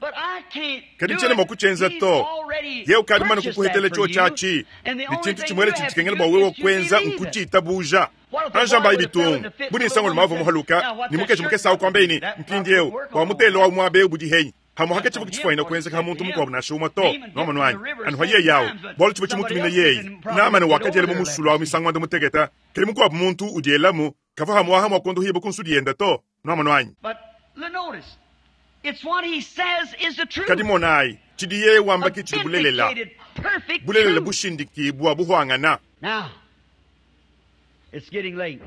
kadi tshiena mua kutshienza to. Yeye ukadi mumane kukuhetela tshiotshi atshi, ne tshintu tshimuele tshidi tshikengela bua wewe kuenza nkutshiitabuja. Anjambayi bitungu bu ne nsongalume avua muhaluka ne mukeji mukese awu kuambaye ne, Mpindiewu, bua mutelo awu muaba eu budi henyi? Hamuhaka tshivua tshifuanyina kuenzeka ha muntu mukuabu nansha umue to. Nuamonu anyi? Anu ha yeye awu, bualu tshivua tshimutumine yeye. Namana wakadiela mu musulu awu misangu muanda mutekete, kadi mukuabu muntu udielamu kavua hamuaha mua kuondohibua ku nsudi yende to. Nuamonu anyi? Kadi monayi, tshidi yeye wamba ke tshidi bulelela, bulelela bushindikibua buhuangana.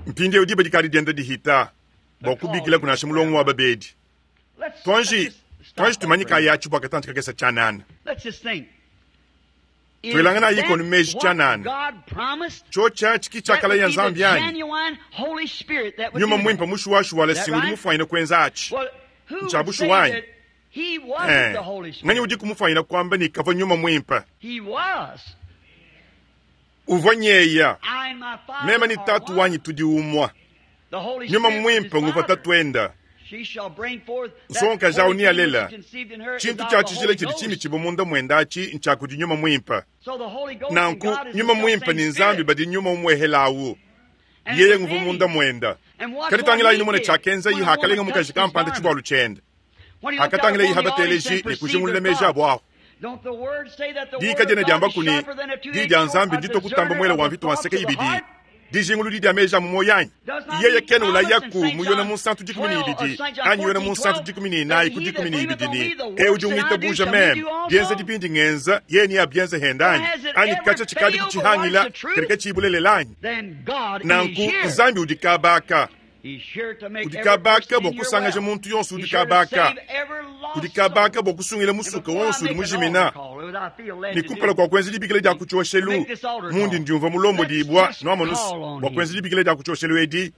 Mpindieu diba dikadi dienda dihita bua kubikilaku nansha mulongo wa babedi. Tuanji, tuanji tumanyikayi atshi bua katantshi kakese tshianana. Tuelanganayi ikonu meji tshianana. Tshiotshi atshi ki tshiakalaya Nzambi anyi? Nyuma Muimpe mushuwashuwa si udi mufuanyine kuenza atshi. Ntshia bushuwa anyi? Eh, nganyi udiku mufuanyine kuamba ne kavua Nyuma Muimpe? Uvua nyeya. Meme ne Tatu wanyi tudi umue. Nyuma Muimpe nguvua Tatuenda. Nsongakaji awu nealela tshintu tshia tshijila tshidi tshimitshibua munda muende atshi ntshia kudi Nyuma Muimpe. Nanku Nyuma Muimpe ne Nzambi badi nyuma umuehela awu. Yeye nguvua munda muenda. Kadi tangilayi numone tshiakenzayi hakalenga mukaji kampanda tshivualu tshiende. Hakatangilayi habateleji ne kujingulula meji abu ahu. Diyi kadiena diambaku ne, Diyi dia Nzambi nditue kutamba muele wa mvita wa nseke ibidi, dijinguludi dia meji a mu muoyo anyi? Yeye kena ulayaku mu Yone Munsantu 12 anyi Yone Munsantu 14 ku 12 ne, Eu udi ungitabuja meme, bienzedi bindi ngenza, yeye neabienze hende anyi? Anyi katshia tshikadi kutshihangila, kadi katshiyi bulelela anyi? Nanku Nzambi udi kaba aka. Udi kabaka bua kusangaja muntu yonso udi kabaka. Udi kabaka bua kusungila musuka wonso udi mujimina. Ne kumpala kua kuenza dibikila dia ku tshioshelu, mundi ndiumvua mulombodibua, nuamonus, bua kuenza dibikila dia ku tshioshelu edi,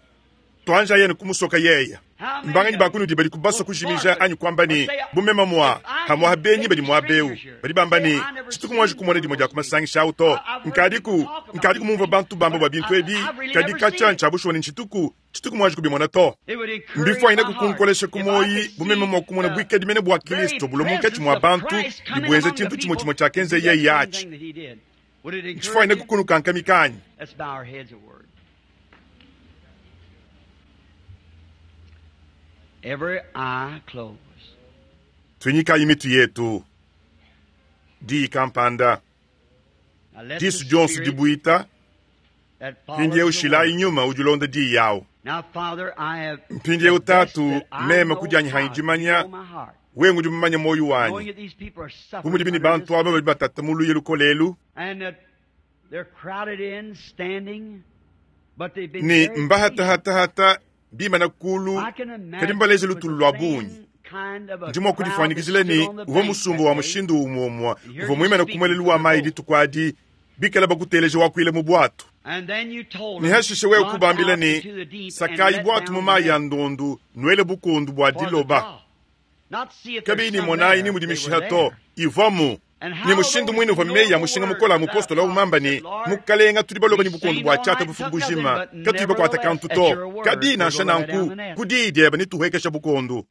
tuanjaye ne kumusoka yeya. Mbanganyi ba kunudi badi kubasua kujimija anyi kuamba ne, bu meme mua, hamuaha benyi badi muaba eu, badi bamba ne, tshituku muanji kumona dimue dia ku masangisha au to. Nkadiku, nkadiku mumvua bantu bamba bua bintu ebi, kadi katshia ntshia bushuwa ne ntshituku, tshituku muanji kubimona to. Mbifuanyine kukunkolesha ku muoyi bu meme mua kumona buikadi mene bua Kristo bulua munkatshi mua bantu ne buenza tshintu tshimue tshimue tshiakenza yeye atshi. Ntshifuanyine kukunukankamika anyi? Tuinyikayi mitu yetu. Diyi kampanda, disu dionso dibuita, mpindieu shilayi nyuma udi ulonda diyi awu. Mpindieu Tatu, meme ku dianyi hanyi dimanya, wewe udi mumanye muoyo wanyi, bu mudibi ne bantu aba badi batata mu luya lukole elu, ne mbahatahata bimana kulu, kadi mbaleje lutulu lua bungi. Ndi mua kudifuanyikijila ne uvua musumba wa mushindu umue umue uvua muimane ku muelelu wa mayi dituku adi, bikala bakuteleja wakuila mu buatu. Ne hashishe wewe kubambila ne, Sakayi buatu mu mayi a ndondu, nuele bukondu bua diloba. Kabiyi ne monayi ni mudi mishiha to, ivuamu. Ne mushindu muine uvua meyi a mushinga mukole a mupostolo au mamba ne, Mukalenga, tudi baloba ne bukondu bua tshiata bufuku bujima, katuyi bakuate kantu to. Kadi nansha nanku, ku diyi diebe netuhuekeshe bukondu.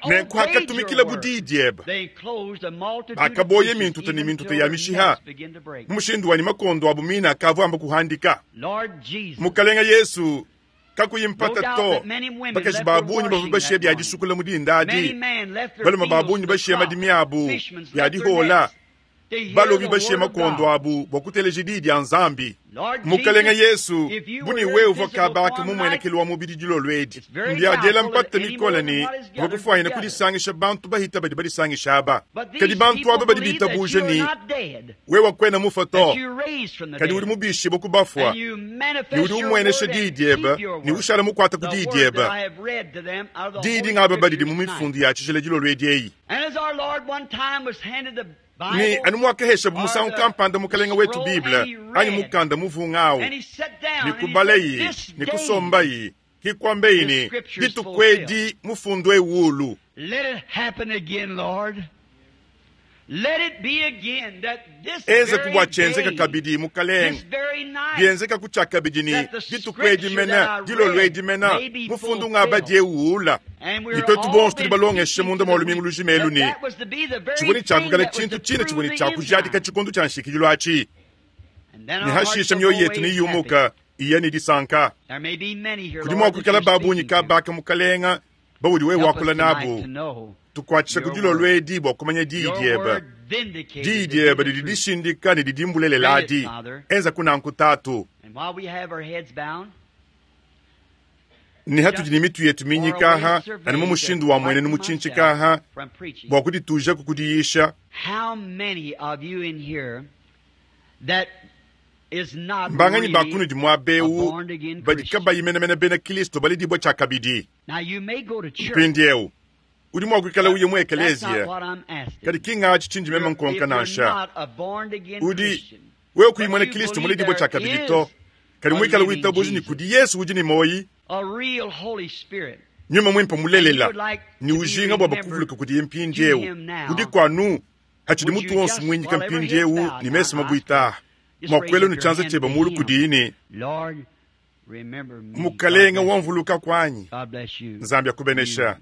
Nenku hakatumikilabu diyi diebe, bakaboya mintuta ne mintuta ya mishiha, mu mushindu wa ne makondo abu mine akavua amba kuhandika. Mukalenga Yesu, kakuyi mpata to, bakaji ba bungi bavua bashiya bia disukula mu dinda adi, balume ba bungi bashiya madimi abu, bia dihola, balobi bashiya makondo abu bua kuteleja diyi dia Nzambi. Mukalenga Yesu, bu ne wewe uvua kabaka mu muenekelu wa mubidi dilolo edi, mbia diela mpata mikole ne uvua kufuanyina kudisangisha bantu bahita badi badisangisha aba. Kadi bantu aba badi bitabuja ne wewe kuena mufue to, kadi udi mubishibue ku bafua, ne udi umuenesha diyi diebe ne ushala mukuate ku diyi diebe. Diyi dingaba badidi mu mifundu ya tshijila dilolo edi eyi. Ne anu muakaheshabu musangu kampanda Mukelenge wetu Bible anyi mukanda muvunga awu, ne kubalayi ne kusombayi, ki kuambeyi ne, Dituku edi mufundu eu ulu. Enzaku bua tshienzeka kabidi, Mukalenge, bienzekaku tshiakabidi ne dituku edi mena, dilolo edi mena, mufundu ngabadi eu uula. Ne tuetu bonso tudi balongeshe munda mua lumingu lujima elu ne, tshivua ne tshia kuikala tshintu tshine tshivua ne tshia kujadika tshikondo tshia nshikidilu atshi, ne hashisha mioyo yetu neyumuka iya ne disanka. Kudi mua kuikala ba bungi kabaka, Mukalenge, baudi wewe wakula nabu. Tukuatshisha ku dilolo edi bua kumanya diyi diebe. Diyi diebe didi dishindika ne didi mbulelela adi. Enza kunanku, Tatu. Ne hatudi ne mitu yetu minyikaha anu mu mushindu wa muenenu mutshintshikaha bua kuditujaku ku diyisha, mbanganyi ba kunudi muaba eu badi kabayi menemene bena Kristo baledibua tshiakabidi? Mpindieu udi mua kuikala uya mu ekeleziya, kadi ki ngatshi tshindi meme nkonka nansha. Udi wewe kuyi muena Kristo muledibue tshiakabidi to, kadi muikale witabuja ne kudi Yesu udi ne muoyi, Nyuma Muimpe mulelela, ne ujinga bua bakuvuluke kudiye mpindieu, udiku anu hatshidi mutu wonso muinyika mpindieu ne mesu mabuita mua kuela ne tshianza tshiebe mulu kudiyi ne, Mukalenge wamvuluka kuanyi. Nzambi akubenesha.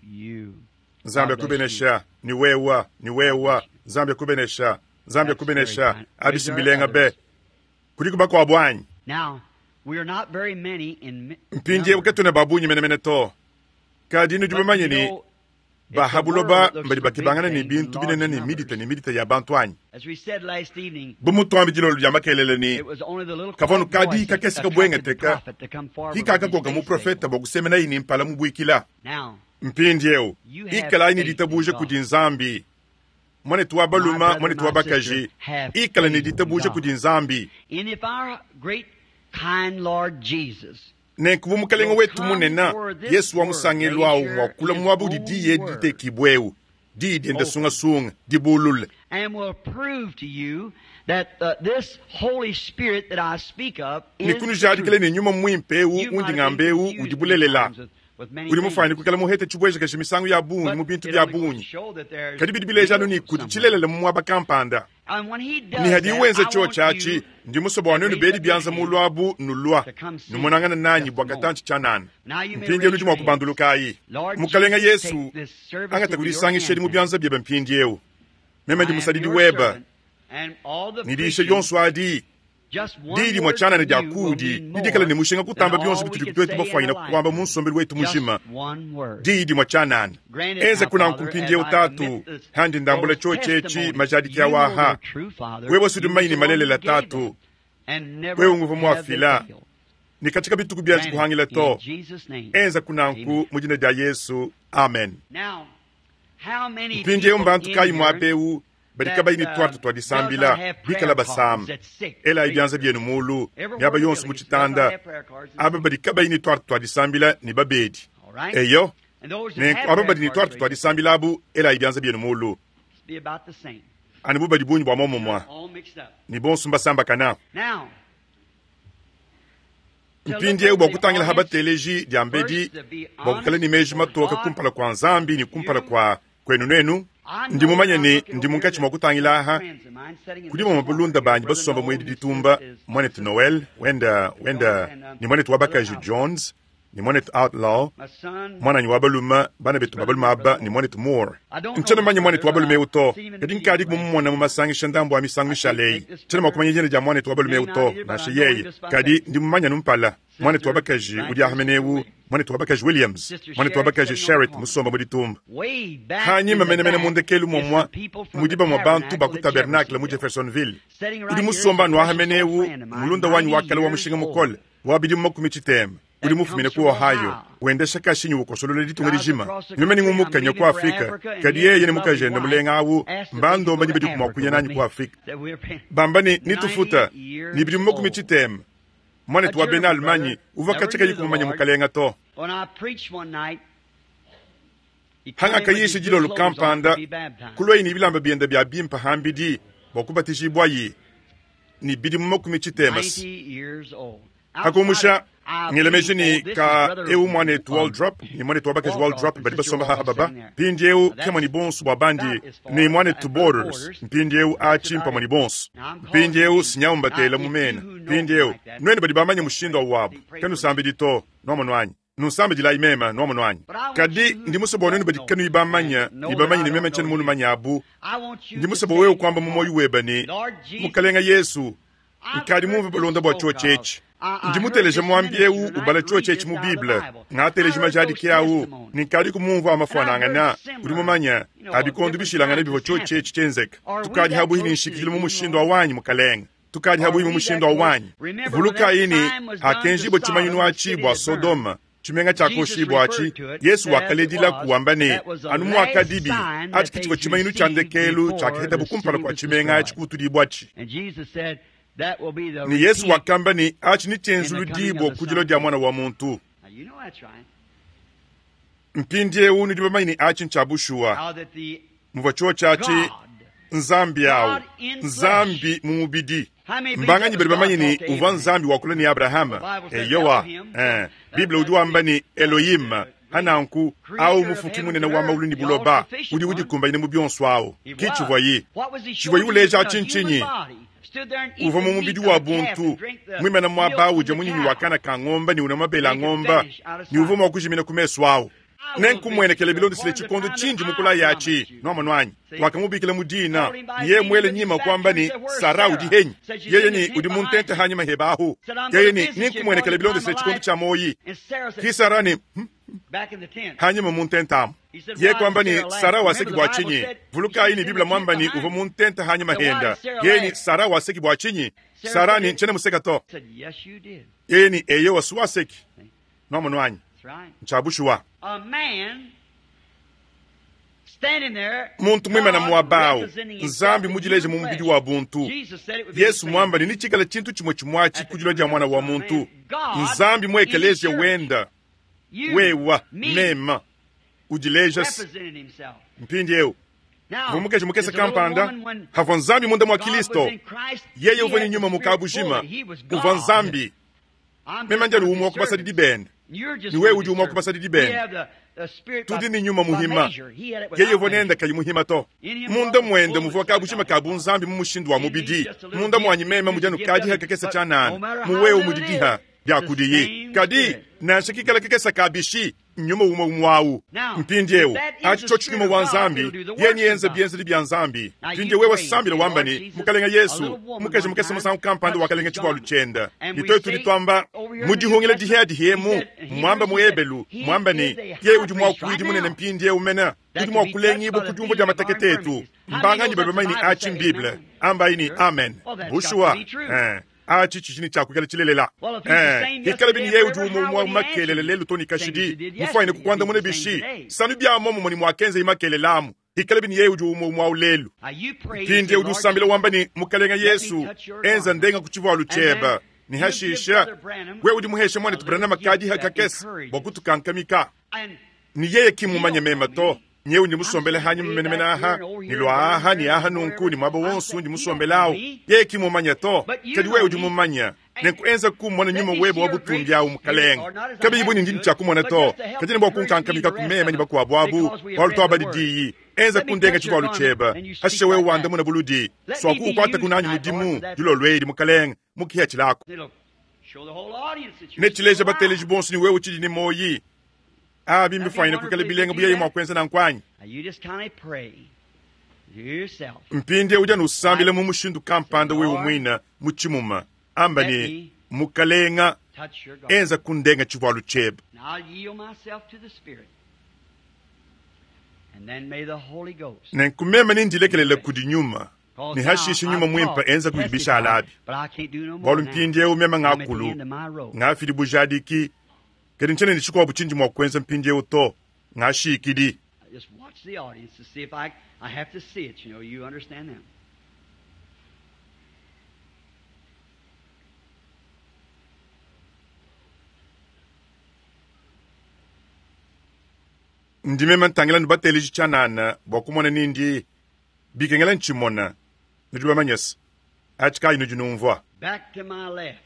Nzambi akubenesha. Ni wewa, ni wewa. Nzambi akubenesha. Nzambi akubenesha. Abisi mbilenga be. Kudiku bakuabu anyi? Mpindieu katuena ba bungi menemene to. Kadi nudi bamanye ne, ba ha buloba mbadi bakebangana ne bintu binene ne midita ne midita ya bantu anyi? Bu mutuambi dilolo dia makelele ne, kavua nu kadi kakese kabuengeteka ki kakakoka muprofete bua kusemenayi ne mpala mubuikila. Mpindieu ikalayi ne ditabuja kudi Nzambi. Muanetu wa balume, muanetu wa bakaji, ikala ne ditabuja kudi Nzambi. Nenku bu Mukalenge wetu munene Yesu wa musangelu au mua kulua muaba udi diyi edi ditekibue eu, diyi diende sungasunga, dibulule, ne kunujadikila ne Nyuma Muimpe eu undi ngamba eu udi bulelela. Udi mufuane kuikala muhete tshibuejakaji misangu ya bungi mu bintu bia bungi, kadi bidi bileja anu ne kudi tshilelela mu muaba kampanda. Ne hadiye wenza tshiotshi atshi, ndi musue bua nuenu bedi bianza mulu abu nulua numonangana nanyi bua katantshi tshianana. Mpindieu nudi mua kubandulukayi. Mukalenge Yesu, angata kudisangisha edi mu bianza biebe mpindieu. Meme ndi musadidi webe, ne diyisha dionso adi diyi dimue tshianana dia kuudi didikala ne mushinga kutamba bionso bitudi tuetu bafuanyina kuamba mu nsombelu wetu mujima. Diyi dimue tshianana. Enza kunanku mpindieu, Tatu, handi ndambula tshiotshi etshi majadiki awaha. Wewe sudi mumanye ne malelela, Tatu, wewe nguvua muafila ne katika bituku bianji kuhangila to. Enza kunanku mu dina dia Yesu, amen. Mpindieu mbantu kayi muaba eu badi kabayi ne tuarte tua disambila, bikala basama? Elayi bianza bienu mulu miaba yonso mu tshitanda, aba badi kabayi ne tuarte tua disambila ne babedi. Eyo, nenku aba badi ne tuarte tua disambila abu, elayi bianza bienu mulu. Anu bu badi bungi bua muomumue, ne bonso mbasambakana. Mpindieu bua kutangila ha bateleji diambedi, bua kuikala ne meji matoke kumpala kua Nzambi ne kumpala kua kuenu nuenu, ndi mumanye ne ndi munkatshi mua kutangila aha kudi bamue balunda banyi basomba mu edi ditumba, muanetu Noel wenda wenda ne muanetu wa bakaji Jones ne muanetu Outlaw, muananyi wa balume, bana betu ba balume aba ne muanetu Moore. Ntshiena mumanye muanetu wa balume eu to, kadi nkadi mumumona mu masangisha ndambu a misangu mishale eyi. Tshiena mua kumanya dina dia muanetu wa balume eu to, nansha yeye, kadi ndi mumanye anu mpala. Muanetu wa bakaji udi aha mene eu, muanetu wa bakaji Williams, muanetu wa bakaji Sherritt musomba mu ditumba. Hanyima menemene mu ndekelu muomua mudi bamue bantu ba ku tabernacle mu Jeffersonville. Udi musomba anu aha mene eu, mulunda wanyi wa kale wa mushinga mukole wa bidimu 80. Udi mufumine ku Ohio, wendesha kashinyi ukosolola ditunga dijima. Meme ne ngumukanya ku Afrika, kadi yeye ne mukajende mulenga awu mbandomba ne badiku mua kuya nanyi ku Afrika. Bamba ne nitufuta ne bidimu 80. Muanetu wa bena Allemagne uvua katshia kayi kumumanya Mukalenga to. Hangakayisha dilolo kampanda, kuluaye ne bilamba biende bia bimpe hambidi bua kubatijibwaye ne bidimu makumi tshitema. Hakumusha ngelemeji ne ka eu muanetu Waldrop ne muanetu wa bakaji Waldrop badi basomba haha baba mpindieu kemua ne bonso bua bandi ne muanetu Borders mpindieu atshi mpamue ne bonso mpindieu sinyawu mbatela mu mena mpindieu nuenu badi bamanye mushindu awu wabu kanusambidi to nuamonu anyi nusambidilai mema nuamonu anyi kadi ndi musue bua nuenu badi kanuyi bamanya ne bamanye ne meme ntshiena munumanya abu ndi musue bua wewe kuamba mu muoyo webe ne Mukalenga Yesu nkadi mumve balonda bua tshiotshi etshi. Ndi muteleje muambi eu ubala tshiotshi etshi mu Bible. Ngateleje majadiki au ne nkadi kumumvua amafuanangana. Udi mumanye, a bikondo bishilangane bivua tshiotshi etshi tshienzeka. Tukadi habuhi ne nshikidilu mu mushindu wa wanyi, Mukalenge. Tukadi habuhi mu mushindu wa wanyi. Vulukayi ne, hakenjibua tshimanyinu atshi bua Sodoma, tshimenga tshiakoshibua atshi, Yesu wakaledilaku wamba ne, anu muakadibi, atshi ke tshivua tshimanyinu tshia ndekelu tshiakahetabu kumpala kua tshimenga atshi kubutudibua-tshi. Ne Yesu wakamba ne, atshi netshienzuludibua ku dilua dia Muana wa muntu. Mpindieu nudi bamanye ne atshi ntshia bushuwa. Muvua tshiotshi atshi Nzambi au, Nzambi mu mubidi. Mbanganyi badi bamanye ne uvua Nzambi wakula ne Abrahama? Eyowa. Eh, Bible udi wamba ne Elohim, hananku au mufuki munene wa maulu ne buloba, udi udikumbanyine mu bionso au. Ki tshivuayi. Tshivuayi uleja atshi ntshinyi? Uvua mu mubidi wa buntu, muimana muaba udia munyinyi wa kana ka ngomba ne unua mabele a ngomba, ne uvua mua kujimina ku mesu au. Nenkumwenekele bilondeshile tshikondo tshindi mukulaye atshi. Nuamonu anyi? Wakamubikila mu dina, ne yeye muele nyima kuamba ne, Sara udi henyi? Yeye ne, Udi mu ntente hanyima heba ahu. Yeye ne, Nenkumwenekele bilondeshile tshikondo tshia muoyi. Ki Sara ne, Hum, hanyima mu ntente amu. Yeye kuamba ne, Sara waseki bua tshinyi? Vulukayi ne, Bible muamba ne, uvua mu ntente hanyima henda. Yeye ne, Sara waseki bua tshinyi? Sara ne, Ntshiena museka to. Yeye ne, Eyowa, si waseki. Nuamonu anyi? Ntshia bushuwa. Muntu muimana muaba au, Nzambi mudileje mu mubidi wa buntu. Yesu muamba ne netshikale tshintu tshimue tshimue atshi ku dilua dia Muana wa muntu. Nzambi mu ekeleziya wenda, wewa, mema, udileja mpindieu. Uvua mukaji mukese kampanda, havua Nzambi munda mua Kilisto. Yeye uvua ne nyuma mu kabujima, uvua Nzambi. Meme ndi anu umue wa ku basadidi bende, ne wewe udi umue wa ku basadidi bende. Tudi ne nyuma muhima. Yeye uvua nende kayi muhima to. Munda muende muvua kabujima ka bunzambi mu mushindu wa mubidi. Munda muanyi meme mudi anu kadiha kakese tshianana, mu wewe mudi diha dia kudiyi. Kadi nansha kikala kakese ka bishi, nyuma umue umue au. Mpindieu, atshi tshiotshi nyuma wa Nzambi, yeye neyenze bienzedi bia Nzambi. Mpindieu wewe sambila wamba ne, Mukalenge Yesu, mukaji mukese musangu kampanda wakalenga tshivualu tshiende. Ne tuetu tudi tuamba mu dihungila dihiadihi emu, muamba mu Ebelu, muamba ne, yeye udi muakuidi munene mpindieu mene, udi mua kulengibua ku diumvua dia matekete etu. Mbanganyi badi bamanye ne atshi m'Bible? Ambayi ne, Amen. Bushuwa. Eh. Atshi tshidi ne tshia kuikala tshilelela. Ee, hikalabi ne yeye udi umue umue makelela lelu to ne kashidi, mufuanyine kukuandamuna bishi? Sanu bia muomumue ne muakenzaye makelela amu, hikalabi ne yeye udi umue umue au lelu. Mpindieu udi usambila wamba ne, Mukelenge Yesu, enza ndenga ku tshivualu tshiebe, ne hashisha wewe udi muheshe muanetu Branham kadiha kakese bua kutukankamika. Ne yeye ki mmumanye meme to. Nyewu ndi musombele hanyima menemene aha, ne lua aha ne aha nunku, ne muaba wonso undi musombele awu. Yeye ki mmumanye to, kadi wewe udi mumanye. Nenku enza kumona nyuma webe wa butumbi awu, Mukalenge. Kabiyi bu ne ndi ne tshia kumona to, kadi ne bua kunkankamika ku meme ne bakuabu abu, bualu tuabadi diyi. Enza kundenga tshivualu tshiebe, hashishe wewe wandamuna buludi. Suaku ukuataku nanyi mudimu dilolo edi, Mukalenge, mu kihatshilaku. Netshileja bateleji bonso ne wewe utshidi ne muoyi. Abi mbifuanyine kuikala bilenga bu yeye mua kuenza nanku anyi? Mpindieu udi anu usambila mu mushindu kampanda wewe muine mu tshimuma. Amba ne, Mukalenga, enza kundenga tshivualu tshiebe. Nenku meme nendilekelele kudi Nyuma, ne hashishe Nyuma Muimpe enza kudi bishala abi. Bualu mpindieu meme ngakulu, ngafidi bujadiki, Kadi ntshiena ne tshikuabu tshindi mua kuenza mpindieu to. Ngashikidi. Ndi meme ntangila nubateleji tshianana bua kumona nindi bikengela ntshimona. Nudi bamanye se, atshi kayi nudi numvua. Back to my left.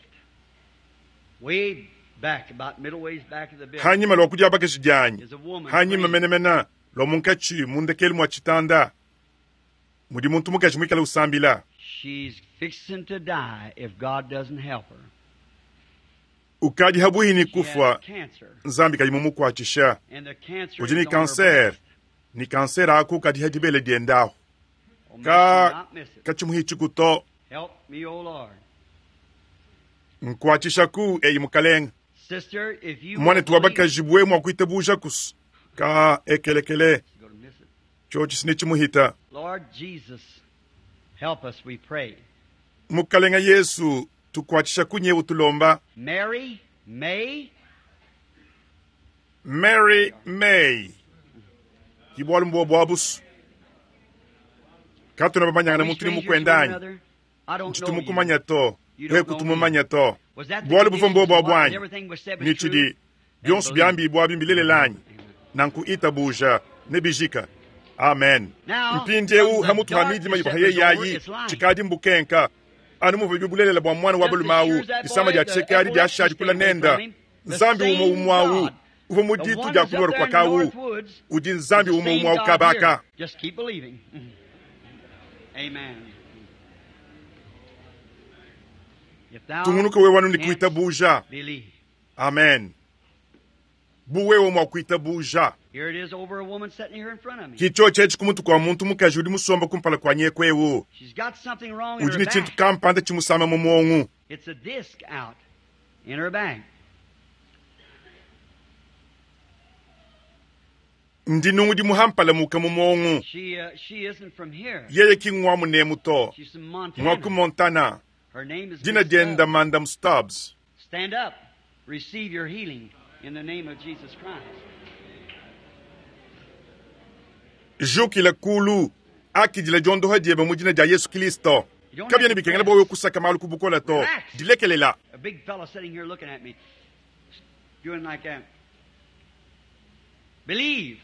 Way back, about middle ways back of the building. Hanyima lua kudiabakaji dianyi, Is a woman hanyima praying. menemene lua munkatshi mu ndekelu mua tshitanda, mudi muntu mukaji muikale usambila. She's fixing to die if God doesn't help her. Ukadi habuhi ni She kufwa, has cancer, Nzambi kayi mumukuatshisha. and the cancer Udi ni is on her cancer, breast. ni cancer aku kadi hadibele diendaho. Oh, may Ka she not miss it. kachimuhichikuto Help me, O Lord. nkuatshishaku eyi mukalenga. Sister, if you will Mwanetu wa believe, bakaji bwe mwa kuitabuja kusu ka ekelekele you're gonna miss it. chochi sinichimuhita. Lord Jesus, help us, we pray. Mukalenga Yesu tukuatshisha kunye utulomba. Mary May, Mary May kibwalu mbwa bwabusu katuna bamanyangana Are we muntu ni strangers to one mukwendanya another? I don't know you. ncitumumanya to You we don't know me. kutumumanya to Was that the bwalu buva condition mbwa bwa of what bwanyi everything was said was nichidi true? byonso Then byambi bwa bimbilelelanyi nanku itabuja nebijika amen. Now, Mpindiewu from the hamutu hamidima darkness ibahaye that was over yayi its light. chikadi mbukenka anu muva bibulelela bwa mwana wa Just as balumawu sure as that disama boy lya had the tshekadi lya epilepsy shadi kula stayed away nenda from him, the nzambi same umwe umwawu God, uva the muditu one lya that's up kulora there kwa in the kawu North Woods, udi is nzambi the umwe same umwawu God kabaka. here. Just keep believing. Amen. If thou Tungunuka wewe wanu ni canst kuitabuja. believe. Amen. Buwewe mwa kuitabuja. Here it is over a woman sitting here in front of me. Kicho chechi kumutu kwa muntu mukaji udi musomba kumpala kwa nyekwewu. She's got something wrong in Udi her ni chintu back. kampanda chimusama mu mwongu. It's a disc out in her back. Ndi nungu di muhampala muka mu mwongu. She isn't from here. Yeye ki ngwa munemu to. She's from Ngwa ku Montana. Montana. Her name is Dina Miss dienda Stubbs. Madam Stubbs. Stand up. Receive your healing in the name of Jesus Christ. Jukila kulu akidila jondoha dieba mu dina dia Yesu Kristo. You don't Kabya have ni to bikengela press. bwa kusaka malu kubukola to. Relax. Dilekelela. A big fellow sitting here looking at me, doing like that. Believe.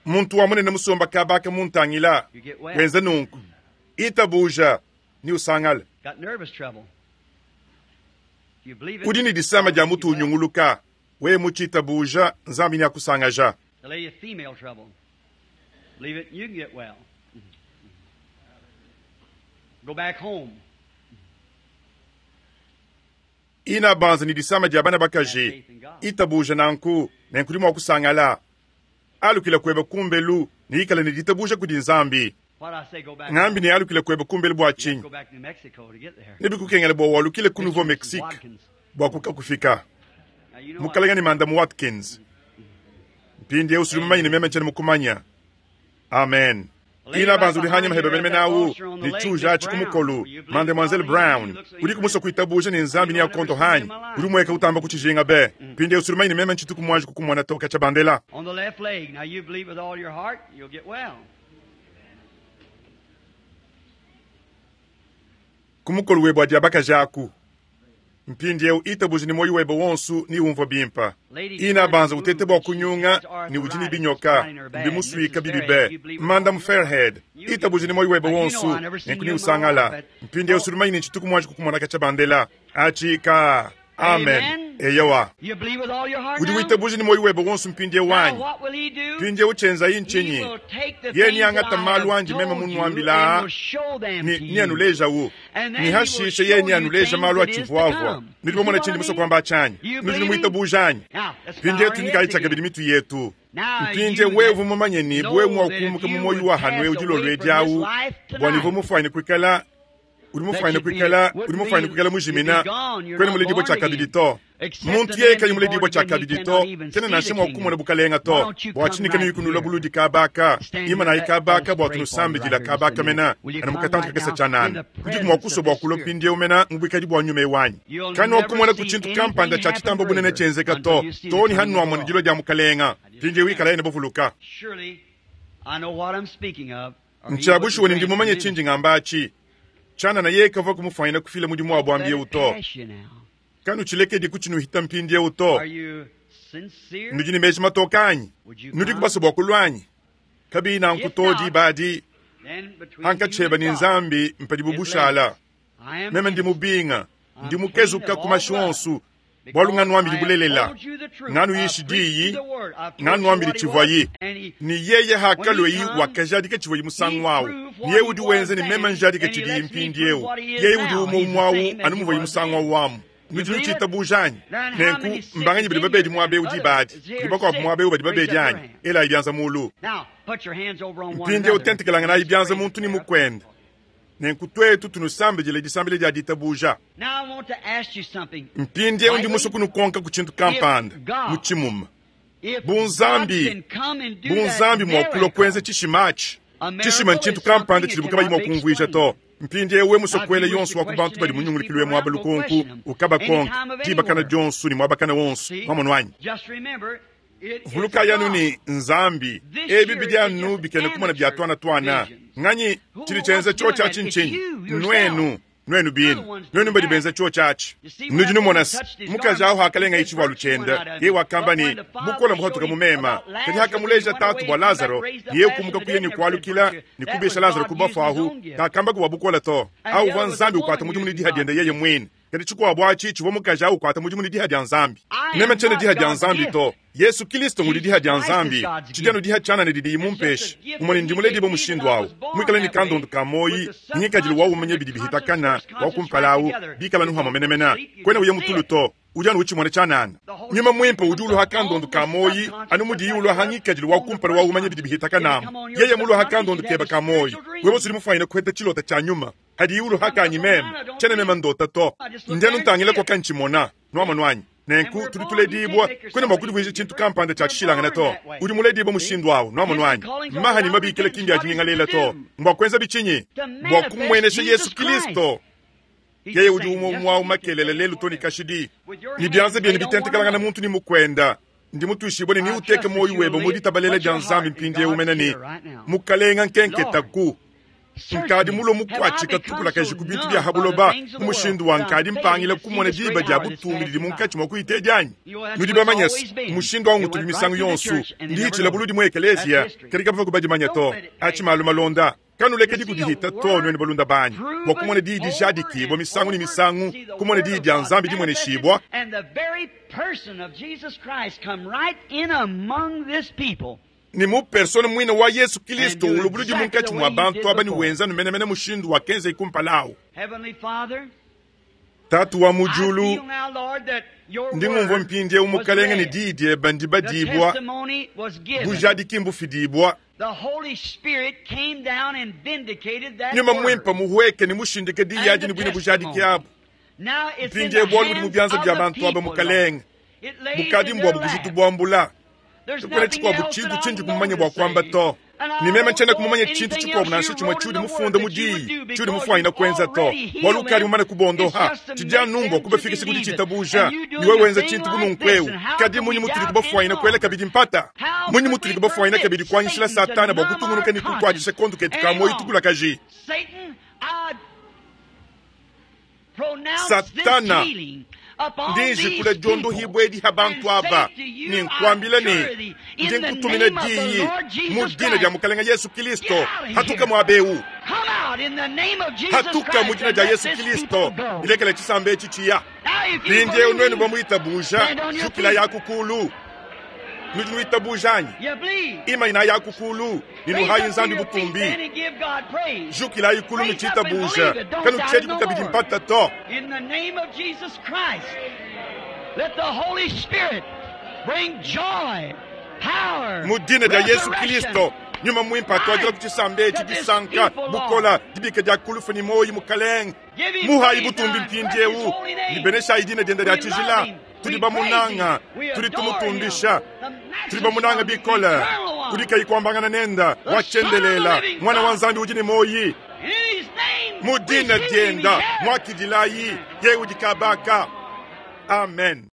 Muntu wa munene musomba kabaka muntangila. You get well. Wenza nunku. Itabuja ni usangala. Got nervous trouble. If you believe it, Udi ni disama dia mutu you well. unyunguluka. We muchitabuja nzambi ni akusangaja. The lady of female trouble. Believe it, you can get well. Go back home. Ina banza ni disama dia bana Have bakaji. faith in God. Itabuja nanku nenkuli mwa kusangala. Alukila kweba kumbelu ni ikala ni ditabuja kudi nzambi. What I say, go back Ngambi home. ni alukila kweba kumbelu bwa You have to chinyi. go back to New Mexico to get there. Nebikukengela bwa walukile ku Mr. Nouveau and Mrs. Mexique Watkins. bwa kuka kufika. Now, you know Mukalenga ni Madam Watkins. Mpindi eu suli mumanyine meme nchani mukumanya. Amen. Ina banza uli hanyima hebe mene nawu ni chuja achi kumukolu Mademoiselle Brown uli kumusa kuitabuja ni nzambi ni akonto hanyi uli mweka utamba kuchijinga be pindi eu suli mumanyine meme nchitu kumwanji kukumwana toka cha bandela. On the left leg. Now you believe with all your heart, you'll get well. Kumukolu webwa adi abakaji mpindi eu itabuja ni moyo webe wonsu ni umvo bimpa. Ina banza utete bwa kunyunga ni udi ni binyoka mbimusuika bibibe Madam Fairhead itabuja ni moyo webe wonsu nenkuni usangala mpindi eu suli mumanyine nchitu kumwanji kukumwana kacha bandela achi ka amen. Eyowa You believe with all your heart udi now? witabuja ni moyo webe wonsu mpindi eu Now wanyi what will he do? mpindi eu chenza He inchinyi will take the ye things ni angata that I malu have anji meme told you munwambila and will show them ni to ni you. anuleja wo And then ni he will hashishe ye show ni you anuleja things malu that is to achivuavua come. nidi You see bomona what I chindi muso mean? kwamba achanyi You nudi believe him? nimwitabuja anyi Now, let's bow mpindi our yetu heads nikayichaka again. bili mitu yetu Now, mpindi you wevu that mumanye ni know bwe that if mwakumbuka you mu moyo would wa hanwe pass udi away lolwe from this dyawu life bwa nivo tonight, mufwani kwikala uli that mufwani you'd be, kwikala uli wouldn't mufwani be, kwikala you'd be mujimina gone. You're kwene not mulidibwa born cha kabili again. to Except muntu a yeye man kayi be mulidibwa born cha again, he kabili to cannot even kena see nashe the mwakumona kingdom. bukalenga Why to don't you bwa come chinika right niyikunula here? buludi kabaka Stand ima here. nayi Let, let kabaka us bwa pray for you tunusambidila right here just a kabaka minute. mena Will you ana come mukatantu right kakesa now in chanana the kuti presence kumwakuso of bwa this kulo Spirit? pindi umena mubwikali bwa nyuma ewanyi You'll kani never wakumona see ku chintu anything kampanda cha happen chitambo bunene greater chenzeka until to you see the toni coming of hannu the amona Lord. dilo dia mukalenga I just pindi wikala can't. ene bovuluka Surely I know what I'm speaking of, or he wouldn't nchabushuwe ni grant the ndimumanye ministry. chinji ng'ambachi chana na ye kava kumufanyina kufila mudimu wa Don't let bwambiye it uto pass you now. Kanuchilekedi kutshinuhita mpindieu to. Nudi ne meji matoka anyi? Nudi kubasa bua kulua anyi? Kabiyi nanku to diba adi, hankatsheba ne Nzambi mpadibu bushala. Meme ndi mubinga, ndi mukezuka ku mashi onsu, bualu nganuambili bulelela, nganuyishi diyi, nganuambili tshivuayi. Ne yeye hakalua wakajadika tshivuayi musangu awu, ne yeye udi wenza ne meme njadika tshidiyi mpindieu. Yeye udi umue umue awu anu muvuayi musangu awu amu. Nudi nutshiitabuja anyi? Nenku mbanganyi badi babedi muaba eu diba adi? Kudi bakuabu muaba eu badi babedi anyi? Elayi bianza mulu. Mpindieu tentekelanganayi bianza muntu ne mukuende. Nenku tuetu tunusambidila disambila dia ditabuja. Mpindieu ndi musue kunukonka ku tshintu kampanda mu tshimuma. Bu Nzambi, bu Nzambi mua kulua kuenza tshishima atshi. Tshishima ntshintu kampanda tshidibu kabayi mua kumvuija to. Mpindieu wewe musue kuela yonso wa ku bantu badi munyungulukilu we muaba lukonku, ukabakonka diba kana dionso ne muaba kana wonso. Mwamonu anyi? Vulukayi anu ne, Nzambi, ebi bidi anu bikena kumona bia tuana tuana. Nganyi tshidi tshienza tshiotshi atshi ntshinyi? Nuenu, nuenu bine. Nuenu badi benza tshiotshi atshi. Nudi numona se, mukaji awu hakalengaye tshivualu tshiende, yeye wakamba ne, Bukole mbuhatuka mu mema. Kadi hakamuleja tatu bua Lazaro, yeye kumuka kuya ne kualukila ne kubisha Lazaro ku bafue ahu, kakamba bua bukole to. Awu uvua Nzambi ukuata mudimu ne diha diende yeye muine. Kadi tshikuabu atshi tshivua mukaji awu ukuata mudimu ne diha dia Nzambi. Meme tshiena diha dia Nzambi to. Yesu Kilisto ngudi diha dia Nzambi. Tshidi anu diha tshianana didiyi mumpeshe. Umone ndi muledibue mushindu awu, muikale ne kandondu ka muoyi, ngikadilu wa umanya bidi bihitakana wa kumpala awu, bikala anu hamue menemene. Kuena uya mu tulu to, udi anu utshimona tshianana. Nyuma Muimpe udi uluha kandondu ka muoyi anu mudiyi uluha ngikadilu wa kumpala wa umanya bidi bihitakana amu. Yeye muluha kandondu keba ka muoyi, wewe udi mufuanyine kuheta tshilota tshia nyuma. Hadiyi uluha kanyi meme, tshiena meme ndota to. Ndi anu ntangila kwa kantshimona. Nuamonu anyi? Nenku tudi tuledibua, kuena mua kudivuija tshintu kampanda tshia tshishilangana to. Udi muledibua mushindu awu. Nuamonu anyi? Maha ne mabikila ki mbia dinyingalela to. Mbua kuenza bitshinyi? Bua kumuenesha Yesu Kilisto. Yeye udi umue umue awu makelela lelu to ne kashidi. Ne bianza bienu bitentekelangana muntu ne mukuenda. Ndi mutuishibue ne neuteke muoyo webe mu ditabalela dia Nzambi mpindieu mene ne, Mukalenga nkenketaku. Nkadi mulue mukuatshika tukulakaji ku bintu bia ha buloba mu mushindu wa nkadi mpangila kumona diba dia butumbi didi munkatshi mua kuyitedi anyi? Nudi bamanye se, mushindu au ngutubi misangu yonso. Ndi hitshila buludi mu ekeleziya, kadi kabavua kubadimanya to. Atshi malu malonda. Kanulekedi kudihita to, nuenu balunda banyi, bua kumona diyi dijadikibua misangu ne misangu, kumona diyi dia Nzambi dimueneshibua. Ne mu persona muine wa Yesu Kilisto ulubuludi munkatshi mua bantu aba ne wenza anu menemene mushindu wakenzaye kumpala awu. Tatu wa mu diulu, ndi ngumvua mpindieu Mukalenge ne diyi diebe ndibadibua, bujadiki mbufidibua. Nyuma Muimpe muhueke ne mushindike diyi adi ne buine bujadiki abu. Mpindieu bualu budi mu bianza bia bantu aba, Mukalenge, bukadi mbuabu bujitu buambula. Kakuena tshikuabu tshintu tshindi kumanya bua kuamba to. Ne meme ntshiena kumumanya tshintu tshikuabu nansha tshimue tshiudi mufunde mu diyi tshiudi mufuanyine kuenza to, bualu ukadi mumane kubondoha. Tshidi anu mbua kubafikisha ku ditshitabuja, ne wewe wenza tshintu bu nunku eu. Kadi mmunyi mutudi kubafuanyine kuela kabidi mpata? Mmunyi mutudi kubafuanyine kabidi kuanyishila Satana bua kutungunuka ne kukuatshisha kondo ketu ka muoyo tukulakaji? Satana, ndi njikula diondohibua edi ha bantu aba, ne nkuambila ne, ndi nkutumina diyi mu dina dia Mukalenge Yesu Kilisto, hatuka muaba eu. Hatuka mu dina dia Yesu Kilisto, ilekela tshisamba etshi tshiya. Mpindieu nuenu bamuitabuja, jukila yaku kulu. Nudi nuitabuja anyi? Imanyinayi aku kulu ne nuhayi Nzambi butumbi. Jukilayi kulu nutshitabuja, kanutshiediku kabidi mpata to. Mu dina dia Yesu Kilisto, Nyuma Muimpe atuadila ku tshisamba etshi disanka, bukola, dibika dia kulufu ne muoyo, Mukalenge. Muhayi butumbi mpindieu ne beneshayi dina diende dia tshijila. Tudi bamunanga, tudi tumutumbisha, tudi bamunanga bikole. Udi kayi kuambangana nenda, wa tshiendelela, Muana wa Nzambi udi ne muoyi. Mu dina dienda muakidilayi, yeye udi kabaka. Amen.